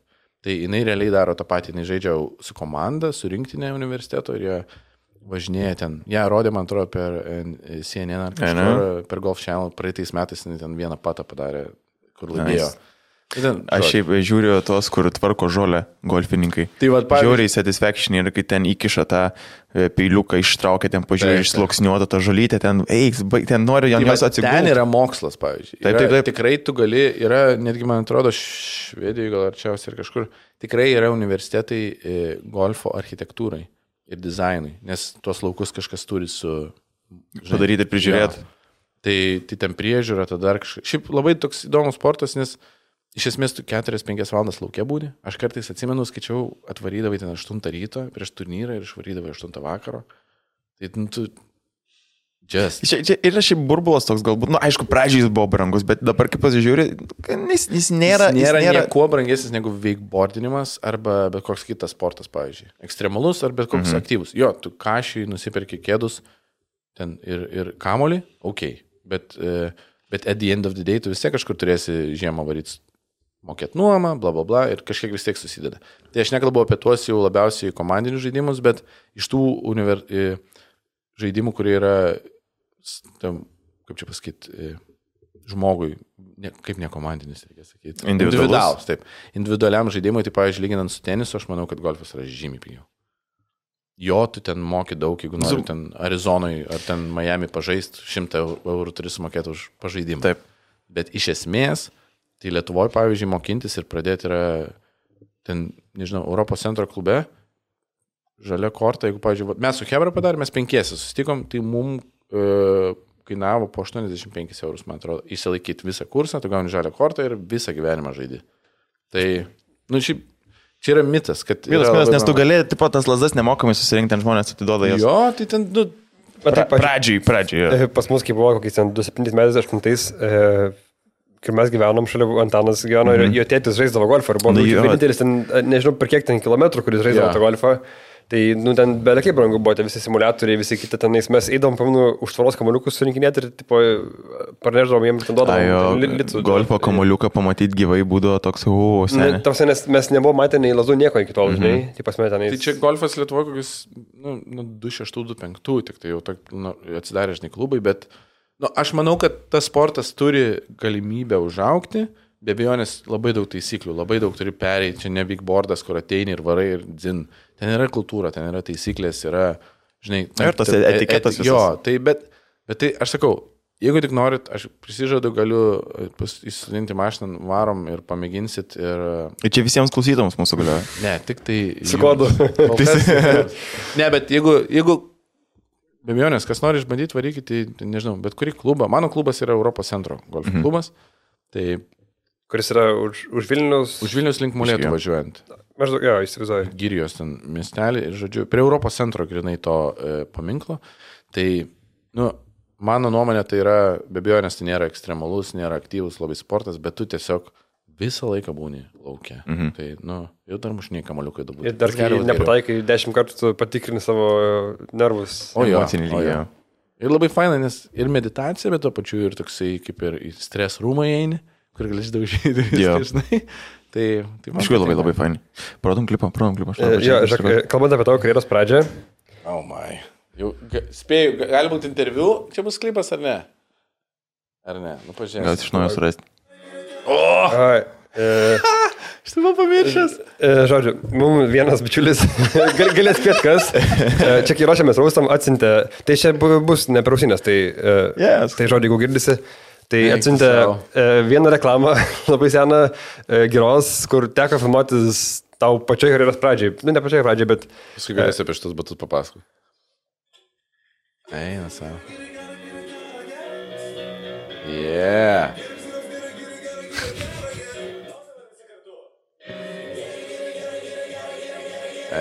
Tai jinai realiai daro tą patį, jinai žaidžia su komanda, su rinktinė universiteto ir jie važinėja ten. Ja, rodė, man atrodo, per C N N ar kažkur, per Golf Channel, praeitais metais ten vieną patą padarė, kur laimėjo. Nice. Ten, aš šiaip žiūriu tos, kur tvarko žolę golfininkai. Tai va, pavyzdžiui, žiūriai satisfaction ir kai ten įkiša tą peiliuką, ištraukia, ten pažiūrė, išsloksniuota tą žolytę, ten eiks, ten nori jam jos atsigulti. Ten yra mokslas, pavyzdžiui. Yra, taip, taip, taip. Tikrai tu gali, yra, netgi man atrodo, Švedijoje gal arčiausiai ir kažkur, tikrai yra universitetai golfo architektūrai ir dizainui, nes tuos laukus kažkas turi su... Žinai, padaryti ir prižiūrėti. Tai, tai ten priežiūra, tada dar kažkas. Šiaip labai toks įdomus sportas, nes iš esmės tu keturias penkias valandas laukia būni. Aš kartais atsimenu, skaičiau, atvarydavai ten aštuntą ryto prieš turnyrą ir išvarydavai aštuntą vakaro. Tai nu, tu... Just. Čia, čia yra šiaip burbulas toks galbūt, nu aišku, pradžiai jis buvo brangus, bet dabar kaip pasižiūri, jis, jis nėra... Jis nėra, jis nėra nieko brangesnis negu wakeboardinimas arba bet koks kitas sportas, pavyzdžiui. Ekstremalus ar bet koks mhm. aktyvus. Jo, tu kašiui nusiperki kėdus ten ir, ir kamolį, okei. Okay. Bet, bet at the end of the day tu vis tiek kažkur turėsi žiemą varyti mokėti nuomą, bla bla bla ir kažkiek vis tiek susideda. Tai aš nekalbu apie tuos jau labiausiai komandinius žaidimus, bet iš tų univer... žaidimų, kurie yra, tam, kaip čia pasakyti, žmogui, ne, kaip ne komandinis, reikia sakyti. Individualus. Taip. Individualiam žaidimui, tai pavyzdžiui, lyginant su tenisu, aš manau, kad golfas yra žymiai pigiau. Jo, tu ten moki daug, jeigu nori ten Arizonoje ar ten Miami pažaist, šimtą eurų turi sumokėti už pažaidimą. Taip. Bet iš esmės, tai Lietuvoje, pavyzdžiui, mokintis ir pradėti yra ten, nežinau, Europos centro klube, žalia korta, jeigu, pavyzdžiui, mes su Hebra padarėme, mes penkiesi susitikom, tai mums e, kainavo po aštuoniasdešimt penkis eurus, man atrodo, įsilaikyti visą kursą, tu gauni žalią kortą ir visą gyvenimą žaidži. Tai, nu, šiaip, čia yra mitas, kad... Mitas, mitas, nes tu galėjai, tipo, tas lazdas nemokamai susirinkti, ten žmonės atiduoda jas. Jo, tai ten, nu... Pra, pradžiai, pradžiai. Ja. Pas mus, kai buvo kokiais ten du septintais metais, aštuntais, e, kai mes gyvenom šalia, Antanas gyveno mm-hmm. ir jo tėtis žaisdavo golfą ir buvo nu, vienintelis ten, nežinau, per kiek ten kilometrų, kuris žaisdavo yeah. tą golfą. Tai, nu, ten belekiai brangu buvo, tie visi simuliatoriai, visi kiti tenais, mes eidom, paminu, už tvaros kamuoliukus surinkinėti ir, tipo, parneždavom jiems ten duodavom. Litų, golfo kamuoliuką pamatyti gyvai būdavo toks, u, seniai. Tavsi, nes mes nebuvom matę nei lazų nieko iki tol, žinai, mm-hmm. tai pasme tenais. Tai čia golfas Lietuvoje kokius, nu, nu du šeštų, du penktų, tik tai jau tok, nu, atsidarė, žinai, klubai, bet, nu, aš manau, kad tas sportas turi galimybę užaugti. Be abejonės labai daug taisyklių, labai daug turi pereiti, čia ne wakeboardas, kur ateini ir varai ir dzin. Ten yra kultūra, ten yra taisyklės, yra, žinai... Ten, ir tas etiketas visas. Jo, tai, bet, bet tai, aš sakau, jeigu tik norit, aš prisižadu, galiu įsudinti mašiną, varom ir pamėginsit ir... Ir čia visiems klausytams mūsų galioja. Ne, tik tai... Su kodu. Ne, bet jeigu... jeigu be abejonės, kas nori išbandyti, varykite, tai, nežinau, bet kurį klubą. Mano klubas yra Europos centro golf mhm. klubas. Tai... Kuris yra už, už Vilnius... Už Vilnius link Molėtų važiuojant. Maždaug, jo, įsivaizduoju. Girijos ten miestelį ir, žodžiu, prie Europos centro grinai to e, paminklo. Tai, nu, mano nuomonė, tai yra, be abejonės, tai nėra ekstremalus, nėra aktyvus labai sportas, bet tu tiesiog visą laiką būni laukia. Mhm. Tai, nu, jau dar mušiniai kamaliukai dabar. Ir dar kai nepataikai dešimt kartų patikrini savo nervus. O jo, o jo. Ir labai faina, nes ir meditacija, bet to pačiu ir toksai, kaip ir į stres rūmą eini, kur galėsi daug žydų viską, žinai. Tai, tai iš tikrųjų labai labai faini. Prodom klipą, prodom klipą. E, jo, žiūrėk, kalbant apie tavo karjeros pradžią. Oh my. Jau, ga, spėju, gali būti interviu, čia bus klipas ar ne? Ar ne? Nu, pažiūrėk. Gal iš naujo surasti. O! Ai, e, aš tai buvau pamiršęs. E, žodžiu, mums vienas bičiulis, gal, galės spėt kas, e, čia kai ruošiamės raustam atsintė, tai čia bus ne per ausinės, tai, e, yes. Tai žodžiu, jeigu girdisi. Tai atsiuntė e, vieną reklamą, labai seną, e, geros, kur teko filmuotis tau pačioj karjeros pradžiai. Nu, ne pačioj pradžiai, bet... Paskui galėsi apie šitus batus papasakoti. Eina savo. Yeah.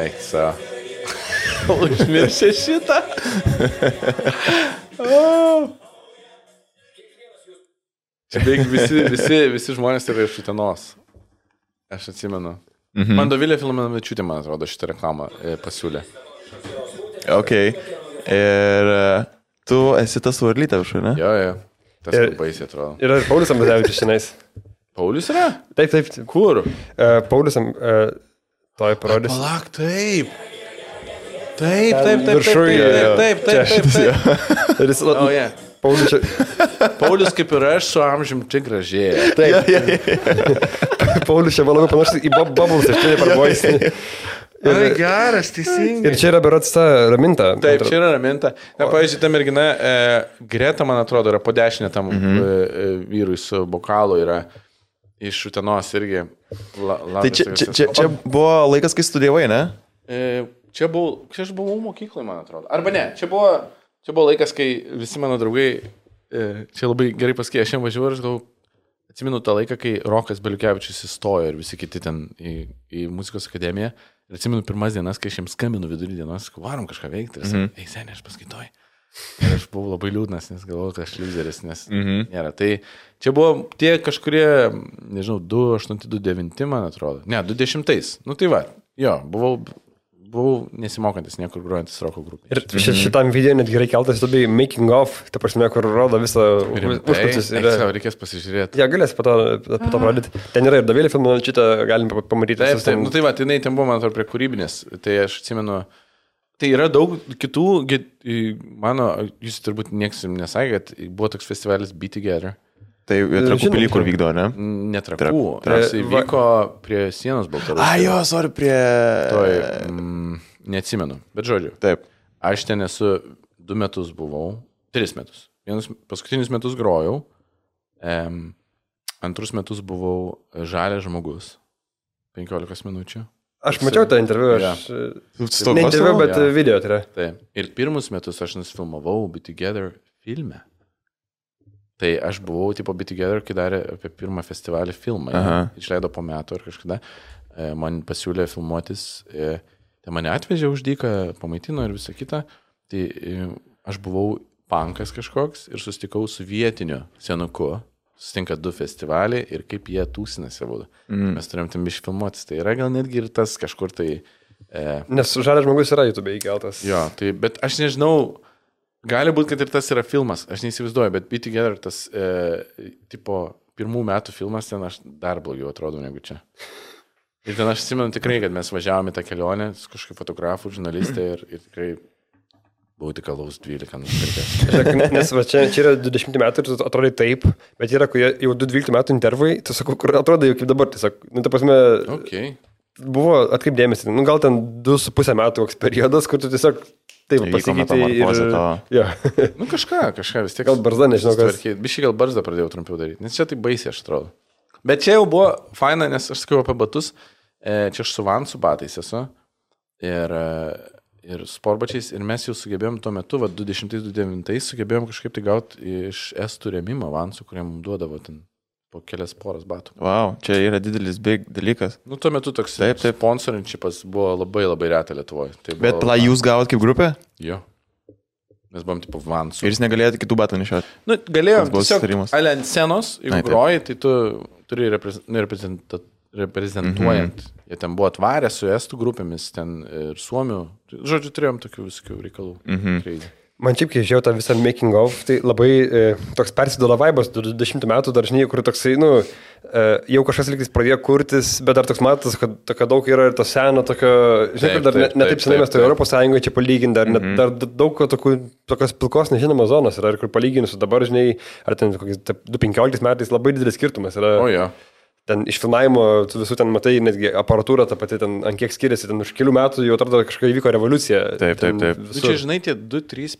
Eik savo. Užmiršė šitą. Oh. Čia beveik visi, visi, visi žmonės yra iš Utenos. Aš atsimenu. Mhm. Man Dovilė Filmanavičiūtė, man atrodo, šitą reklamą e, pasiūlė. Ok. Ir tu esi tas varlytė už, ne? Jo, jo. Tas ir, baisiai atrodo. Ir Paulius Ambazevičius šiandien. Paulius yra? Taip, taip. Kur? Uh, Paulius, uh, toj parodys. Palak, taip. Taip, taip, taip, taip, taip, taip, taip. Ir jis, Oh, yeah. Paulius čia... Paulius kaip ir aš su amžiumi tik gražėja. Taip. Paulius čia man labai panašus į Bubbles, aš čia neparbojusi. Ai, geras, teisingai. Ir čia yra berods ta Raminta. Taip, čia yra Raminta. Na, pavyzdžiui, ta mergina, e, Greta, man atrodo, yra po dešinę tam mhm. e, vyrui su bokalu, yra iš Utenos irgi. La, tai čia, čia, čia, čia buvo laikas, kai studijavai, ne? E, Čia, buvau, čia aš buvau mokykloje, man atrodo. Arba ne, čia buvo, čia buvo laikas, kai visi mano draugai, e, čia labai gerai pasakė, aš jam važiuoju ir aš galvoju, atsimenu tą laiką, kai Rokas Beliukevičius įstojo ir visi kiti ten į, į muzikos akademiją. Ir atsimenu pirmas dienas, kai aš jam skambinu vidurį dienos, sakau, varom kažką veikti. Ir sakau, mm-hmm. ei, seniai, aš paskaitoju. Ir aš buvau labai liūdnas, nes galvoju, kad aš lyderis, nes mm-hmm. nėra. Tai čia buvo tie kažkurie, nežinau, du aštuoni, du devyni, man atrodo. Ne, du dešimtais. Nu tai va, jo, buvau... Buvau nesimokantis niekur grojantis roko grupė. Ir ši, šitam video net gerai keltas, labai making of, ta prasme, kur rodo visą užkulisius. Yra... Reikės pasižiūrėti. Ja, galės po to, po to pradėti. Ten yra ir davėlį filmą, šitą galim pamatyti. Taip, taip, nu tai va, tai ten buvo, man atrodo, prie kūrybinės. Tai aš atsimenu, tai yra daug kitų, mano, jūs turbūt nieks nesakė, kad buvo toks festivalis Be Together. Tai Trakų pilį, kur vykdo, ne? Netrakų. Tas įvyko prie sienos Baltarusijos. A, jo, sorry, prie... Toj, mm, neatsimenu, bet žodžiu. Taip. Aš ten esu du metus buvau, tris metus. Vienus paskutinius metus grojau, em, antrus metus buvau žalias žmogus, penkiolikos minučių. Aš mačiau tą interviu, aš... Ja. Ne interviu, bet ja. Video tai yra. Taip. Ir pirmus metus aš nusifilmavau Be Together filme. Tai aš buvau, tipo, Be Together, kai darė apie pirmą festivalį filmą. Ja, išleido po metų ar kažkada. E, man pasiūlė filmuotis. E, tai mane atvežė už dyką, pamaitino ir visą kitą. Tai e, aš buvau punkas kažkoks ir susitikau su vietiniu senuku. Susitinka du festivaliai ir kaip jie tūsinasi būtų. Mm. Mes turėjom tam biškai filmuotis. Tai yra gal netgi ir tas kažkur tai... E, Nes žalias žmogus yra YouTube įkeltas. Jo, tai, bet aš nežinau... Gali būti, kad ir tas yra filmas, aš neįsivaizduoju, bet Be Together, tas e, tipo pirmų metų filmas, ten aš dar blogiau atrodau negu čia. Ir ten aš atsimenu tikrai, kad mes važiavome tą kelionę su kažkokiu fotografu, žurnalistė ir, ir tikrai buvau tik alaus dvylika nusipirkęs. Nes va, čia, čia yra dvidešimt metų ir tu atrodai taip, bet yra jau du dvyliktų metų intervai, tu sakau, kur atrodai jau kaip dabar, tiesiog, nu, ta prasme, okay. Buvo atkreipdėmėsi, nu, gal ten du su pusę metų koks periodas, kur tu tiesiog taip pasakyti ir... Ja. Nu kažką, kažką vis tiek. Gal barzda, nežinau, kas. Biškai gal barzdą pradėjau trumpiau daryti, nes čia tai baisiai aš atrodo. Bet čia jau buvo faina, nes aš sakiau apie batus, čia aš su Vansu batais esu ir, ir sportbačiais ir mes jau sugebėjom tuo metu, va, du dešimtais, du devintais sugebėjom kažkaip tai gauti iš estų rėmimą Vansų, kurie mums duodavo ten po kelias poras batų. Wow, čia yra didelis big dalykas. Nu, tuo metu toks taip, taip. Sponsorinčipas buvo labai labai reta Lietuvoje. Tai bet pala jūs gavot kaip grupė? Jo. Mes buvom tipo Vansų. Ir jis negalėjo kitų batų nešioti? Nu, galėjo. Tiesiog, ale ant scenos, jeigu Ai, groji, tai tu turi reprezentuoti. reprezentuojant. Mm-hmm. Jie ten buvo atvarę su estų grupėmis, ten ir suomių. Žodžiu, turėjom tokių visokių reikalų. Mm-hmm. Man šiaip, kai žiūrėjau tą visą making of, tai labai e, toks persiduoda vaibas, dvidešimtų metų dar žinai, kur toksai, nu, e, jau kažkas lygtis pradėjo kurtis, bet dar toks matas, kad tokio daug yra ir to seno, tokio, žinai, kur dar ne, ne taip senai mes to Europos Sąjungoje čia palyginti, dar, mm-hmm. dar daug tokių, tokios pilkos nežinomos zonos yra, ir kur palyginus su dabar, žinai, ar ten kokiais du penkioliktais metais labai didelis skirtumas yra. O, jo. Ten iš filmavimo, tu visų ten matai, netgi aparatūra ta pati, ten ant kiek skiriasi, ten už kelių metų jau atrodo kažkokia įvyko revoliucija. Taip, taip, taip. Visur. Čia, žinai, tie du, trys,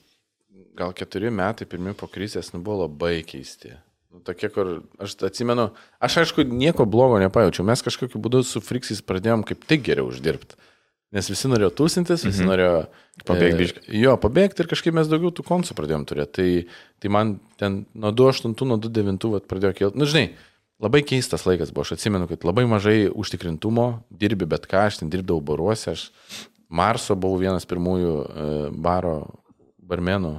gal keturi metai pirmi po krizės, nu, buvo labai keisti. Nu, tokie, kur, aš atsimenu, aš aišku nieko blogo nepajaučiau, mes kažkokiu būdu su Friksais pradėjom kaip tik geriau uždirbti. Nes visi norėjo tūsintis, visi mm-hmm. norėjo pabėgti. E, jo, pabėgti ir kažkaip mes daugiau tų konsų pradėjom turėti. Tai, tai man ten nuo du aštuntų, nuo du devintų pradėjo kilti. Nu, žinai, labai keistas laikas buvo, aš atsimenu, kad labai mažai užtikrintumo, dirbi bet ką, aš ten dirbdavau baruose, aš Marso buvau vienas pirmųjų e, baro barmenų,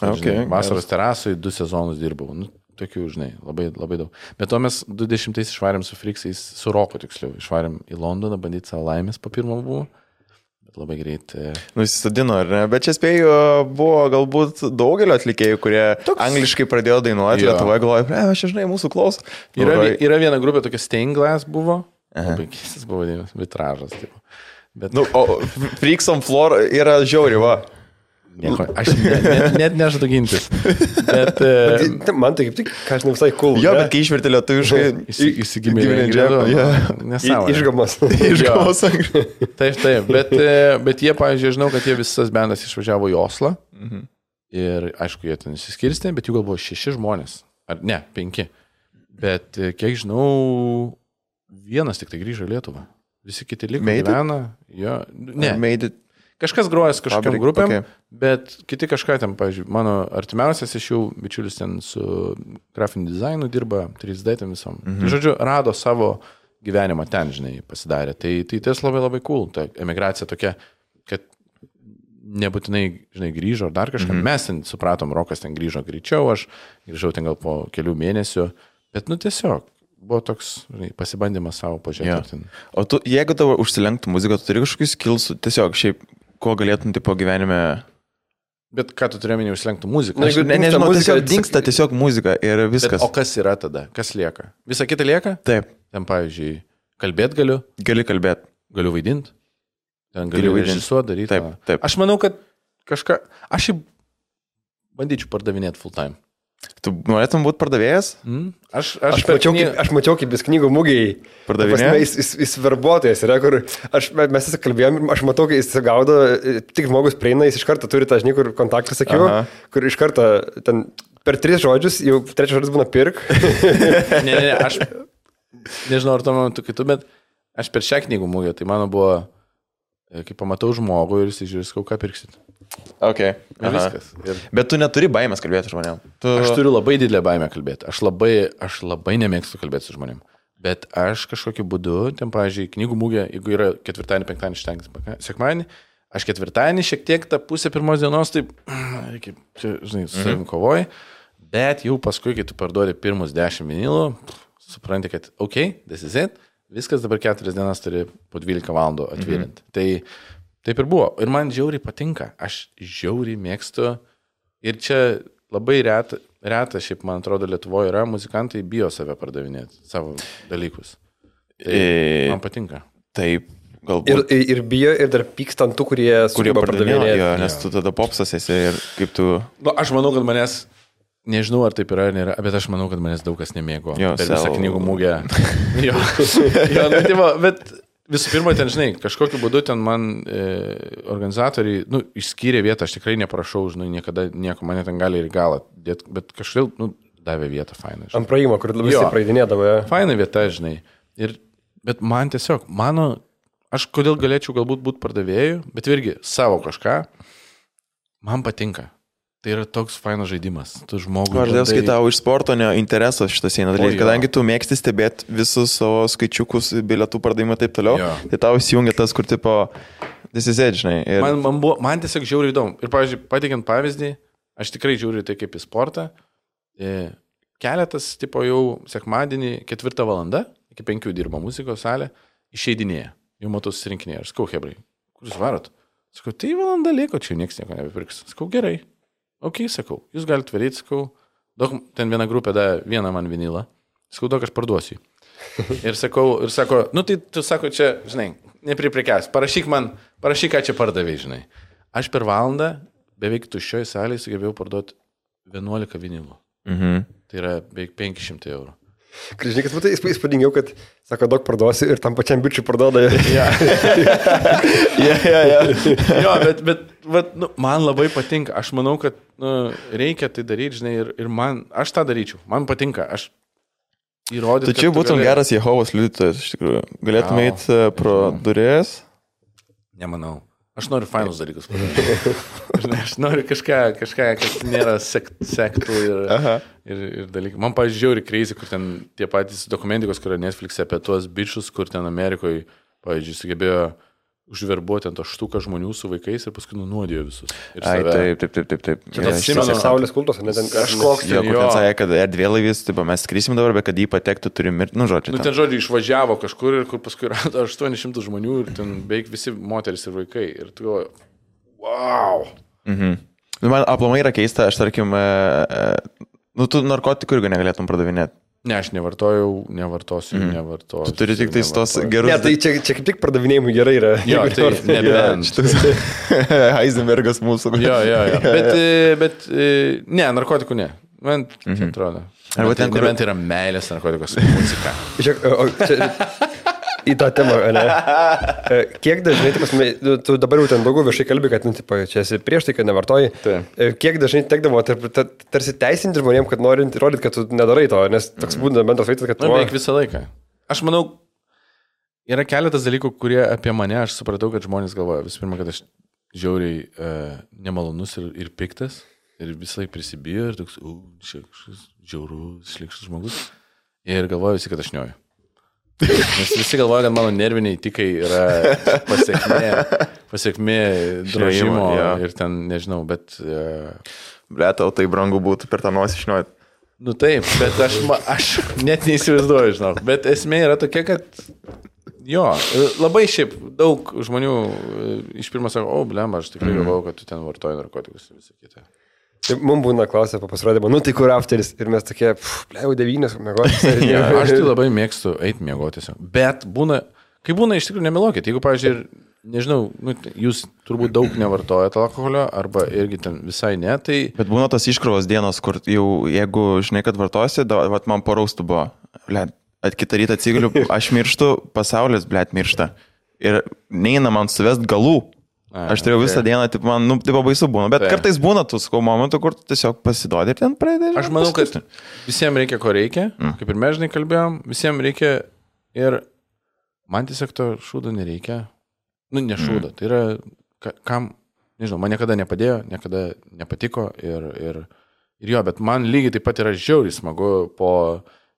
okay, žinai, vasaros terasui du sezonus dirbau, nu, tokių, žinai, labai, labai daug. Bet to mes du dešimtais išvarėm su Friksais, su Roku tiksliau, išvarėm į Londoną, bandyti savo laimės po pirmo buvo. Bet labai greit. E... Nusisadino, ar ne? Bet čia spėjau, buvo galbūt daugelio atlikėjų, kurie Toks... angliškai pradėjo dainuoti, Lietuvoje galvoja, ne, aš žinai, mūsų klauso. Yra, yra viena grupė, tokia Stained Glass buvo, Aha. labai keistas buvo, vitražas. Tipo. Bet, Nu, o Freaks on Floor yra žiauri, va. Nieko, aš net, net, net nežadu gintis. Bet, uh, man tai kaip tik, ką aš ne visai cool. Jo, bet kai išvertė lietuviškai, įsigimė džemą. Nesąmonė. Išgamos. Išgamos. Taip, taip. Bet, bet jie, pavyzdžiui, žinau, kad jie visas bendas išvažiavo į Oslą. Mhm. Ir, aišku, jie ten įsiskirstė, bet jų gal buvo šeši žmonės. Ar ne, penki. Bet, kiek žinau, vienas tik tai grįžo į Lietuvą. Visi kiti liko gyvena. Jo, ne. Made it. Kažkas grojas kažkokiam Fabrik, grupėm, okay. Bet kiti kažką ten, pavyzdžiui, mano artimiausias iš jų bičiulis ten su grafiniu dizainu dirba, trys D ten visom. Mhm. Tai, žodžiu, rado savo gyvenimą ten, žinai, pasidarė. Tai, tai tas labai labai cool, ta emigracija tokia, kad nebūtinai, žinai, grįžo ar dar kažką. Mhm. Mes ten supratom, Rokas ten grįžo greičiau, aš grįžau ten gal po kelių mėnesių, bet, nu, tiesiog. Buvo toks, žinai, pasibandymas savo pažiūrėti. Ja. O tu, jeigu tavo užsilenktų muziką, tu turi kažkokius skillsų, tiesiog šiaip, ko galėtum tipo gyvenime... Bet ką tu turėjai minėjai užsilenktų muziką? Na, ne, nežinau, muzika, tiesiog dingsta tiesiog muzika ir viskas. Bet, o kas yra tada? Kas lieka? Visa kita lieka? Taip. Ten, pavyzdžiui, kalbėt galiu? Gali kalbėt. Galiu vaidinti? Ten galiu režisuoti, daryti? Taip, taip. Aš manau, kad kažką... Aš jį bandyčiau pardavinėti full time. Tu norėtum būti pardavėjas? Mm. Aš, aš, aš, mačiau, kny... kaip, aš mačiau, kaip vis knygų mūgiai pardavinėjas. Jis, jis, jis verbuotojas yra, kur aš, mes visi kalbėjom, aš matau, kai jis gaudo, tik žmogus prieina, jis iš karto turi tą, žinai, kur kontaktą sakiau, Aha. kur iš karto ten per tris žodžius, jau trečias žodis būna pirk. ne, ne, ne, aš nežinau, ar to momentu kitų, bet aš per šią knygų mūgę, tai mano buvo, kai pamatau žmogų ir jis žiūrės, ką pirksit. Okay. Ir... Bet tu neturi baimės kalbėti žmonėm. Tu... Aš turiu labai didelę baimę kalbėti. Aš labai, aš labai nemėgstu kalbėti su žmonėm. Bet aš kažkokiu būdu, ten, pavyzdžiui, knygų mūgė, jeigu yra ketvirtadienį, penktadienį, šeštadienį, sekmadienį, aš ketvirtadienį šiek tiek tą pusę pirmos dienos, taip, reikia, žinai, su savim kovoji, bet jau paskui, kai tu parduodi pirmus dešimt vinilų, supranti, kad, ok, this is it, viskas dabar keturias dienas turi po dvylika valandų atvirinti. Mhm. Tai taip ir buvo. Ir man žiauriai patinka. Aš žiauriai mėgstu. Ir čia labai reta, reta šiaip, man atrodo, Lietuvoje yra, muzikantai bijo save pardavinėti, savo dalykus. Tai e... man patinka. Taip, galbūt. Ir, ir bijo, ir dar pyksta ant tų, kurie, kurie pardavinėja. Jo, nes tu tada popsas esi ir kaip tu... Nu, aš manau, kad manęs, nežinau, ar taip yra ar nėra, bet aš manau, kad manęs daug kas nemėgo. Jo, per sel... visą knygų mūgę. jo, jo nu, tyvo, bet... Visų pirma, ten, žinai, kažkokiu būdu ten man e, organizatoriai, nu, išskyrė vietą, aš tikrai neprašau, žinai, niekada nieko, mane ten gali ir galą dėt, bet kažkaip, nu, davė vietą fainą. Žinai. Ant praėjimo, kur visi praeidinėdavo. Ja. Faina vieta, žinai. Ir, bet man tiesiog, mano, aš kodėl galėčiau galbūt būti pardavėjų, bet irgi savo kažką, man patinka. Tai yra toks fainas žaidimas. Tu žmogui... Aš dėl kai tau iš sporto ne interesas šitas eina dalykas, kadangi tu mėgsti stebėti visus savo skaičiukus, bilietų pardavimą ir taip toliau, jo. Tai tau įsijungia tas, kur tipo, this is it, žinai. Ir... Man, man, buvo, man tiesiog žiauriai įdomu. Ir, pavyzdžiui, pateikiant pavyzdį, aš tikrai žiūriu tai kaip į sportą. Keletas, tipo, jau sekmadienį ketvirtą valandą, iki penkių dirba muzikos salė, išeidinėja. Jau matau susirinkinėje. Aš skau, hebrai, kur jūs varot? Sakau, tai valanda lieko, čia nieks nieko nebepirks. Sakau, gerai. Ok, sakau, jūs galite varyti, sakau, daug, ten viena grupė da vieną man vinilą, sakau, daug aš parduosiu. Ir sakau, ir sako, nu tai tu sako, čia, žinai, nepriprekiaus, parašyk man, parašyk, ką čia pardavai, žinai. Aš per valandą beveik tuščioj salėje sugebėjau parduoti vienuolika vinilų. Mhm. Tai yra beveik penki šimtai eurų. Žinai, kad matai, įspūdingiau, kad, sako, daug parduosi ir tam pačiam bičiui parduoda. Ja, ja, ja. ja. Jo, bet, bet vat, nu, man labai patinka. Aš manau, kad nu, reikia tai daryti, žinai, ir, ir man, aš tą daryčiau. Man patinka. Aš įrodyčiau. Tu čia būtum gali... geras Jehovos liudytojas, iš tikrųjų. Galėtum eiti pro duris? Nemanau. Aš noriu fainus dalykus padaryti. Aš noriu kažką, kažką kas nėra sekt, sektų ir, ir, ir dalykų. Man, pavyzdžiui, žiauri crazy, kur ten tie patys dokumentikos, kur yra Netflix'e apie tuos bičius, kur ten Amerikoje, pavyzdžiui, sugebėjo užverbuoti ant aštuką žmonių su vaikais ir paskui nunuodijo visus. Ai, taip, taip, taip, taip, taip. Čia tas Simeno saulės kultos, ne ten kažkoks. Jo, kur ten sakė, kad erdvėlaivis, taip, mes skrisim dabar, bet kad jį patektų, turi mirti, nu, žodžiu. Nu, ten, žodžiu, išvažiavo kažkur ir kur paskui rado aštuonis šimtus žmonių ir ten beveik visi moteris ir vaikai. Ir tu galvoji, wow. Mhm. Nu, man aplamai yra keista, aš tarkim, e, e, nu, tu narkotikų irgi negalėtum pardavinėti. Ne, aš nevartojau, nevartosiu, mm. nevartosiu. Tu turi tik tais tos gerus... Ne, tai čia, čia kaip tik pardavimėjimui gerai yra. Jo, tai nebent. Heisenbergas mūsų. Jo, jo, jo. Bet, bet, ne, narkotikų ne. Man čia mm-hmm. atrodo. Arba ten, kur... Nebent yra meilės narkotikos muzika. Žiūrėk, o čia... Į tą temą, ne? Kiek dažnai, tai, tu dabar jau ten daugiau viešai kalbi, kad, nu, tipo, čia esi prieš tai, kad nevartoji. Tai. Kiek dažnai tekdavo tar, tar, tarsi teisinti žmonėm, kad norint įrodyti, kad tu nedarai to, nes toks būna bendras vaizdas, kad tu... Na, beveik visą laiką. Aš manau, yra keletas dalykų, kurie apie mane, aš supratau, kad žmonės galvoja. Visų pirma, kad aš žiauriai uh, nemalonus ir, ir piktas, ir visą laiką prisibijo, ir toks, u, čia kažkas žiaurus, šlikštas žmogus. Ir galvoja visi, kad aš nioju. Nes visi galvoja, kad mano nerviniai tikai yra pasiekmė, pasiekmė drožimo ja. Ir ten, nežinau, bet... Uh... Ble, tau tai brangu būtų per tą nosį išniuoti. Nu taip, bet aš, aš net neįsivaizduoju, žinau. Bet esmė yra tokia, kad jo, labai šiaip daug žmonių iš pirmo sako, o, blemba, aš tikrai galvojau, kad tu ten vartoji narkotikus ir visą kitą. Mums būna klausę po pasirodymą, nu tai kur afteris ir mes tokie, plėjau devynės, mėgotis. Ja, aš tai labai mėgstu eiti mėgotis. Bet būna, kai būna iš tikrųjų nemelokit, jeigu, pavyzdžiui, nežinau, nu, jūs turbūt daug nevartojate alkoholio, arba irgi ten visai ne, tai... Bet būna tas iškrovos dienos, kur jau, jeigu žinai, kad vartosi, da, vat man paraustų buvo, blėt, at kitą rytą atsigaliu, aš mirštu, pasaulis, blėt, miršta. Ir neina man suvest galų. A, aš turėjau okay. visą dieną, taip, man, nu, taip baisu būna, bet tai. Kartais būna tų skau momentų, kur tu tiesiog pasiduodi ir ten pradedi. Aš manau, kad visiems reikia, ko reikia, mm. kaip ir mes žinai kalbėjom, visiems reikia ir man tiesiog to šūdo nereikia, nu, ne šūdo, mm. tai yra, ka, kam, nežinau, man niekada nepadėjo, niekada nepatiko ir, ir, ir jo, bet man lygiai taip pat yra žiauriai smagu po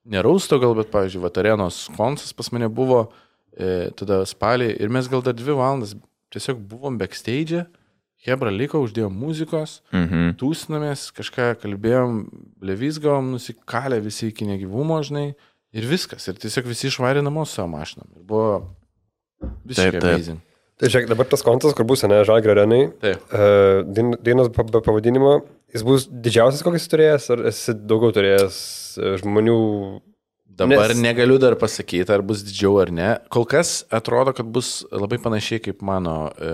nerausto gal, bet, pavyzdžiui, Vatarenos koncas pas mane buvo e, tada spalį ir mes gal dar dvi valandas tiesiog buvom backstage, Hebra liko, uždėjom muzikos, mm-hmm. tūsinamės, kažką kalbėjom, levizgavom, nusikalę visi iki negyvumo, žinai, ir viskas. Ir tiesiog visi išvarė namo savo mašinom. Ir buvo visiškai amazing. Tai žiūrėk, dabar tas kontas, kur bus, ne, Žalgirio arenai, uh, dainos pavadinimo, jis bus didžiausias, kokį jis turėjęs, ar esi daugiau turėjęs žmonių... Dabar Nes... negaliu dar pasakyti, ar bus didžiau ar ne. Kol kas atrodo, kad bus labai panašiai kaip mano e,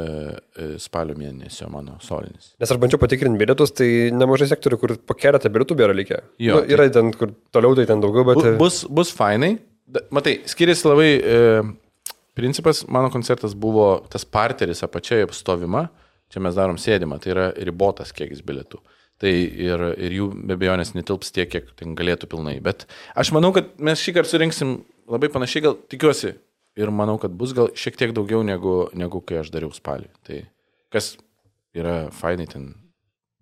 e, spalio mėnesio, mano solinis. Nes aš bandžiau patikrinti bilietus, tai nemažai sektorių, kur po keletą bilietų yra likę. Jo, nu, yra tai... ten, kur toliau tai ten daugiau, bet... Bus, bus fainai. Matai, skiriasi labai e, principas, mano koncertas buvo tas parteris apačioje stovima, čia mes darom sėdimą, tai yra ribotas kiekis bilietų. Tai ir, ir jų be abejonės netilps tiek, kiek ten galėtų pilnai. Bet aš manau, kad mes šį kartą surinksim labai panašiai, gal tikiuosi. Ir manau, kad bus gal šiek tiek daugiau negu, negu kai aš dariau spalį. Tai kas yra fainai ten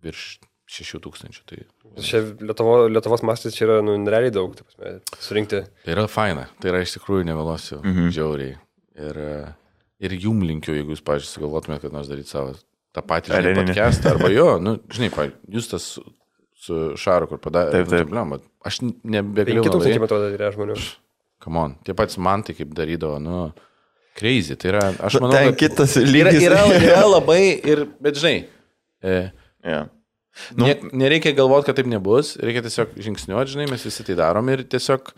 virš šešių tūkstančių. Tai... Čia Lietuvo, Lietuvos mastis čia yra nu, realiai daug, taip pasme, surinkti. Tai yra faina. Tai yra iš tikrųjų nevėlosiu, mhm. žiauriai. Ir, ir jum linkiu, jeigu jūs, pavyzdžiui, sugalvotumėte, kad nors daryti savo tą patį žinai, podcastą, arba jo, nu, žinai, jūs tas su, su Šaru, kur padarė, taip, taip. Nu, aš nebegalėjau. penki tūkstančiai metų yra žmonių. Come on, tie patys man tai kaip darydavo, nu, crazy, tai yra, aš manau, ten kad kitas yra, yra, yra labai, ir, bet žinai, e, yeah. nu, ne, nereikia galvoti, kad taip nebus, reikia tiesiog žingsniuoti, žinai, mes visi tai darom ir tiesiog,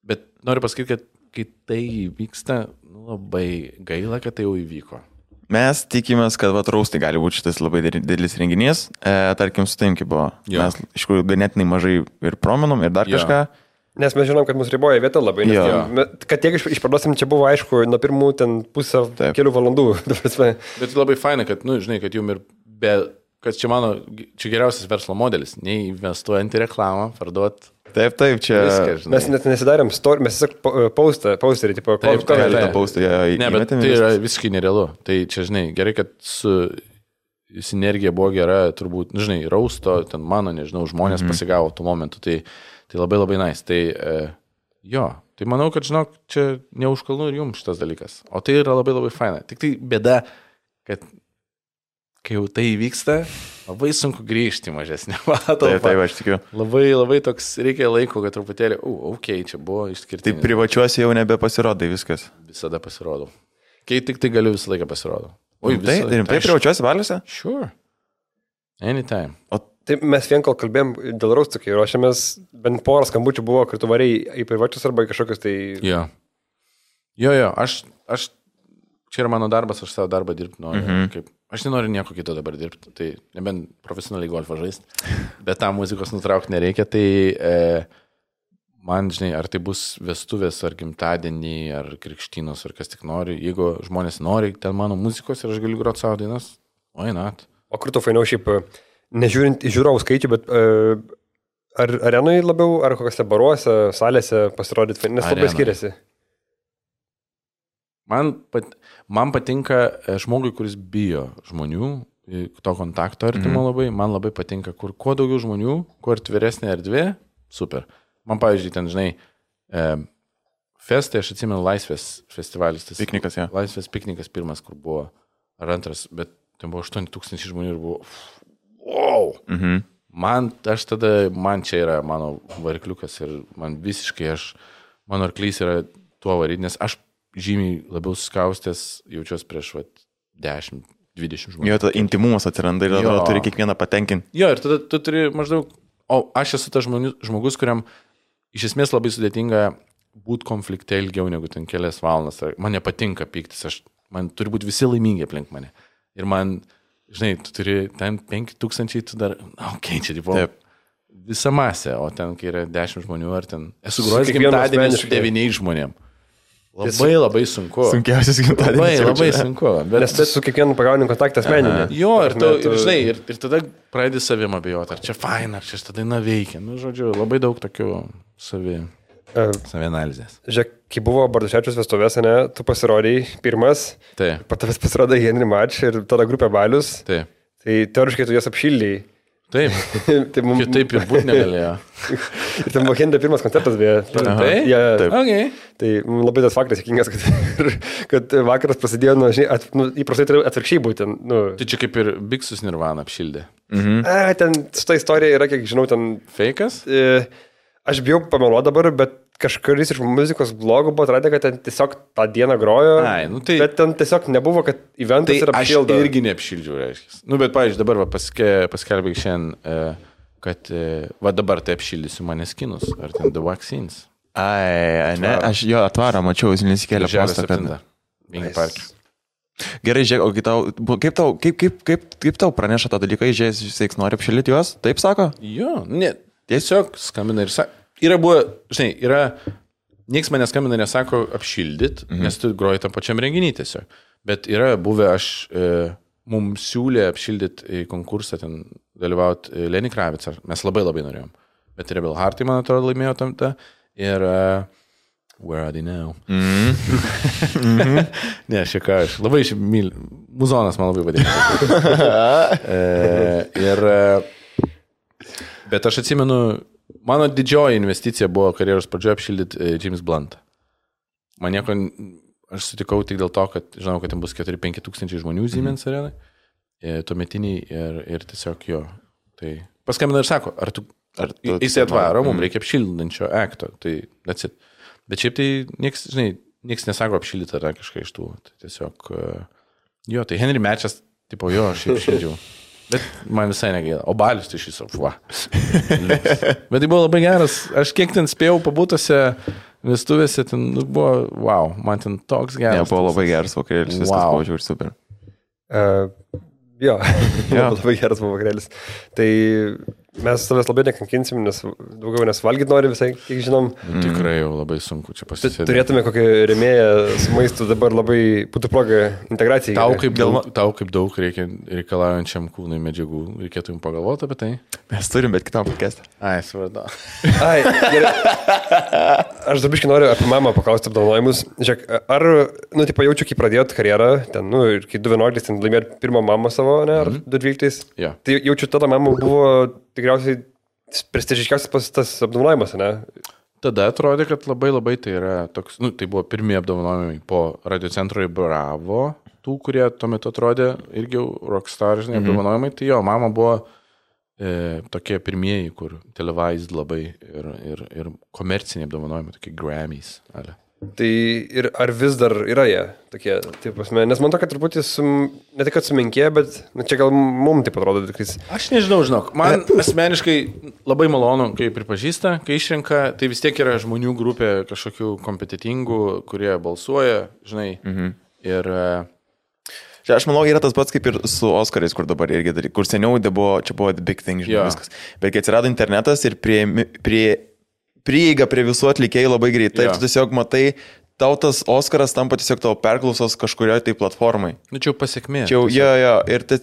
bet noriu pasakyti, kad kai tai vyksta, nu, labai gaila, kad tai jau įvyko. Mes tikimės, kad vat raustai gali būti šitas labai didelis renginys. E, tarkim, su taim, kaip buvo. Jo. Mes iš tikrųjų ganėtinai mažai ir promenom, ir dar jo. Kažką. Nes mes žinom, kad mus riboja vieta labai. Nes, kad tiek išparduosim, čia buvo aišku, nuo pirmų ten pusę Taip. Kelių valandų. Bet labai faina, kad, nu, žinai, kad jum ir be... Kad čia mano, čia geriausias verslo modelis. Neinvestuojant į reklamą, parduot. Taip, taip, čia... Viskas, mes net nesidarėm story, mes tiesiog postą, posterį, tipo, taip, taip, taip, tą postą, ja, ne, bet tai yra visiškai nerealu. Tai čia, žinai, gerai, kad su sinergija buvo gera, turbūt, nu, žinai, rausto, ten mano, nežinau, žmonės mm-hmm. pasigavo tuo momentu, tai, tai labai labai nice. Tai, e, jo, tai manau, kad, žinok, čia ne už kalnų ir jums šitas dalykas. O tai yra labai labai faina. Tik tai bėda, kad kai jau tai vyksta, labai sunku grįžti mažesnį patalpą. Taip, taip, aš tikiu. Labai, labai toks reikia laiko, kad truputėlį, u, okei, okay, čia buvo išskirtinis. Tai privačiuose jau nebepasirodai viskas. Visada pasirodau. Kai tik tai galiu visą laiką pasirodau. Oi, tai, rimtai privačiuose baliuose? Sure. Anytime. O Taip, mes vien kol kalbėjom dėl raustų, kai ruošiamės, bent porą skambučių buvo, kur tu variai į privačius arba į kažkokius tai... Jo, jo, jo aš, aš, čia yra mano darbas, aš savo darbą dirbti noriu. Mhm. Kaip, aš nenoriu nieko kito dabar dirbti, tai nebent profesionaliai golfą žaisti, bet tą muzikos nutraukti nereikia, tai e, man, žinai, ar tai bus vestuvės, ar gimtadienį, ar krikštynos, ar kas tik nori, jeigu žmonės nori ten mano muzikos ir aš galiu groti savo dainas, oi, nat. O kur tu fainiau šiaip, nežiūrint į žiūrovų skaičių, bet uh, ar arenui labiau, ar kokiuose baruose, salėse pasirodyti, nes labai skiriasi? Man, pat, man patinka žmogui, kuris bijo žmonių, to kontakto artimo mm. labai, man labai patinka, kur kuo daugiau žmonių, kuo atviresnė erdvė, super. Man, pavyzdžiui, ten, žinai, e, festai, aš atsimenu Laisvės festivalis. Tas, piknikas, ja. Laisvės piknikas pirmas, kur buvo, ar antras, bet ten buvo aštuoni tūkstančiai žmonių ir buvo, wow! Mhm. Man, aš tada, man čia yra mano varikliukas ir man visiškai, aš, mano arklys yra tuo varyti, nes aš žymiai labiau suskaustęs jaučiuos prieš vat, dešimt dvidešimt žmonių. Jo, tada intimumas atsiranda ir tada turi kiekvieną patenkinti. Jo, ir tada tu turi maždaug, o aš esu tas žmogus, kuriam iš esmės labai sudėtinga būti konflikte ilgiau negu ten kelias valandas. Man nepatinka pyktis, aš, man turi būti visi laimingi aplink mane. Ir man, žinai, tu turi ten penki tūkstančiai, tu dar, na, okei, okay, čia tipo visa masė, o ten, kai yra dešimt žmonių, ar ten esu grojęs gimtadienį su devyniais žmonėm. Labai labai sunku. Sunkiausias gimtadienis. Labai labai sunku. Bet, nes tu su kiekvienu pagauni kontaktą asmeninį. Jo, ir, tu, ir, žinai, ir, ir tada pradedi savim abejoti, ar čia faina, ar čia šitą dainą veikia. Nu, žodžiu, labai daug tokių savi, uh, savi analizės. Žiūrėk, kai buvo Bardaševičiaus vestuvės, ne, tu pasirodai pirmas, taip. Patavęs pasirodai Henry Match ir tada grupė Balius. Taip. Tai teoriškai tu jas apšildėjai. Taip, tai mum... taip ir būti negalėjo. Ir ten buvo Henry pirmas koncertas, beje. Taip, ja, taip. Okay. Tai labai tas faktas įkingas, kad, kad vakaras prasidėjo, nu, žinai, at, nu, įprastai turi atvirkščiai būti. Nu. Tai čia kaip ir Bigsus Nirvana apšildė. Mhm. A, ten šitą istoriją yra, kiek žinau, ten... Fake'as? E, aš bijau pameluoti dabar, bet kažkuris iš muzikos blogų buvo atradę, kad ten tiesiog tą dieną grojo, Ai, nu tai, bet ten tiesiog nebuvo, kad eventas tai yra apšildo. Aš irgi neapšildžiau, reiškia. Nu, bet, pavyzdžiui, dabar va, paske, paskelbė šiandien, kad va dabar tai apšildysiu Maneskinus, ar ten The Vaccines. Ai, ne, aš jo atvarą mačiau, jis nesikėlė postą. Vingi parke. Gerai, žiūrėk, o kaip tau, kaip tau, kaip, kaip, kaip, kaip tau praneša tą dalyką, žiūrės, jis nori apšildyti juos, taip sako? Jo, ne, tiesiog skambina ir sako. Yra buvo, žinai, yra, nieks manęs skambina nesako apšildyt, mhm. nes tu groji tam pačiam renginį tiesiog. Bet yra buvę, aš, e, mums siūlė apšildyt į konkursą, ten dalyvauti e, Lenny Kravitz, mes labai labai norėjom. Bet Rebel Heart, man atrodo, laimėjo tam tą. Ir uh, Where Are They Now? Mm-hmm. Ne, šiek ką, aš labai myliu. Muzonas man labai patinka. e, ir, bet aš atsimenu, mano didžioji investicija buvo karjeros pradžioje apšildyti e, James Bluntą. Man nieko, aš sutikau tik dėl to, kad žinau, kad ten bus keturi penki tūkstančiai žmonių Siemens arenai, e, tuometiniai ir, ir tiesiog jo. Tai paskambina ir sako, ar tu, ar tu jis atvaro, mums reikia apšildančio akto, tai that's it. Bet šiaip tai nieks, žinai, nieks nesako apšildyti ar kažką iš tų. Tai tiesiog, uh, jo, tai Henry Matchas, tipo, jo, aš apšildžiau. Bet man visai negaila. O Balius tai šis, va. Bet tai buvo labai geras. Aš kiek ten spėjau pabūtose vestuvėse, ten nu, buvo, wow, man ten toks geras. Ne, buvo labai geras vakarėlis, viskas wow. Buvo žiūrėti super. Uh, jo, ja. Labai geras buvo vakarėlis. Tai mes savęs labai nekankinsim, nes daugiau nes valgyti nori visai, kiek žinom. Mm. Tikrai jau labai sunku čia pasisėdėti. Turėtume kokį rėmėją su maistu, dabar labai būtų proga integracijai. Tau kaip, daug, tau kaip daug reikia reikalaujančiam kūnui medžiagų, reikėtų jums pagalvoti apie tai? Mes turim, bet kitam pakestą. Ai, svarbu. Ai, gerai. Aš dabiškai noriu apie mamą paklausti apdovanojimus. Žiūrėk, ar, nu, tipo, jaučiu, kai pradėjot karjerą, ten, nu, ir kai du vienuoliktais ten laimėjot pirmą mamą savo, ne, ar mm-hmm. du dvyliktais? Ja. Tai jaučiu, tada mama buvo tikriausiai prestižiškiausias tas apdovanojimas, ne? Tada atrodė, kad labai labai tai yra toks, nu, tai buvo pirmieji apdovanojimai po radiocentro į Bravo, tų, kurie tuo metu atrodė irgi rockstar, žinai, mm-hmm. apdovanojimai, tai jo, mama buvo e, tokie pirmieji, kur televised labai ir, ir, ir komerciniai apdovanojimai, tokie Grammys. Ale. Tai ir ar vis dar yra jie tokie, taip pasme, nes man to, kad truputį sum, ne tik, kad sumenkė, bet nu, čia gal mums taip atrodo. Tikrais... Aš nežinau, žinok, man asmeniškai labai malonu, kai pripažįsta, kai išrenka, tai vis tiek yra žmonių grupė kažkokių kompetitingų, kurie balsuoja, žinai, mhm. ir... Čia aš manau, yra tas pats kaip ir su Oskarais, kur dabar irgi darai, kur seniau buvo, čia buvo the big thing, žinai, viskas. Bet kai atsirado internetas ir prie... prie prieiga prie visų atlikėjų labai greitai. Ir tu tiesiog matai, tau tas Oskaras tampa tiesiog tavo perklausos kažkurioje tai platformai. Nu, čia jau pasiekmė. Čia jau, jo, jo. Ir tai,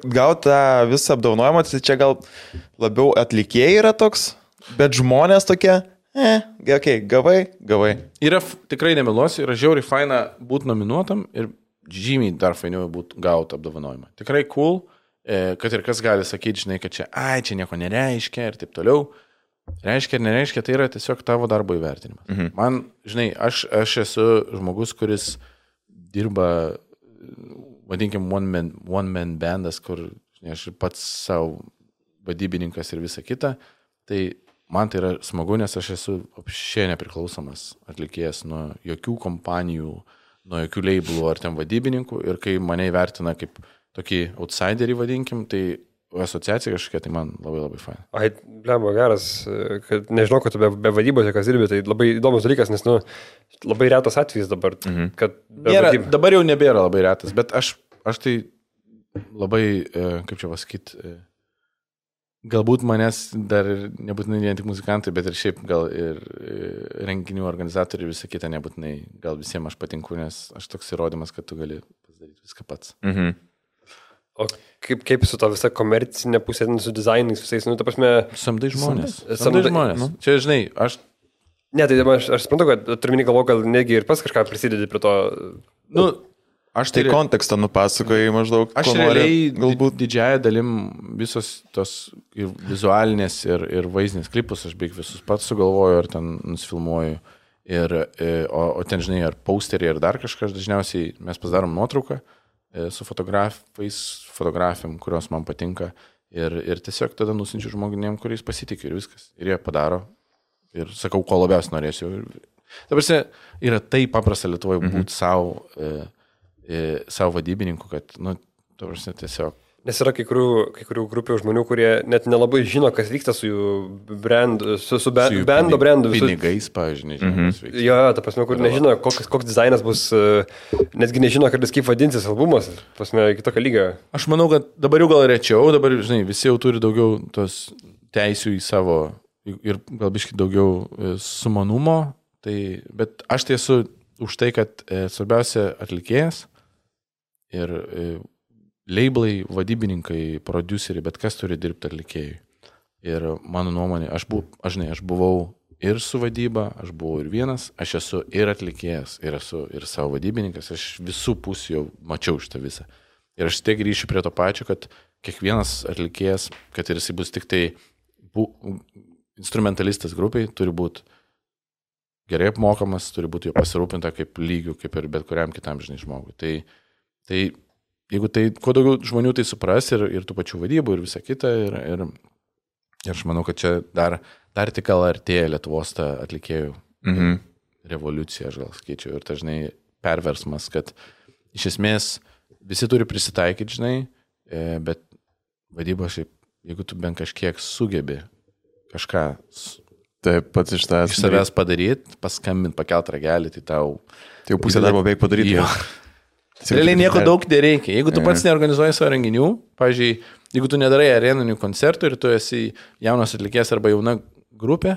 gauti tą visą apdovanojimą, tai čia gal labiau atlikėjai yra toks, bet žmonės tokie, eh, okay, gavai, gavai. Yra, tikrai nemeluosiu, yra žiauriai faina būti nominuotam ir žymiai dar fainiau būti gauti apdovanojimą. Tikrai cool, kad ir kas gali sakyti, žinai, kad čia, ai, čia nieko nereiškia ir taip toliau. Reiškia ir nereiškia, tai yra tiesiog tavo darbo įvertinimas. Mhm. Man, žinai, aš, aš esu žmogus, kuris dirba, vadinkim, one man, one man bandas, kur žinai, aš pats savo vadybininkas ir visa kita, tai man tai yra smagu, nes aš esu apšiai nepriklausomas atlikėjas nuo jokių kompanijų, nuo jokių labelų ar ten vadybininkų ir kai mane įvertina kaip tokį outsiderį, vadinkim, tai asociacija kažkokia, tai man labai labai faina. Ai, blemba, geras, kad nežinau, kad tu be, be vadybos kas dirbi, tai labai įdomus dalykas, nes, nu, labai retas atvejis dabar, mhm. kad... Nėra, dabar jau nebėra labai retas, bet aš, aš tai labai, kaip čia pasakyti, galbūt manęs dar nebūtinai vien tik muzikantai, bet ir šiaip gal ir renginių organizatoriai ir visą kitą nebūtinai, gal visiems aš patinku, nes aš toks įrodymas, kad tu gali pasidaryti viską pats. Mhm. O kaip, kaip su to visa komercinė pusė, su dizainais visais, nu, ta prasme... Samdai žmonės. Samdai, samdai žmonės. Nu. Čia, žinai, aš... Ne, tai aš, aš suprantu, kad turminį galvo, gal negi ir pas kažką prisidedi prie to... Nu, aš tai, tai kontekstą nupasakojai maždaug. Aš realiai galbūt didžiąją dalim visos tos ir vizualinės ir, ir vaizdinės klipus, aš beveik visus pats sugalvoju ar ten nusifilmuoju. Ir, o, o ten, žinai, ar posterį, ar dar kažkas, dažniausiai mes pasidarom nuotrauką su fotografais, fotografiam, kurios man patinka ir, ir tiesiog tada nusinčiu žmonėm, kuriais pasitikė ir viskas. Ir jie padaro ir sakau, ko labiausiai norėsiu. Dabar yra taip paprasta Lietuvoje būti mm-hmm. savo, e, e, savo vadybininku, kad, nu, dabar tiesiog... Nes yra kai kurių, kai kurių grupių žmonių, kurie net nelabai žino, kas vyksta su jų brandu, su, su, be, su bando brandu. Visu... Pinigais, pavyzdžiui, nežino, mm-hmm. kas vyksta. Jo, ta prasme, kur nežino, koks, koks dizainas bus, netgi nežino, kartais kaip vadinsis albumas, prasme, kitokio lygio. Aš manau, kad dabar jau gal rečiau, dabar, žinai, visi jau turi daugiau tos teisių į savo ir gal biškai daugiau sumanumo, tai, bet aš tai esu už tai, kad e, svarbiausia atlikėjas ir e, labelai, vadybininkai, produceriai, bet kas turi dirbti atlikėjui. Ir mano nuomonė, aš, bu, aš, ne, aš buvau ir su vadyba, aš buvau ir vienas, aš esu ir atlikėjas, ir esu ir savo vadybininkas, aš visų pusių jau mačiau šitą visą. Ir aš tiek grįšiu prie to pačio, kad kiekvienas atlikėjas, kad ir jisai bus tik tai bu, instrumentalistas grupiai, turi būti gerai apmokamas, turi būti jo pasirūpinta kaip lygių, kaip ir bet kuriam kitam, žinai, žmogui. Tai, tai jeigu tai, kuo daugiau žmonių tai supras ir, ir tų pačių vadybų ir visa kita, ir, ir, ir aš manau, kad čia dar, dar tik gal artėja Lietuvos ta atlikėjų mm-hmm. revoliucija, aš gal skaičiau, ir dažnai perversmas, kad iš esmės visi turi prisitaikyti, žinai, bet vadyba šiaip, jeigu tu bent kažkiek sugebi kažką taip, pats iš tavęs iš savęs padaryti, paskambinti, pakelt ragelį, tai tau... Tai jau pusę darbo beveik padaryti. Realiai nieko daug nereikia. Jeigu tu pats neorganizuoji savo renginių, pavyzdžiui, jeigu tu nedarai areninių koncertų ir tu esi jaunas atlikėjas arba jauna grupė,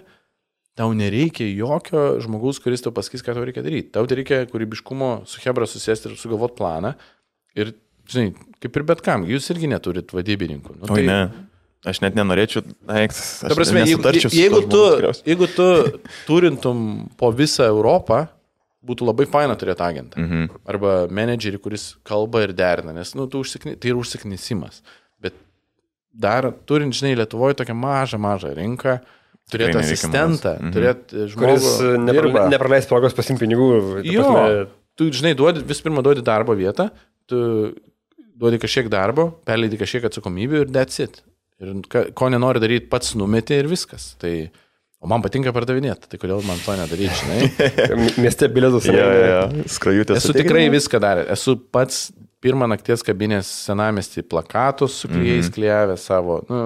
tau nereikia jokio žmogaus, kuris tau pasakys, ką tau reikia daryti. Tau reikia kūrybiškumo su Hebra susėsti ir sugalvoti planą. Ir, žinai, kaip ir bet kam, jūs irgi neturit vadybininkų. Nu, tai... Oi, ne. Aš net nenorėčiau, aš prasme, jeigu, jeigu, tu, jeigu tu turintum po visą Europą, būtų labai faina turėti agentą. Mhm. Arba menedžerį, kuris kalba ir derina, nes nu, užsikni, tai yra užsiknisimas. Bet dar turint, žinai, Lietuvoje tokią mažą, mažą rinką, turėti asistentą, mhm. turėti žmogų, kuris nepra, nepraleis progos pasimti pinigų. Jo, pasme... tu, žinai, duodi, vis pirma duodi darbo vietą, tu duodi kažkiek darbo, perleidi kažkiek atsakomybių ir that's it. Ir ko nenori daryti, pats numeti ir viskas. Tai, O man patinka pardavinėti, tai kodėl man to nedaryti, žinai? Mieste bilietus. Ja, ja, skrajutės. Esu tikrai viską daręs. Esu pats pirmą nakties kabinės senamestį plakatus su klijais mm-hmm. klijavę savo, nu,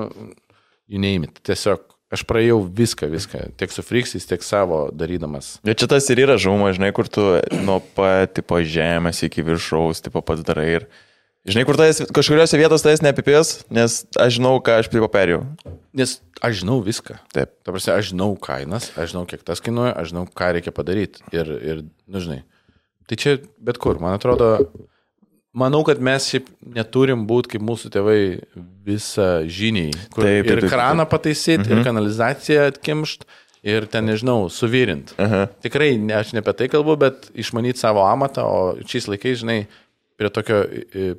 you name it. Tiesiog aš praėjau viską, viską, tiek su friksais, tiek savo darydamas. Ir čia tas ir yra žauma, žinai, kur tu nuo pat, tipo, žemės iki viršaus, tipo, pats darai ir... Žinai, kur tas kažkuriuose vietos tas neapipės, nes aš žinau, ką aš tipo perėjau. Nes aš žinau viską. Taip. Ta prasme, aš žinau kainas, aš žinau, kiek tas kainuoja, aš žinau, ką reikia padaryti. Ir, ir nu, žinai, tai čia bet kur, man atrodo, manau, kad mes šiaip neturim būti kaip mūsų tėvai visą žiniai. Kur taip, taip, ir kraną pataisyti, mhm. ir kanalizaciją atkimšt, ir ten, nežinau, suvirint. Aha. Tikrai, ne, aš ne apie tai kalbu, bet išmanyti savo amatą, o šiais laikais, žinai, prie tokio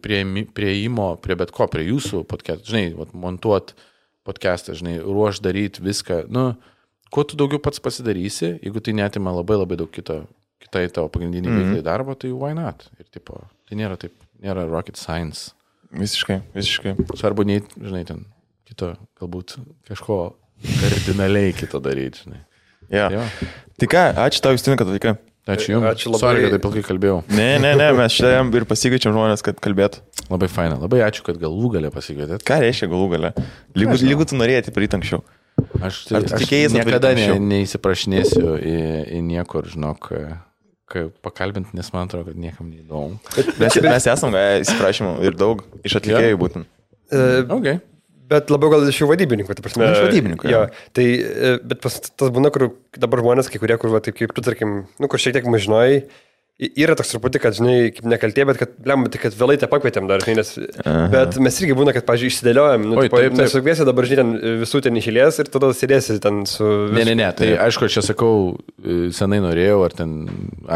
prieimo, prie bet ko, prie jūsų podcast, žinai, vat, montuot podcastą, žinai, ruoš daryti viską, nu, kuo tu daugiau pats pasidarysi, jeigu tai netima labai labai daug kito, kitai tavo pagrindinį mm-hmm. veiklai darbo, tai why not? Ir tipo, tai nėra taip, nėra rocket science. Visiškai, visiškai. Svarbu, nei, žinai, ten kito, galbūt kažko kardinaliai kito daryti, žinai. Ja. Ja. Tai ką, ačiū tau, Justinai, kad atvykai. Ačiū Jums. Ačiū labai. Sorry, kad taip ilgai kalbėjau. Ne, ne, ne, mes šiandien ir pasikviečiam žmonės, kad kalbėtų. Labai faina. Labai ačiū, kad galų galę pasikvietėt. Ką reiškia galų galę? Lygu, lygu tu norėjai praeiti anksčiau. Aš, tai, aš niekada ne, neįsiprašinėsiu į, į niekur, žinok, kai pakalbint, nes man atrodo, kad niekam neįdomu. Mes, mes esam įsiprašymų ir daug iš atlikėjų būtent. Uh, okay. Bet labiau gal iš jų vadybininkų, ta prasme. Iš vadybininkų, jo. Tai, bet pas, tas būna, kur dabar žmonės, kai kurie, kur, va, taip kaip tu, tarkim, nu, kur šiek tiek mažinojai, yra toks truputį, kad, žinai, kaip nekaltė, bet kad, blem, tai kad vėlai te pakvietėm dar, žinai, nes, Aha. bet mes irgi būna, kad, pavyzdžiui, išsidėliojam, nu, Oi, tipo, taip, taip. Nesukviesi dabar, žinai, ten visų ten išėlės ir tada sėdėsi ten su... Vis... Ne, ne, ne, tai aišku, aš čia sakau, senai norėjau, ar ten,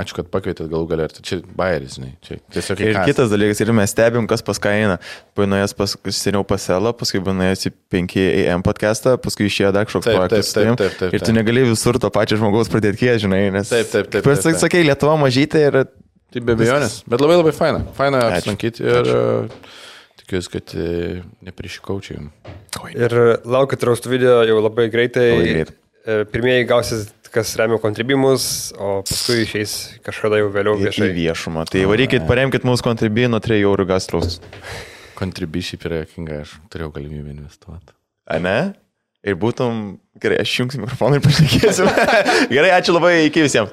ačiū, kad pakvietėt galų galę, ar tai čia bairis, žinai, čia tiesiog... Ir kitas dalykas, ir mes stebim, kas pas ką eina. Panuėjęs pas, seniau pas Elą, paskui panuėjęs į penki A M podcastą, paskui išėjo dar kažkoks projektas. Taip, taip, taip, taip, ir tu negali visur to pačio žmogaus pradėti kiek, žinai, nes... Taip, taip, taip. taip, taip. Sakai, Lietuva mažytė ir... Tai be abejonės, bet labai labai faina. Faina apsilankyti ir uh, tikiuosi, kad uh, neprišikaučiai jums. Ir laukit raustų video jau labai greitai. Labai greit. Pirmieji gausis, kas remia kontribimus, o paskui išeis kažkada jau vėliau viešai. Į viešumą. Tai varykit, paremkit mūsų kontribį nuo trijų eurų gas raustus. Kontribį šiaip yra jokinga, aš turėjau galimybę investuoti. A ne? Ir būtum, gerai, aš jungsiu mikrofoną ir pašnekėsiu. Gerai, ačiū labai, iki visiems.